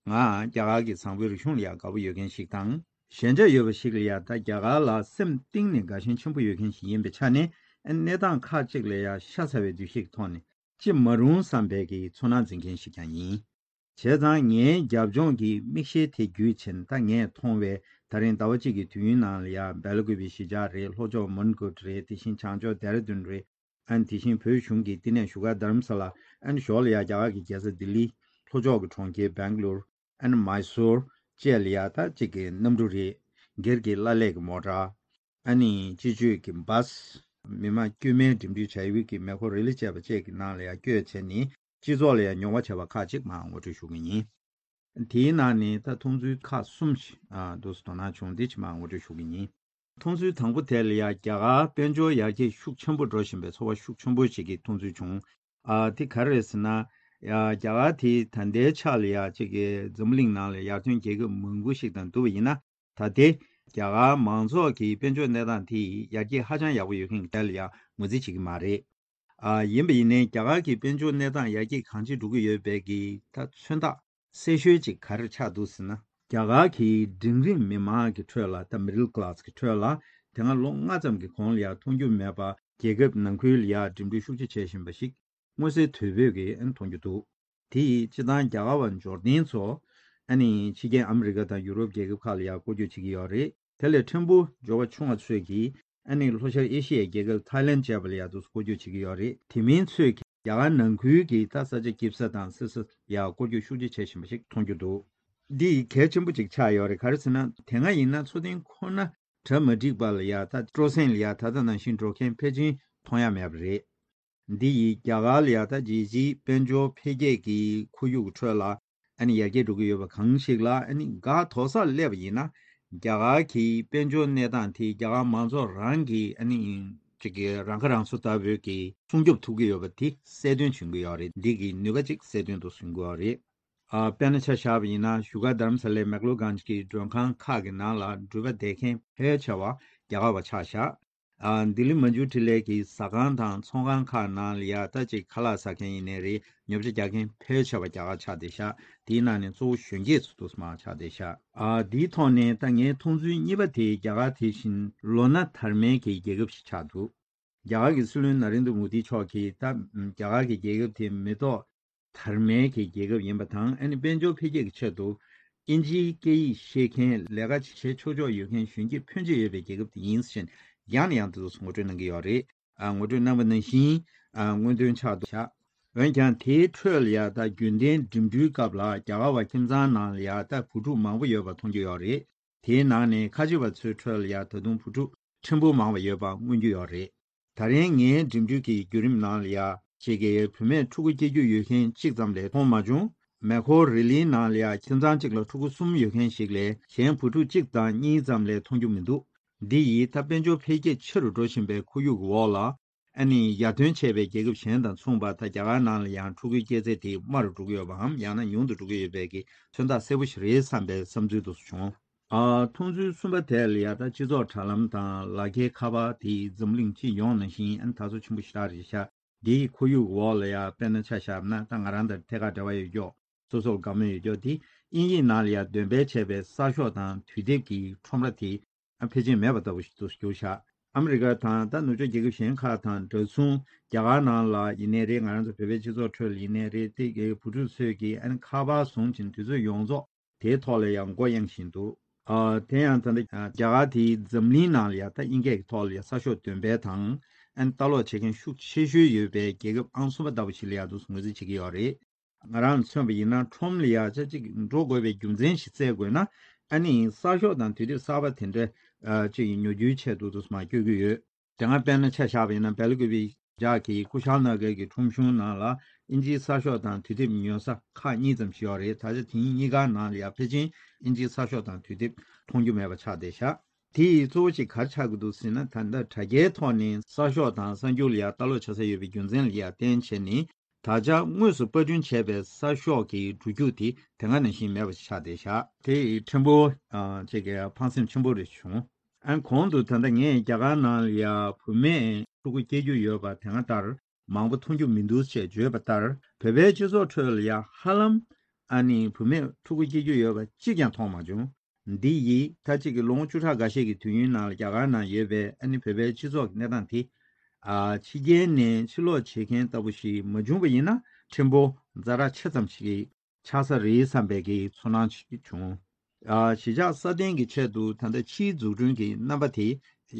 ང་རྒྱ་གར་གྱི་བཟང་པོའི་རིག་གཞུང་ལ་ཡ་དགའ་པོ་ཡོད་མཁན་ཞིག་དང་། ཞེན་ཆགས་ཡོད་པ་ཞིག་ལ་ཡ་ད་རྒྱ་གར་ལ་སེམས་གཏིང་ནས་དགའ་ཞེན་ཆེན་པོ་ཡོད་མཁན་ཞིག་ཡིན་པའི་ཆ་ནས། ཨ་ནི་གནས་སྟངས་ཁག་ཅིག་ལ་ཡ་ཤ་ཚ་བའི་འདུ་ཤེས་ཀྱི་ཐོག་ནས་ཅི་མ་རུང་བསམ་པའི་གི་ཚོར་སྣང་འཛིན་མཁན་ཞིག་ཀྱང་ཡིན། བྱས་ཙང་ངའི་རྒྱབ་ལྗོངས་ཀྱི་མིག་ཤེལ་དེ་བརྒྱུད་བྱས་ནས་ད་ངས་མཐོང་བའི་ད་རིང་ཟླ་བ་གཅིག་གི་དུས་ཡུན་ནང་ལ་ཡ་སྦེལ་ཀོབ་གཞིས་ཆགས་རེད། ལྷོ་ཕྱོགས་མོན་གྷོ་རེད། དེ་བཞིན་བྱང་ཕྱོགས་ལྡེ་ར་ལྡུན་རེད། ཨ་ནི་དེ་བཞིན་བོད་གཞུང་གི་བསྟི་གནས་བཞུགས་སྒར་རྡ་རམ་ས་ལ། ཨ་ནི་ཞོར་ལ་ཡ་རྒྱ་གར་གྱི་རྒྱལ་ས་ལྡི་ལི། ལྷོ་ཕྱོགས་ཀྱི་གྲོང་ཁྱེར་སྦེང་ལོར། ཨ་ནི་མཱི་སོར་བཅས་ལ་ཡ་ད་གཅིག་གི་གནམ་གྲུ་རེད། སྒེར་གྱི་བླ་ལྷག་གི་མོ་ཊ། ཨ་ནི་སྤྱི་སྤྱོད་ཀྱི་བྷ་སི། མི་མང་དཀྱུས་མའི་འགྲིམ་འགྲུལ་བྱ་ཡུལ་གྱི་མེ་འཁོར་རི་ལི་བཅས་པ་བཅས་ཀྱི་ནང་ལ་ཡ་བསྐྱོད་བྱས་ནས། སྤྱི་ཚོགས་ལ་ཡང་མྱོང་བ་བྱས་པ་ཁག་ཅིག་མར་ངོ་སྤྲོད་ཞུ་གི་ཡིན། དེའི་ནང་ནས་ད་མཐོང་ཚུལ་ཁག་གསུམ་ཞིག་ཨ་འདུག་སེ་དོ་སྣང་བྱུང་། འདི་ཕྱི་མར་ངོ་སྤྲོད་ཞུ་གི་ཡིན། མཐོང་ཚུལ་དང་པོ་དེ་ལ་ཡང་རྒྱ་གར་དཔལ་འབྱོར་ཡར་རྒྱས་ཤུགས་ཆེན་པོ་འགྲོ་བཞིན་པའི་ཚོར་བ་ཤུགས་ཆེན་པོ་ཞིག་གི་མཐོང་ཚུལ་བྱུང་། ཨ་དེ་ག་རེ་རེད་ཟེར་ན། ཡ་རྒྱ་གར་དེ་ད་ལྟའི་ཆ་ལ་ཡ་གཅིག་གི་འཛམ་བུ་གླིང་ནང་ལ་ཡར་ཐོན་རྒྱལ་ཁབ་མང་པོ་ཞིག་དང་བསྡུར་བ་ཡིན་ན། ད་ལྟའི་རྒྱ་གར་མང་ཚོགས་ཀྱི་དཔལ་འབྱོར་གནས་སྟངས་དེ་ཡར་རྒྱས་ཧ་ཅང་ཡག་པོ་ཡོད་མཁན་གྱི་གྲས་ལ་ཡང་ངོས་འཛིན་བྱེད་ཀྱི་མ་རེད། ཨ་ཡིན་པ་ཡིན་ནའི་རྒྱ་གར་གྱི་དཔལ་འབྱོར་གནས་སྟངས་ཡར་རྒྱས་གང་ཅི་འགྲོ་གི་ཡོད་པའི་གི་ད་མཚོན་རྟགས་གསལ་ཤོས་ཅིག་ག་རེ་ཆགས་འདུག་ཟེར་ན། རྒྱ་གར་གྱི་འབྲིང་རིམ་མི་མང་གི་ཁྲོད་ལ་ད་མི་ཌལ་ཀ་ལ་སི་གི་ཁྲོད་ལ་དེ་སྔ་ལོ་ལྔ་ཙམ་གྱི་གོང་ལ་ཡང་མཐོང་རྒྱུ་མེད་པ། རྒྱལ་ཁབ་ནང་ཁུལ་ལ་ཡང་འགྲིམ་འགྲུལ་ཤུགས་ཆེ་བྱེད་བཞིན་པ་ཞིག་མངོན་གསལ་དོད་པོས་ཀྱིས་མཐོང་རྒྱུ་འདུག་དེ་ཡིས་སྤྱི་བཏང་རྒྱ་གར་བ་འབྱོར་ལྡན་ཚོ་ཨ་ནི་ཕྱི་རྒྱལ་ཨ་མི་རི་ཀ་དང་ཡུ་རོབ་རྒྱལ་ཁབ་ཁག་ལ་ཡང་སྐོར་སྐྱོད་བྱེད་ཀྱི་ཡོད་རེད། དེ་ལས་ཕྲན་བུ་འབྱོར་བ་ཆུང་བ་ཚོས་ཀྱིས་ཨ་ནི་ལྷོ་ཤར་ཨེ་ཤི་ཡའི་རྒྱལ་ཁབ་ཐའི་ལན་བཅས་པ་ལ་ཡང་དུ་སྐོར་སྐྱོད་བྱེད་ཀྱི་ཡོད་རེད། དེ་མིན་ཚོས་ཀྱིས་རྒྱ་གར་ནང་ཁུལ་གྱི་ད་ས་ཆ་སྐྱིད་ས་དང་སི་སི་ཡང་སྐོར་སྐྱོད་ཤུགས་ཆེ་བྱེད་བཞིན་པ་ཞིག་མཐོང་རྒྱུ་འདུག་འདི་གལ་ཆེན་པོ་ཅིག་ཆགས་ཡོད་རེད། ག་རེ་ཟེར་ན་དེ་སྔ་ཡིན་ན་འཚོ་རྟེན་ཁོ་ན་གྲ་མ་འགྲིག་པ་ལ་ཡང་ད་སྤྲོ་གསེང་ལ་ཡང་ད་ལྟ་ནང་བཞིན་འགྲོ་མཁན་ཕལ་ཆེར་མཐོང་ཡ་མེད་པ་རེད། འདི་ཡིས་རྒྱ་གར་ལ་ཡང་ད་རྒྱལ་སྤྱིའི་དཔལ་འབྱོར་འཕེལ་རྒྱས་ཀྱི་ཁོར་ཡུག་གི་ཁྲོད་ལ་ཨ་ནི་ཡར་རྒྱས་འགྲོ་གི་ཡོད་པ་གང་ཞིག་ལ་ཨ་ནི་འགག་དོག་ས་སླེབས་པ་ཡིན་ན། རྒྱ་གར་གྱི་དཔལ་འབྱོར་གནས་སྟངས་དེ་རྒྱ་གར་མང་ཚོགས་རང་གིས་ཨ་ནི་ཅིག་གི་རང་ཁ་རང་གསོ་ལྟ་བུའི་གི་སྲུང་སྐྱོབ་ཐུབ་ཀྱི་ཡོད་པ་དེ་གསལ་སྟོན་བྱེད་ཀྱི་ཡོད་རེད། འདི་གི་ནུས་པ་ཅིག་གསལ་སྟོན་དུ་བཟུང་དགོས་པ་རེད། ཨ་དཔེར་ན་ཆ་བཞག་པ་ཡིན་ན་བཞུགས་སྒར་རྡ་རམ་ས་ལའི་མེག་ལོ་གྷན་ཇི་གི་མགྲོན་ཁང་ཁག་གི་ནང་ལ་འགྲུལ་པ་བསྡད་མཁན་ཕལ་ཆེ་བ་རྒྱ་གར་བ་ཆགས་བཞག་ཨ་ལྡི་ལི་མན་ཇུ་ཊི་ལའི་གི་ཟ་ཁང་དང་ཚོང་ཁང་ཁག་ནང་ལ་ཡ་ད་ཅིག་ཁ་ལག་ཟ་མཁན་ཡིན་ནའི་རེད། ཉོ་ཆ་རྒྱག་མཁན་ཕལ་ཆེ་བ་རྒྱ་གར་ཆགས་བསྡད་ཤག་དེའི་ནང་ནས་གཙོ་བོ་གཞོན་སྐྱེས་ཚོ་འདུག་སེ་མར་ཆགས་བསྡད་ཤག་ཨ་དེའི་ཐོག་ནས་ད་ངའི་མཐོང་ཚུལ་གཉིས་པ་དེ་རྒྱ་གར་དེ་བཞིན་ལོ་ན་དར་མའི་གི་རྒྱལ་ཁབ་ཞིག་ཆགས་འདུག་རྒྱ་གར་གྱི་སྲིད་བློན་ན་རེན་དྲ་མོ་དི་མཆོག་གིས་ད་རྒྱ་གར་གྱི་རྒྱལ་ཁབ་དེ་མི་ཐོག་དར་མའི་གི་རྒྱལ་ཁབ་ཡིན་པ་དང་། ཨ་ནི་དཔལ་འབྱོར་འཕེལ་རྒྱས་ཀྱི་ཆེད་དུ་དབྱིན་ཇིའི་སྐད་ཡིག་ཤེས་མཁན་ལས་ཀ་བྱེད་ཆོག་ཆོག་ཡོད་མཁན་གཞོན་སྐྱེས་ཕོན་ཆེ་ཡོད་པའི་རྒྱལ་ཁབ་དེ་ཡིན་ཟེར་ཡང་ནས་ཡང་དུ་ངོ་སྤྲོད་གནང་གི་ཡོད་རེད། ཨ་ངོ་སྤྲོད་གནང་བ་ནང་བཞིན་ཨ་མངོན་འདོན་ཆགས་འདུག་ཤག་འོན་ཀྱང་དེའི་ཁྲོད་ལ་ཡ་ད་རྒྱུན་ལྡན་འགྲིམ་འགྲུལ་སྐབས་ལ་རྒྱ་གར་བ་ཁྱིམ་ཚང་ནང་ལ་ཡ་ད་བུ་ཕྲུག་མང་པོ་ཡོད་པ་མཐོང་རྒྱུ་ཡོད་རེད། དེའི་ནང་ནས་ཁ་ཆེ་བ་ཚོའི་ཁྲོད་ལ་ཡ་ད་དུང་བུ་ཕྲུག་ཕྲན་བུ་མང་བ་ཡོད་པ་མངོན་རྒྱུ་ཡོད་རེད། ད་རིང་ངའི་འགྲིམ་འགྲུལ་གྱི་བརྒྱུད་རིམ་ནང་ལ་ཡ་ཅིག་གི་བུད་མེད་ཕྲུ་གུ་སྐྱེ་རྒྱུ་ཡོད་མཁན་གཅིག་ཙམ་ལས་མཐོང་མ་བྱུང་། མེ་ཁོ་རི་ལིའི་ནང་ལ་ཡ་ཁྱིམ་ཚང་གཅིག་ལ་ཕྲུ་གུ་གསུམ་ཡོད་མཁན་ཞིག་ལས་གཞན་བུ་ཕྲུག་གཅིག་དང་གཉིས་ཙམ་ལས་མཐོང་རྒྱུ་མི་འདུག་འདི་ཡིས་ད་དཔལ་འབྱོར་འཕེལ་རྒྱས་ཆེ་རུ་འགྲོ་བཞིན་པའི་ཁོར་ཡུག་གི་འོག་ལ། ཨ་ནི་ཡར་ཐོན་བྱས་པའི་རྒྱལ་ཁབ་གཞན་དང་མཚུངས་པ་ད་རྒྱ་གར་ནང་ལ་ཡང་ཕྲུ་གུའི་སྐྱེས་ཚད་དེ་དམའ་རུ་འགྲོ་གི་ཡོད་པའམ་ཡང་ན་ཉུང་དུ་འགྲོ་གི་ཡོད་པའི་གི་མཚོན་རྟགས་གསལ་པོ་ཞིག་རེད་བསམ་པའི་བསམ་ཚུལ་དུ་བྱུང་། ཨ་མཐོང་ཚུལ་གསུམ་པ་དེ་ལ་ཡ་ད་སྤྱི་ཚོགས་དྲ་ལམ་དང་ལག་འཁྱེར་ཁ་པར་དེ་འཛམ་གླིང་སྤྱི་ཡོངས་ནང་བཞིན་ཨ་ནི་དར་སོ་ཆེན་པོ་ཞེ་དྲག་རེད་ཤག་འདིའི་ཁོར་ཡུག་འོག་ལ་ཡ་དཔེར་ན་ཆ་བཞག་ན་ད་ང་རང་དང་ཐད་ཀར་འབྲེལ་བ་ཡོད་ཀྱོག་སོ་སོར་དགའ་མོས་ཡོད་ཀྱོག་དེ་དབྱིན་ཡིག་ནང་ལ་ཡ་འདོན་སྤེལ་བྱས་པའི་གསར་ཤོག་དང་དུས་དེབ་ཀྱི་ཁྲོམ་ར་དེ་ཨ་ཕལ་ཆེར་མེད་པ་ལྟ་བུ་ཞིག་ཏུ་གྱུར་ཤག་ཨ་མི་རི་ཀ་དང་ད་ནུབ་ཕྱོགས་རྒྱལ་ཁབ་གཞན་ཁག་དང་འདྲ་མཚུངས་རྒྱ་གར་ནང་ལ་ཡིན་ནའི་རེད། ང་རང་ཚོ་བོད་པའི་སྤྱི་ཚོགས་ཁྲོད་ལ་ཡིན་ནའི་རེད། དེ་གའི་བུ་ཕྲུག་ཚོས་ཀྱིས་ཨ་ནི་ཁ་པར་བཟུང་བྱས་དུས་ཚོད་ཡོངས་རྫོགས་དེའི་ཐོག་ལ་ཡང་མགོ་གཡེང་བཞིན་འདུག་ཨ་དེ་ཡང་ད་ལྟ་རྒྱ་གར་དེའི་འཛམ་གླིང་ནང་ལ་ཡང་ད་དབྱིན་སྐད་ཀྱི་ཐོག་ལ་ཡང་གསར་ཤོག་འདོན་སྤེལ་དང་ཨ་ནི་ལྟ་ཀློག་བྱེད་མཁན་ཤུགས་ཆེ་ཤོས་ཡོད་པའི་རྒྱལ་ཁབ་ཨང་གསུམ་པ་ལྟ་བུ་ཞིག་ལ་ཡང་དུ་ངོས་འཛིན་བྱེད་ཀྱི་ཡོད་རེད། ང་རང་མཚོན་པ་ཡིན་ན་ཁྲོམ་ལ་ཡ་ཆ་གཅིག་འགྲོ་དགོས་པའི་རྒྱུ་མཚན་ཞིག་བཙལ་དགོས་ན་ཨ་ནི་གསར་ཤོག་དང་དུས་དེབ་གསར་པ་དེ་འདྲ་ཨ་ཅིག་ཉོ་རྒྱུའི་ཆེད་དུ་དུ་མ་སྐྱོད་ཀྱི་ཡོད། དེ་སྔ་དཔེར་ན་ཆ་བཞག་པ་ཡིན་ན་སྦེལ་ཀོབ་ཇག་གི་ཀུ་ཤལ་ན་གར་གྱི་ཁྲོམ་གཞུང་ནང་ལ་དབྱིན་ཇིའི་གསར་ཤོག་དང་དུས་དེབ་ཉོ་ས་ཁག་གཉིས་ཙམ་ཞིག་ཡོད་རེད། ད་ཆ་དེ་གཉིས་ཀ་ནང་ལ་ཡ་ཕལ་ཆེར་དབྱིན་ཇིའི་གསར་ཤོག་དང་དུས་དེབ་མཐོང་རྒྱུ་མེད་པ་ཆགས་བསྡད་ཤག་དེ་ཡི་གཙོ་བོ་ཞིག་ག་རེ་ཆགས་ཀྱི་འདུག་ཟེར་ན། ད་ལྟ་དྲ་རྒྱའི་ཐོག་ནས་གསར་ཤོག་དང་གསར་འགྱུར་ལ་ཡ་ལྟ་ཀློག་བྱ་ས་ཡོད་པའི་རྒྱུ་མཚན་ལ་ཡ་བརྟེན་བྱས་ནས། ད་ཆ་དངོས་སུ་པར་སྐྲུན་བྱས་པའི་གསར་ཤོག་གི་འགྲུལ་རྒྱུག་དེ་དེ་སྔ་ནང་བཞིན་མེད་པ་ཞིག་ཆགས་བསྡད་ཤག་དེ་ཕྲན་བུ་ཨ་ཅིག་གི་ཕངས་སེམས་ཆེན་པོ་རེ་བྱུང་། ཨ་གོང་དུ་ད་ལྟ་ངས་རྒྱ་གར་ནང་ལ་ཡ་བུད་མེད་ཕྲུ་གུ་སྐྱེ་རྒྱུ་ཡོད་པ་དེ་སྔ་ལྟར་མང་པོ་མཐོང་རྒྱུ་མི་འདུག་ཅེས་བརྗོད་པ་ལྟར། བོད་པའི་སྤྱི་ཚོགས་ཁྲོད་ལ་ཡ་ཧ་ལམ་ཨ་ནི་བུད་མེད་ཕྲུ་གུ་སྐྱེ་རྒྱུ་ཡོད་པ་གཅིག་ཀྱང་མཐོང་མ་བྱུང་། འདི་ཡིས་ད་ཅིག་གི་ལོ་ངོ་བཅུ་ཕྲག་འགའ་ཤས་ཀྱི་དུས་ཡུན་ནང་ལ་རྒྱ་གར་ནང་ཡོད་པའི་ཨ་ནི་བོད་པའི་སྤྱི་ཚོགས་ཀྱི་གནས་སྟངས་དེ། ཨ་ཕྱི་རྒྱལ་ནས་ཕྱིར་ལོག་བྱེད་མཁན་ལྟ་བུ་ཞིག་མ་བྱུང་བ་ཡིན་ན་ཕྲན་བུ་ཛ་དྲག་ཆེ་ཙམ་ཞིག་ཆགས་ས་རེད་བསམ་པའི་གི་ཚོར་སྣང་ཞིག་བྱུང་། ཨ་གཞིས་ཆགས་སྲ་བརྟན་གྱི་ཆེད་དུ་ད་ལྟ་ཕྱིའི་འཛུགས་སྐྲུན་གྱི་རྣམ་པ་དེ་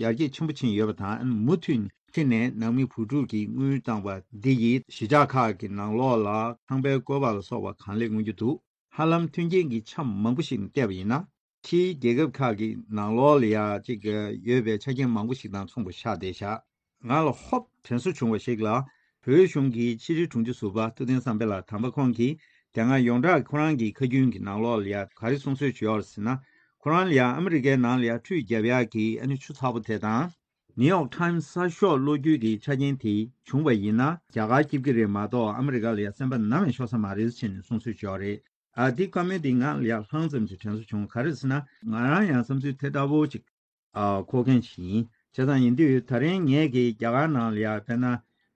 ཡར་རྒྱས་ཆེན་པོ་ཕྱིན་ཡོད་པ་དང་། མུ་མཐུད་ཕྱི་ནས་ནང་མི་བུ་ཕྲུག་གིས་དངུལ་བཏང་བ་འདི་ཡིས་གཞིས་ཆགས་ཁག་གི་ནང་ལོགས་ལ་ཁང་པའི་བཀོད་པ་ལ་སོགས་པ་གང་ལེགས་མངོན་རྒྱུ་འདུག་ཧ་ལམ་མཐུན་རྐྱེན་གྱི་ཆ་མང་པོ་ཞིག་བལྟས་པ་ཡིན་ན། ཕྱིའི་རྒྱལ་ཁབ་ཁག་གི་ནང་ལོགས་ལ་ཡ་གཅིག་ཡོད་པའི་ཆ་རྐྱེན་མང་པོ་ཞིག་དང་མཚུངས་པ་ཆགས་བསྡད་ཤག་ང་ལ་ཧོབ་དྲན་གསོ་བྱུང་བ་ཞིག་ལ། བོད་གཞུང་གི་ཕྱི་དྲིལ་དྲུང་ཆེ་ཟུར་པ་ཐུབ་བསྟན་བསམ་འཕེལ་ལགས་དམ་པ་ཁོང་གིས་དེ་སྔ་ཡོངས་གྲགས་ཁོ་རང་གི་ཁ་རྒྱུན་གྱི་ནང་ལོགས་ལ་ཡ་ག་རེ་གསུང་སྲོལ་ཅིག་ཡོད་རེད་ཟེར་ན། ཁོ་རང་ལ་ཡ་ཨ་མི་རི་ཀའི་ནང་ལ་ཡ་ཁྲུས་རྒྱབ་ཡག་གི་ཨ་ནི་ཆུ་ཚ་པོ་དེ་དང་། ནིའུ་ཡོག་ཊའིམ་གསར་ཤོག་ཀློག་རྒྱུ་གི་ཆ་རྐྱེན་དེ་བྱུང་བ་ཡིན་ན་རྒྱ་གར་སྐྱིད་ཀྱི་རེད་མ་གཏོགས་ཨ་མི་རི་ཀ་ལ་ཡ་སེམས་པ་ནམ་ཡང་ཤོར་ས་མ་རེད་ཟེར་ནས་གསུང་སྲོལ་ཅིག་ཡོད་རེད། ཨ་དེ་བཀའ་མོལ་དེ་ང་ལ་ཡ་ལྷང་ཙམ་ཅིག་དྲན་གསོ་བྱུང་། ག་རེ་ཟེར་ན་ང་རང་ཡང་བསམ་ཚུལ་དེ་འདྲ་བོ་ཅིག་ཨ་འཁོར་མཁན་ཞིག་ཡིན། བྱས་ཙང་ཡིན་དུས་ད་རིང་ངས་ཀྱིས་རྒྱ་གར་ནང་ལ་ཡ་དཔེར་ན་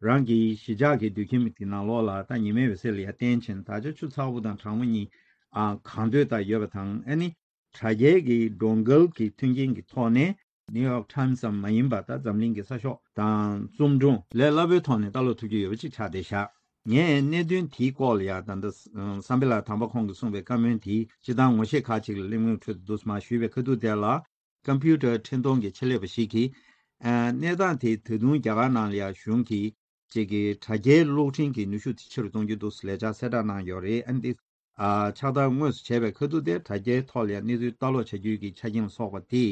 རང་གི་གཞིས་ཆགས་ཀྱི་དུད་ཁྱིམ་གྱི་ནང་ལོགས་ལ་ད་ཉི་མའི་འོད་ཟེར་ལ་ཡ་བརྟེན་བྱས་ད་ཆ་ཆུ་ཚ་པོ་དང་གྲང་མོ་གཉིས་ཨ་གང་འདོད་ལྟར་ཡོད་པ་དང་། ཨ་ནི་དྲ་རྒྱའི་གི་སྒྲོག་འགལ་གྱི་མཐུན་རྐྱེན་གྱི་ཐོག་ནས་ནིའུ་ཡོག་ཊའིམ་ཙམ་མ་ཡིན་པ་ད་འཛམ་གླིང་གི་གསར་ཤོག་དང་རྩོམ་སྒྲུང་ལས་སླ་པོའི་ཐོག་ནས་ལྟ་ཀློག་ཐུབ་ཀྱི་ཡོད་པ་ཅིག་ཆགས་བསྡད་ཤག་ངས་གནད་དོན་དེའི་སྐོར་ལ་ཡ་ད་ལྟ་བསམ་འཕེལ་ལགས་དམ་པ་ཁོང་གིས་གསུངས་པའི་བཀའ་མོལ་དེ་སྤྱིར་བཏང་ངོ་ཤེས་ཁག་ཅིག་ལ་གླེང་མོལ་ཁྲོད་དུ་འདུག་སེ་མར་ཞུས་པའི་ཁ་ཐུག་དེ་ལ། ཀམ་པུ་ཊར་འཕྲིན་གཏོང་གི་ཆེད་ལས་པ་ཞིག་གིས། ཨ་གནས་སྟངས་དེ་ད་དུང་རྒྱ་གར་ནང་ལ་ཡང་གཞུང་གིས་ཅིག་གི་དྲ་རྒྱའི་གློག་འཕྲིན་གྱི་ནུས་ཤུགས་དེ་ཆེ་རུ་གཏོང་རྒྱུ་འདུག་ཟེར་ལས་འཆར་གསལ་བསྒྲགས་གནང་ཡོད་རེད། ཨ་ནི་དེ་ཨ་ཕྱག་བསྟར་དངོས་སུ་བྱས་པའི་ཁ་ཐུག་དེ་དྲ་རྒྱའི་ཐོག་ལ་ཡང་གནས་ཚུལ་ལྟ་ཀློག་བྱ་རྒྱུའི་གི་ཆ་རྐྱེན་ལ་སོགས་པ་དེ་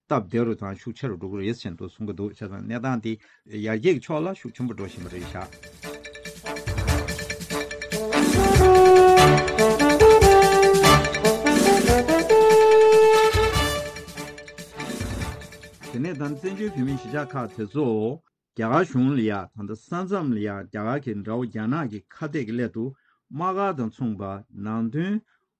སྟབས་བདེ་རུ་དང་ཤུགས་ཆེ་རུ་འགྲོ་གི་རེད་ཅེས་འདུག་གསུང་གི་འདུག་བྱས་ཙང་གནས་སྟངས་དེ་ཡར་རྒྱས་ཀྱི་ཕྱོགས་ལ་ཤུགས་ཆེན་པོ་འགྲོ་བཞིན་པ་རེད་ཤག་དེ་ནས་ད་བཙན་བྱོལ་བོད་མིའི་གཞིས་ཆགས་ཁག་དེ་ཚོ་རྒྱ་གར་གཞུང་ལ་ཡ་ད་ལྟ་ས་མཚམས་ལ་ཡ་རྒྱ་གར་གྱི་དགྲ་བོ་རྒྱ་ནག་གི་ཁ་གཏད་ཀྱི་སླད་དུ་དམག་སྒར་དང་མཚུངས་པ་ནང་དོན་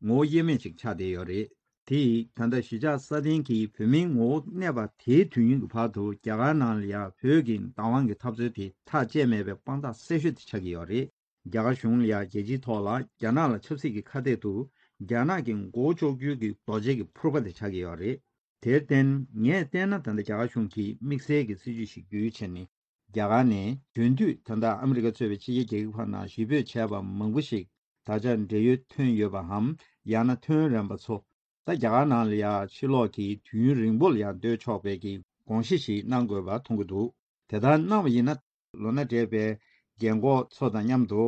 ངོ་བོ་དབྱེར་མེད་ཅིག་ཆགས་བསྡད་ཡོད་རེད། དེ་ཡིས་ད་ལྟ་གཞིས་ཆགས་སྲ་བརྟན་གྱི་བོད་མིའི་ངོ་བོ་གནས་པ་དེའི་དུས་ཡུན་གྱི་བར་དུ་རྒྱ་གར་ནང་ལ་ཡ་བོད་ཀྱི་བདག་དབང་གི་འཐབ་རྩོད་དེ་ཐག་བཅད་མེད་པའི་དཔང་རྟགས་གསལ་ཤོས་དེ་ཆགས་ཀྱི་ཡོད་རེད། རྒྱ་གར་གཞུང་ལ་ཡ་རྒྱལ་སྤྱིའི་ཐོག་ལ་རྒྱ་ནག་ལ་ཆབ་སྲིད་ཀྱི་ཁ་གཏད་དུ་རྒྱ་ནག་གི་མགོ་བོ་གཅོག་རྒྱུའི་གི་རྡོ་གཅལ་གྱི་ཕུར་པ་དེ་ཆགས་ཀྱི་ཡོད་རེད། དེར་བརྟེན་ངས་བལྟས་ན་ད་ལྟ་རྒྱ་གར་གཞུང་གིས་དམིགས་བསལ་གྱི་སྲིད་ཇུས་ཤིག་བརྒྱུད་བྱས་ནས་རྒྱ་གར་ནས་དེང་དུས་ད་ལྟ་ཨ་མི་རི་ཀ་གཙོས་པའི་ཕྱི་རྒྱལ་རྒྱལ་ཁབ་ཁག་ནང་གཞིས་སྤོས་བྱས་པ་མང་པོ་ཞིག་ད་ཆ་འབྲེལ་ཡོད་ཐོན་ཡོད་པའམ་ཡང་ན་ཐོན་རན་པ་ཚོ་ད་རྒྱ་གར་ནང་ལ་ཡ་ཕྱིར་ལོག་གིས་དུས་ཡུན་རིང་པོ་ལ་ཡ་སྡོད་ཆོག་པའི་གི་དགོངས་གཞི་ཞིག་གནང་དགོས་པ་མཐོང་གི་འདུག་དེ་ལྟར་གནང་བ་ཡིན་ན་ལོ་ན་བགྲེས་པའི་རྒན་གོག་ཚོ་དང་མཉམ་དུ་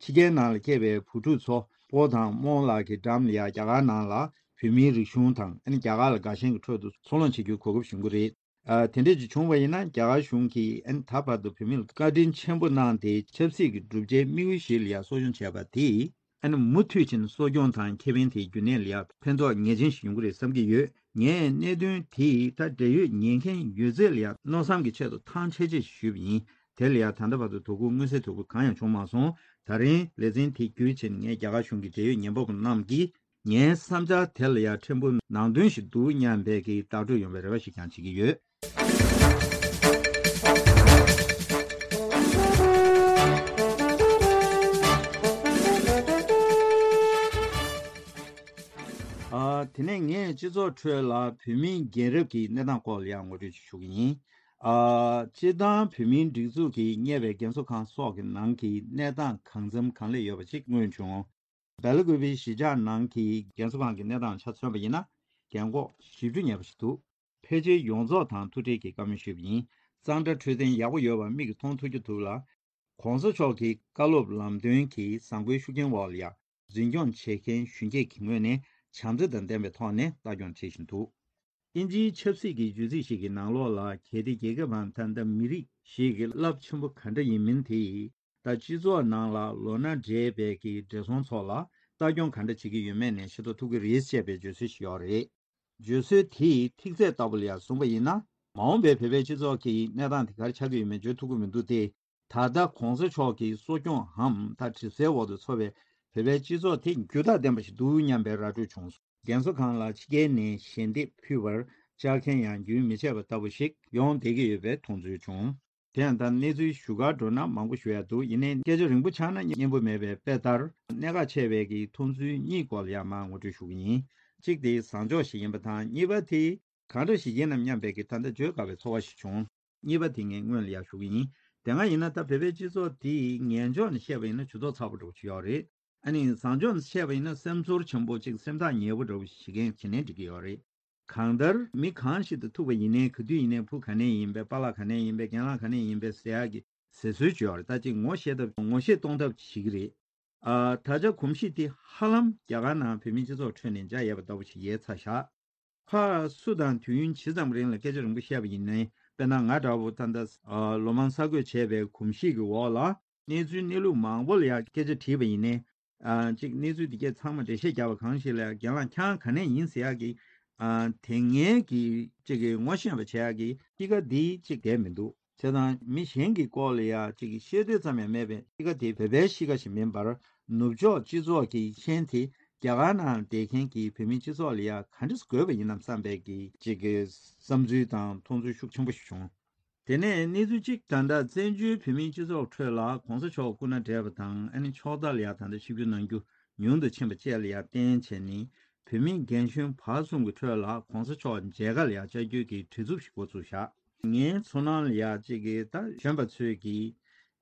ཕྱི་རྒྱལ་ནང་ལ་སྐྱེས་པའི་བུ་ཕྲུག་ཚོ་སྤོ་དང་རྨོ་ལགས་ཀྱི་འགྲམ་ལ་ཡ་རྒྱ་གར་ནང་ལ་བོད་མིའི་རིག་གཞུང་དང་ཨ་ནི་རྒྱ་གར་ལ་དགའ་ཞེན་གྱི་ཁྲོད་དུ་འཚར་ལོངས་བྱེད་རྒྱུའི་གོ་སྐབས་ཡོང་གི་རེད། ཨ་དེ་འདྲ་ཅིག་བྱུང་བ་ཡིན་ན་རྒྱ་གར་གཞུང་གིས་ཨ་ནི་ད་བར་དུ་བོད་མི་ལ་བཀའ་དྲིན་ཆེན་པོ་གནང་སྟེ་ཆབ་སྲིད་ཀྱི་བསྒྲུབ་བྱའི་དམིགས་ཡུལ་ཞིག་ལ་ཡ་གསོ་སྐྱོང་བྱས་པ་དེས་ཨ་ནི་མུ་མཐུད་ཕྱིན་གསོ་སྐྱོང་དང་ཁེ་ཕན་དེའི་རྒྱུན་གནས་ལ་ཡ་ཕན་ཐོགས་ངེས་ཅན་ཞིག་ཡོང་གི་རེད་བསམ་གྱི་ཡོད། ངས་གནད་དོན་དེའི་ད་འབྲེལ་ཡོད་ཉན་མཁན་ཡོད་ཚད་ལ་ཡ་མནོ་བསམ་གྱི་ཆེད་དུ་ཐང་ཆད་ཆད་ཞུས་པ་ཡིན། དེ་ལ་ཡ་ད་ལྟ་བར་དུ་དོ་ཁུར་མངོན་གསལ་དོད་པོ་གང་ཡང་བྱུང་མ་སོང་། ད་རིང་ལེ་ཚན་དེ་བརྒྱུད་ཕྱིན་ངས་རྒྱ་གར་གཞུང་གི་འབྲེལ་ཡོད་ཉན་པ་པོ་རྣམས་ཀྱིས་ངའི་བསམ་འཆར་དེ་ལ་ཡ་ཕྲན་བུ་ནང་དོན་ཞིག་འདུག་སྙམ་པའི་གི་བརྡ་སྤྲོད་ཡོང་བའི་རེ་བ་ཞིག་ཀྱང་བྱེད་ཀྱི་ཡོད། ཨ། དེ་ནས་ངས་སྤྱི་ཚོགས་ཁྲོད་ལ་བོད་མིའི་རྒན་རབས་ཀྱི་གནས་སྟངས་སྐོར་ལ་ཡང་ངོ་སྤྲོད་ཅིག་ཞུ་གི་ཡིན། ཨ། སྤྱིར་བཏང་བོད་མིའི་སྒྲིག་འཛུགས་ཀྱིས་གཉེར་བའི་རྒན་གསོ་ཁང་སོགས་ཀྱི་ནང་གི་གནས་སྟངས་གང་འཚམ་གང་ལེགས་ཡོད་པ་ཅིག་མངོན་བྱུང་། སྦེལ་ཀོབ་པའི་གཞིས་ཆགས་ནང་གི་རྒན་གསོ་ཁང་གི་གནས་སྟངས་ཆ་མཚོན་པ་ཡིན་ན། རྒན་གོག་བཞི་བཅུ་ཉེ་བ་ཞིག་འདུག་ཕལ་ཆེར་ཡོངས་རྫོགས་དང་ཐུག་འཕྲད་ཀྱིས་བཀའ་མོལ་ཞུས་པ་ཡིན། གཙང་སྦྲ་འཕྲོད་བསྟེན་ཡག་པོ་ཡོད་པ་མིག་གིས་མཐོང་ཐུབ་ཀྱི་འདུག་ལ། གོང་ས་མཆོག་གི་བཀའ་སློབ་ལམ་སྟོན་གྱི་བཟང་པོའི་ཤུགས་རྐྱེན་འོག་ལ་ཡ། འཛིན་སྐྱོང་བྱེད་མཁན་གཞོན་སྐྱེས་ཀྱི་ངོས་ནས་བྱམས་བརྩེ་དང་ལྡན་པའི་ཐོག་ནས་ལྟ་སྐྱོང་བྱེད་བཞིན་འདུག་ཨིན་ཇིའི་ཆབ་སྲིད་ཀྱི་བརྗོད་ཚིག་ཞིག་གི་ནང་ལོགས་ལ། གལ་ཏེ་རྒྱལ་ཁབ་བམ་ད་ལྟ་མི་རིགས་ཤིག་གི་རླབས་ཆེན་པོ་ག་འདྲ་ཡིན་མིན་དེ། ད་སྤྱི་ཚོགས་ནང་ལ་ལོ་ན་བགྲེས་པའི་གི་བགྲེས་སོང་ཚོ་ལ་ལྟ་སྐྱོང་ག་འདྲ་བྱེད་ཀྱི་ཡོད་མེད་ནས་ཤེས་རྟོགས་ཐུབ་ཀྱི་རེད་ཅེས་པའི་བརྗོད་སྲོལ་ཞིག་ཡོད་རེད། བརྗོད་སྲོལ་དེའི་ཐིག་ཚད་ལྟ་བུ་ལ་ཡང་བཟུང་བ་ཡིན་ན། མ་འོངས་པའི་བོད་པའི་སྤྱི་ཚོགས་ཀྱི་གནས་སྟངས་དེ་ག་རེ་ཆགས་ཀྱི་ཡོད་མེད་བརྗོད་ཐུབ་ཀྱི་མི་འདུག་སྟེ། ད་ལྟ་གོང་ས་མཆོག་གི་གསོ་སྐྱོང་འམ་ད་གྲིབ་སེལ་འོག་ཏུ་འཚོ་བའི་བོད་པའི་སྤྱི་ཚོགས་དེ་འགྱུར་ཐག་ལྡན་པ་ཞིག་འདུག་སྙམ་པའི་ར་སྤྲོད་བྱུང་སོང་། རྒན་གསོ་ཁང་ལ་ཕྱི་རྒྱལ་ནས་ཞལ་འདེབས་ཕུལ་བར་བཅར་མཁན་ཡང་རྒྱུན་མི་ཆད་པ་ལྟ་བུ་ཞིག་ཡོང་བསྡད་ཀྱི་ཡོད་པའི་མཐོང་ཚུལ་བྱུང་། དེ་ཡང་ད་གནས་ཚུལ་ཞུ་གར་འགྲོ་ན་མང་པོ་ཞུ་ཡ་འདུག་ཡིན་ནའི་སྐད་ཆ་རིང་པོ་ཆགས་ན་སྙན་པོ་མེད་པས། དཔེ་ལྟར་གནད་འགག་ཆེ་བའི་གི་མཐོང་ཚུལ་གཉིས་སྐོར་ལ་ཡང་མར་ངོ་སྤྲོད་ཞུ་གི་ཡིན། གཅིག་དེ་བཟང་ཕྱོགས་ཤིག་ཡིན་པ་དང་། གཉིས་པ་དེ་གང་འདྲ་ཞིག་ཡིན་ནམ་སྙམ་པའི་གི་ད་ལྟ་བརྗོད་དཀའ་བའི་ཚོར་བ་ཞིག་བྱུང་། གཉིས་པ་དེ་ངས་སྔོན་ལ་ཡང་ཞུ་གི་ཡིན། དེ་སྔ་ཡིན་ན་ད་བོད་པའི་སྤྱི་ཚོགས་དེ་ངན་ཕྱོགས་ནས་བཤད་པ་ཡིན་ན་ཇུས་གཏོགས་ཚ་པོ་འདྲ་པོ་ཞིག་ཡོད་རེད། ཨ་ནི་བཟང་ཕྱོགས་ནས་བཤད་པ་ཡིན་ན་སེམས་ཚོར་ཆེན་པོ་ཅིག་སེམས་ཐག་ཉེ་པོ་འདྲ་པོ་ཞིག་བྱེད་མཁན་བྱེད་ནས་འགྲིག་གི་ཡོད་རེད། གང་ལྟར་མི་གང་ཞིག་དང་ཐུག་པ་ཡིན་ནའི་ག་དུས་ཡིན་ནའི་བུ་ག་ནས་ཡིན་པས། པཱ་ལགས་ག་ནས་ཡིན་པས། རྒན་ལགས་ག་ནས་ཡིན་པས་ཟེར་ཡག་གི་ཟེར་སྲོལ་ཅིག་ཡོད་རེད། ད་ཅིག་ངོ་ཤེས་ཐབས་ངོ་ཤེས་གཏོང་ཐབས་བྱེད་ཀྱི་རེད། ཨ། ད་ཆ་གོམས་གཤིས་དེ་ཧ་ལམ་རྒྱ་གར་ནང་བོད་མིའི་སྤྱི་ཚོགས་ཁྲོད་ནས་འཇགས་ཡོད་པ་ལྟ་བུ་ཞིག་ཡལ་ཚར་བཞག་ཕར་སུ་དང་དུས་ཡུན་ཇི་ཙམ་རིང་ལ་སྐད་ཆ་རིང་པོ་བཤད་པ་ཡིན་ནའི། དཔེར་ན་ང་འདྲ་བོ་ད་ལྟ་ཨ་ལོ་མང་གསར་འགོད་བྱས་པའི་གོམས་གཤིས་ཀྱི་འོག་ལ། གནས་ཚུལ་གནས་ལུགས་མང་པོ་ལ་ཡང་སྐད་ཆ་དྲིས་པ་ཡིན་ནའི། ཨ་གཅིག་གནས་ཚུལ་འདི་གས་ཚང་མ་འགྲེལ་བཤད་རྒྱབ་པ་གང་ཞིག་ལ་ཡང་རྒན་ལགས་ཁྱེད་རང་ག་ནས་ཡིན་ཟེར་ཡག་གི། ཨ་དེ་སྔའི་གི་གཅིག་གི་ངོ་ཤེས་པ་བྱེད་ཡག་གི་གཤིས་ཀ་འདི་གཅིག་བསྡད་མི་འདུག་བྱས་ཙང་མི་གཞན་གྱི་སྐོར་ལ་ཡང་གཅིག་གི་ཤེས་འདོད་ཙམ་ཡང་མེད་པའི་གཤིས་ཀ་དེ་བོད་པའི་གཤིས་ཀ་ཞིག་མིན་པར། ནུབ་ཕྱོགས་སྤྱི་ཚོགས་ཀྱི་ཤན་དེ་རྒྱ་གར་ནང་བསྡད་མཁན་གྱི་བོད་མིའི་སྤྱི་ཚོགས་ལ་ཡང་ག་འདྲས་དགོས་པ་ཡིན་ནམ་བསམ་པའི་གི་གཅིག་གི་བསམ་ཚུལ་དང་མཐོང་ཚུལ་ཤུགས་ཆེན་པོ་ཞིག་བྱུང་། དེ་ནས་གནས་ཚུལ་གཅིག་ད་ལྟ་བཙན་བྱོལ་བོད་མིའི་སྤྱི་ཚོགས་ཁྲོད་ལ་གོང་ས་མཆོག་སྐུ་ན་བགྲེས་པ་དང་ཨ་ནི་ཕྱོགས་མཐའ་ལ་ཡང་ད་ལྟ་ཆིབས་བསྒྱུར་གནང་རྒྱུ་ཉུང་དུ་ཕྱིན་པ་བཅས་ལ་ཡང་བརྟེན་བྱས་ནས་བོད་མི་རྒན་གཞོན་བར་གསུམ་གྱི་ཁྲོད་ལ་གོང་ས་མཆོག་མཇལ་ཁ་ལ་ཡང་བཅར་རྒྱུའི་གི་བྲེལ་འཚུབ་ཞིག་འགོ་ཚུགས་བཞག་ངའི་ཚོར་སྣང་ལ་ཡང་གཅིག་གི་ད་གཞོན་པ་ཚོས་ཀྱིས་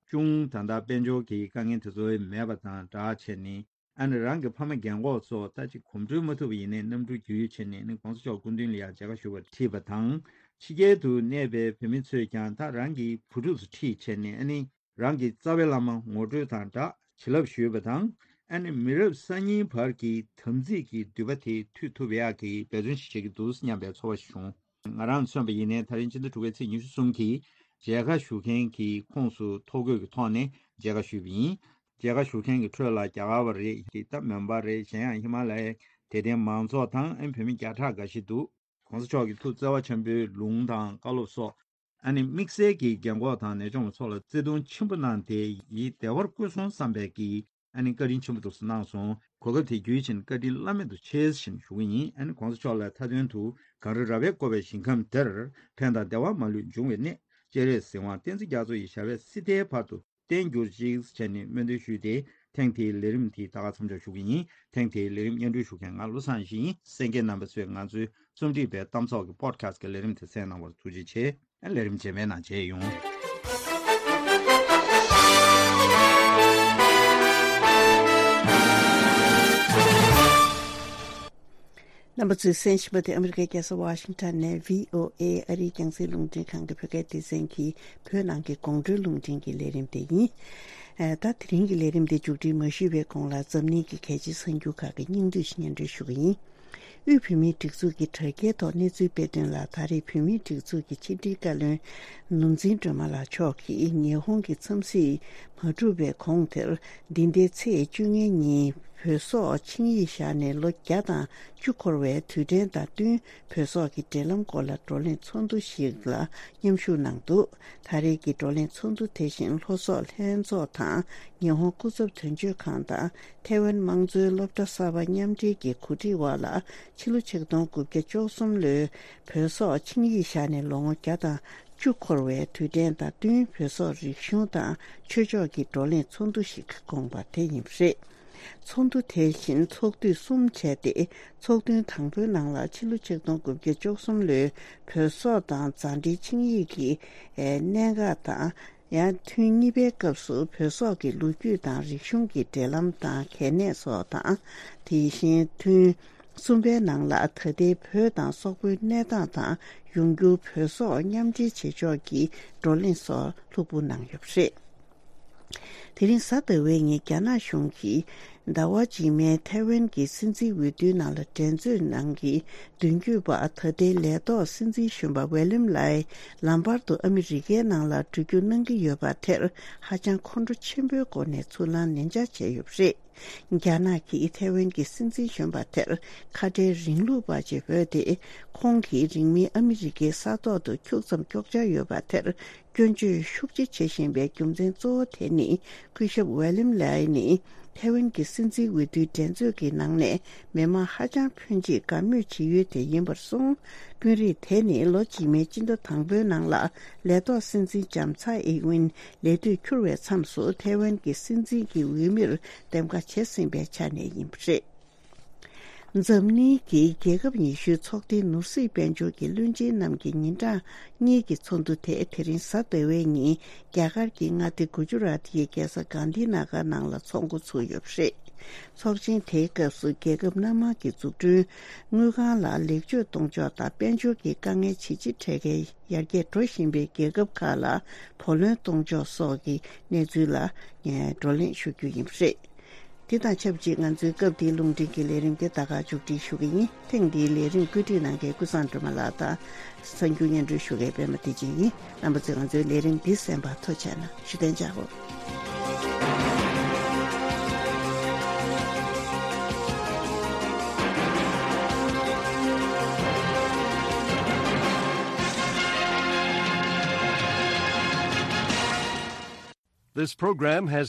ཅུང་ད་ལྟ་དཔལ་འབྱོར་གྱི་དཀའ་ངལ་དེ་ཚོ་མེད་པ་དང་སྦྲགས་བྱས་ནས། ཨ་ནི་རང་གི་ཕ་མ་རྒན་གོག་ཚོ་ད་ཅིག་གོམ་བགྲོད་མ་ཐུབ་པ་ཡིན་ནའི་གནམ་གྲུ་བརྒྱུད་བྱས་ནས་ནི་གོང་ས་མཆོག་སྐུ་མདུན་ལ་ཡང་མཇལ་ཁ་ཞུ་བར་ཁྲིད་པ་དང་། ཕྱི་རྒྱལ་དུ་གནས་པའི་བོད་མི་ཚོས་ཀྱང་ད་རང་གི་བུ་ཕྲུག་ཚོ་ཁྲིད་བྱས་ནས་ཨ་ནི་རང་གི་རྩ་བའི་བླ་མ་ངོ་སྤྲོད་དང་སྦྲགས་བྱིན་རླབས་ཞུས་པ་དང་། ཨ་ནི་མི་རབས་གསར་རྙིང་བར་གྱི་དམ་ཚིག་གི་མདུད་པ་དེ་མཐུད་ཐུབ་ཡག་གི་འབད་བརྩོན་ཞིག་བྱེད་ཀྱི་འདུག་སྙམ་པའི་ཚོར་བ་ཞིག་བྱུང་། ང་རང་མཚོན་པ་ཡིན་ནའི་ད་རིང་ཕྱི་ཟླ་དྲུག་པའི་ཚེས་ཉི་ཤུ་གསུམ་གྱི་མཇལ་ཁ་ཞུ་མཁན་གྱི་ཁོངས་སུ་ཐོ་འགོད་ཀྱི་ཐོག་ནས་མཇལ་ཁ་ཞུས་པ་ཡིན། མཇལ་ཁ་ཞུ་མཁན་གྱི་ཁྲོད་ལ་རྒྱ་གར་བ་རེད། ད་མོན་པ་རེད། གཞན་ཡང་ཧི་མ་ལ་ཡའི་དད་ལྡན་མང་ཚོགས་དང་ཨ་ནི་བོད་མི་བརྒྱ་ཕྲག་འགའ་ཞིག་འདུག་གོང་ས་མཆོག་གི་ཐུགས་བརྩེ་བ་ཆེན་པོའི་ལུང་དང་བཀའ་སློབ་སོགས། ཨ་ནི་དམིགས་བསལ་གྱིས་རྒན་གོག་དང་ནད་སྐྱོང་བ་ཚོ་ལ་བརྩེ་དུང་ཆེན་པོ་གནང་སྟེ་ཡིད་བདེ་བར་བཀོད་སོང་བསམ་པའི་གི་ཨ་ནི་བཀའ་དྲིན་ཆེན་པོ་འདུག་སེ་གནང་སོང་། གོ་སྐབས་དེ་བརྒྱུད་བྱས་ནས་བཀའ་དྲིན་བླ་མེད་དུ་ཆེ་ཞེས་ཞུ་གི་ཡིན། ཨ་ནི་གོང་ས་མཆོག་ལ་མཐའ་དོན་དུ་གངས་རི་ར་བས་བསྐོར་བའི་ཞིང་ཁམས་འདིར་ཕན་དང་བདེ་བ་མ་ལུས་འབྱུང་བའི་གནས། སྤྱན་རས་གཟིགས་དབང་བསྟན་འཛིན་རྒྱ་མཚོ་ཡི་ཞབས་པད་སྲིད་མཐའི་བར་དུ་བརྟན་གྱུར་ཅིག་བྱས་ནས་སྨོན་འདུན་ཞུས་ཏེ་ཐེངས་དེའི་ལས་རིམ་དེ་ད་ག་མཚམས་འཇོག་ཞུ་གི་ཡིན། ཐེངས་དེའི་ལས་རིམ་སྙན་སྒྲོན་ཞུ་མཁན་ང་བློ་བཟང་ཡེ་ཤེས་ཡིན། གསན་མཁན་རྣམ་པ་ཚོས་ང་ཚོའི་རྩོམ་སྒྲིག་པའི་གཏམ་ཚོགས་ཀྱི་པོ་ཌི་ཁ་སི་ཀྱི་ལས་རིམ་དེ་གསན་གནང་བར་ཐུགས་རྗེ་ཆེ། ལས་རིམ་རྗེས་མའི་ནང་མཇལ་ཡོང་། རྣམ་པ་ཚོས་གསན་བཞིན་པ་དེ་ཨ་མི་རི་ཀའི་རྒྱལ་ས་ཝ་ཤིང་ཊོན་ནས་བྷི་ཨོ་ཨེ་ཨ་རིའི་རྒྱང་སྲིང་རླུང་འཕྲིན་ཁང་གི་བོད་སྐད་སྡེ་ཚན་གྱི་བོད་ནང་གི་དགོང་དྲོའི་རླུང་འཕྲིན་གྱི་ལས་རིམ་དེ་ཡིན། ད་དེ་རིང་གི་ལས་རིམ་དེ་མཇུག་སྒྲིལ་མ་ཞུས་པའི་གོང་ལ་འཛམ་གླིང་གི་གལ་ཆེའི་གསར་འགྱུར་ཁག་གི་སྙིང་བསྡུས་ཤིག་སྙན་སྒྲོན་ཞུ་གི་ཡིན། དབུས་བོད་མིའི་སྒྲིག་འཛུགས་ཀྱི་དྲ་རྒྱའི་ཐོག་གནས་ཚུལ་སྤེལ་དོན་ལ། ད་རེས་བོད་མིའི་སྒྲིག་འཛུགས་ཀྱི་ཕྱི་དྲིལ་བཀའ་བློན་ནོར་འཛིན་སྒྲོལ་མ་ལགས་མཆོག་གིས་ཉི་ཧོང་གི་འཚམས་གཟིགས་མ་གྲུབ་པའི་གོང་དེར། འདི་ཟླའི་ཚེས་བཅོ་ལྔ་ཉིན་བོད་སོག་ཆིངས་ཡིག་བཞག་ནས་ལོ་བརྒྱ་དང་བཅུ་འཁོར་བའི་དུས་དྲན་དང་བསྟུན། བོད་སོག་གི་འབྲེལ་ལམ་སྐོར་ལ་བགྲོ་གླེང་ཚོགས་འདུ་ཞིག་ལ་མཉམ་ཞུགས་གནང་འདུག་ད་རེས་ཀྱི་བགྲོ་གླེང་ཚོགས་འདུ་དེ་བཞིན་ལྷོ་སོག་ལྷན་ཚོགས་དང་ཉི་ཧོང་སྐུ་ཚབ་དོན་གཅོད་ཁང་དང་། ཐའེ་ཝན་དམངས་གཙོའི་སློབ་གྲྭ་གསར་པ་མཉམ་འབྲེལ་གྱི་གོ་སྒྲིག་འོག་ལ། ཕྱི་ལོ་ཆིག་སྟོང་དགུ་བརྒྱ་བཅུ་གསུམ་ལོའི་བོད་སོག་ཆིངས་ཡིག་བཞག་ནས་ལོ་ངོ་བརྒྱ་དང་བཅུ་འཁོར་བའི་དུས་དྲན་དང་བསྟུན། བོད་སོག་རིག་གཞུང་དང་ཆོས་ཕྱོགས་ཀྱི་བགྲོ་གླེང་ཚོགས་འདུ་ཞིག་བསྐོངས་པ་དེ་ཡིན་པ་རེད། ཚོགས་འདུ་དེ་བཞིན་ཚོགས་དུས་གསུམ་བྱས་ཏེ། ཚོགས་ཐུན་དང་པོའི་ནང་ལ་ཕྱི་ལོ་ཆིག་སྟོང་དགུ་བརྒྱ་བཅུ་གསུམ་ལོའི་བོད་སོག་དང་མཛའ་འབྲེལ་ཆིངས་ཡིག་གི་གནད་འགག་དང་། ཡང་ཐུན་གཉིས་པའི་སྐབས་སུ་བོད་སོག་གི་ལོ་རྒྱུས་དང་རིག་གཞུང་གི་འབྲེལ་ལམ་དང་གལ་གནད་སོགས་དང་། དེ་བཞིན་ཐུན་གསུམ་པའི་ནང་ལ་ད་ལྟའི་བོད་དང་སོག་པོའི་གནས་སྟངས་དང་ཡོང་འགྱུར། བོད་སོག་མཉམ་འབྲེལ་བྱེད་ཕྱོགས་ཀྱི་བགྲོ་གླེང་སོགས་ལྷུག་པོ་གནང་ཡོད་པ་རེད། དེ་རིང་གཟའ་ཟླ་བའི་ཉིན་རྒྱ་ནག་གཞུང་གིས་ཟླ་བ་རྗེས་མའི་ཐའེ་ཝན་གྱི་སྲིད་འཛིན་འོས་བསྡུའི་ནང་ལ་འགྲན་རྩོད་གནང་གི་མདུན་སྐྱོད་པ། ད་ལྟའི་ལས་ཐོག་སྲིད་འཛིན་གཞོན་པ་ཝེ་ལིམ་ལའེ་ལམ་བར་དུ་ཨ་མི་རི་ཀའི་ནང་ལ་འགྲོ་རྒྱུ་གནང་གི་ཡོད་པ་དེར་ཧ་ཅང་ཁོང་ཁྲོ་ཆེན་པོའི་སྒོ་ནས་ཚུར་ལན་ལན་འཇགས་བྱས་ཡོད་པ་རེད། རྒྱ་ནག་གིས་ཐའེ་ཝན་གྱི་སྲིད་འཛིན་གཞོན་པ་དེར་ཁ་བྲལ་རིང་ལུགས་པ་ཅིག་འབོད་དེ། ཁོང་གིས་རིང་མིན་ཨ་མི་རི་ཀའི་ས་ཐོག་ཏུ་ཁྱུག་ཙམ་ཀྱོག་ཅག་ཡོད་པ་དེར་སྐྱོན་བརྗོད་ཤུགས་ཆེ་བྱེད་བཞིན་པའི་རྒྱུ་མཚན་གཙོ་བོ་དེ་ནི། སྐུ་ཞབས་ཝེ་ལིམ་ལའེ་ནི་ཐའེ་ཝན་གྱི་སྲིད་འཛིན་འོས་བསྡུའི་འགྲན་རྩོད་ཀྱི་ནང་ནས་མི་མང་ཧ་ཅང་ཕོན་ཆེས་དགའ་མོས་བྱེད་ཡུལ་དེ་ཡིན་པར་གསུངས། དཔོན་རིགས་དེ་ནི་ལོ་རྗེས་མའི་སྤྱི་ཟླ་དང་པོའི་ནང་ལ་ལས་ཐོག་སྲིད་འཛིན་ལྕམ་ཚའེ་ཨིན་ཝིན་ལས་དུས་འཁྱོལ་བའི་མཚམས་སུ་ཐའེ་ཝན་གྱི་སྲིད་འཛིན་གྱི་འོས་མིར་འདེམས་ཀ་བྱས་ཟིན་པའི་ཆ་ནས་ཡིན་པ་རེད། འཛམ་གླིང་གི་རྒྱལ་ཁབ་ཉི་ཤུའི་ཚོགས་སྡེའི་ནོར་སྲིད་དཔལ་འབྱོར་གྱི་བློན་ཆེན་རྣམས་ཀྱི་ཉིན་གྲངས་གཉིས་ཀྱི་ཚོགས་འདུ་དེ་དེ་རིང་གཟའ་ཟླ་བའི་ཉིན་རྒྱ་གར་གྱི་མངའ་སྡེ་གུ་ཇུ་རཱཏ་ཡི་རྒྱལ་ས་གྷན་དྷི་ན་གར་ནང་ལ་ཚོགས་འགོ་ཚུགས་ཡོད་པ་རེད། ཚོགས་ཆེན་དེའི་སྐབས་སུ་རྒྱལ་ཁབ་སྣ་མང་གི་འཛུགས་སྐྲུན་དངུལ་ཁང་ལ་ལེགས་བཅོས་གཏོང་ཕྱོགས་དང་དཔལ་འབྱོར་གྱི་དཀའ་ངལ་ཇེ་ཆེ་འཕྲད་མཁན་ཡར་རྒྱས་འགྲོ་བཞིན་པའི་རྒྱལ་ཁབ་ཁག་ལ་བུ་ལོན་གཏོང་ཕྱོགས་སོགས་ཀྱི་གནས་ཚུལ་ལ་ངས་བགྲོ་གླེང་ཞུ་རྒྱུ་ཡིན་པ་རེད། དེ་དང་ཆབས་ཅིག་ང་ཚོའི་སྐབས་འདིའི་རླུང་འཕྲིན་གྱི་ལས་རིམ་འདི་ད་ག་མཇུག་སྒྲིལ་ཞུ་གི་ཡིན། ཐེངས་འདིའི་ལས་རིམ་བཀོད་སྒྲིག་གནང་མཁན་ཀུན་བཟང་སྒྲོལ་མ་ལགས་དང་། གསར་འགྱུར་སྙན་སྒྲོན་ཞུ་མཁན་པད་མ་བདེ་ཆེན་ཡིན། རྣམ་པ་ཚོས་ང་ཚོའི་ལས་རིམ་འདི་གསན་པར་ཐུགས་རྗེ་གནང་། བཞུགས་གདན་འཇགས་སྒོ། This program has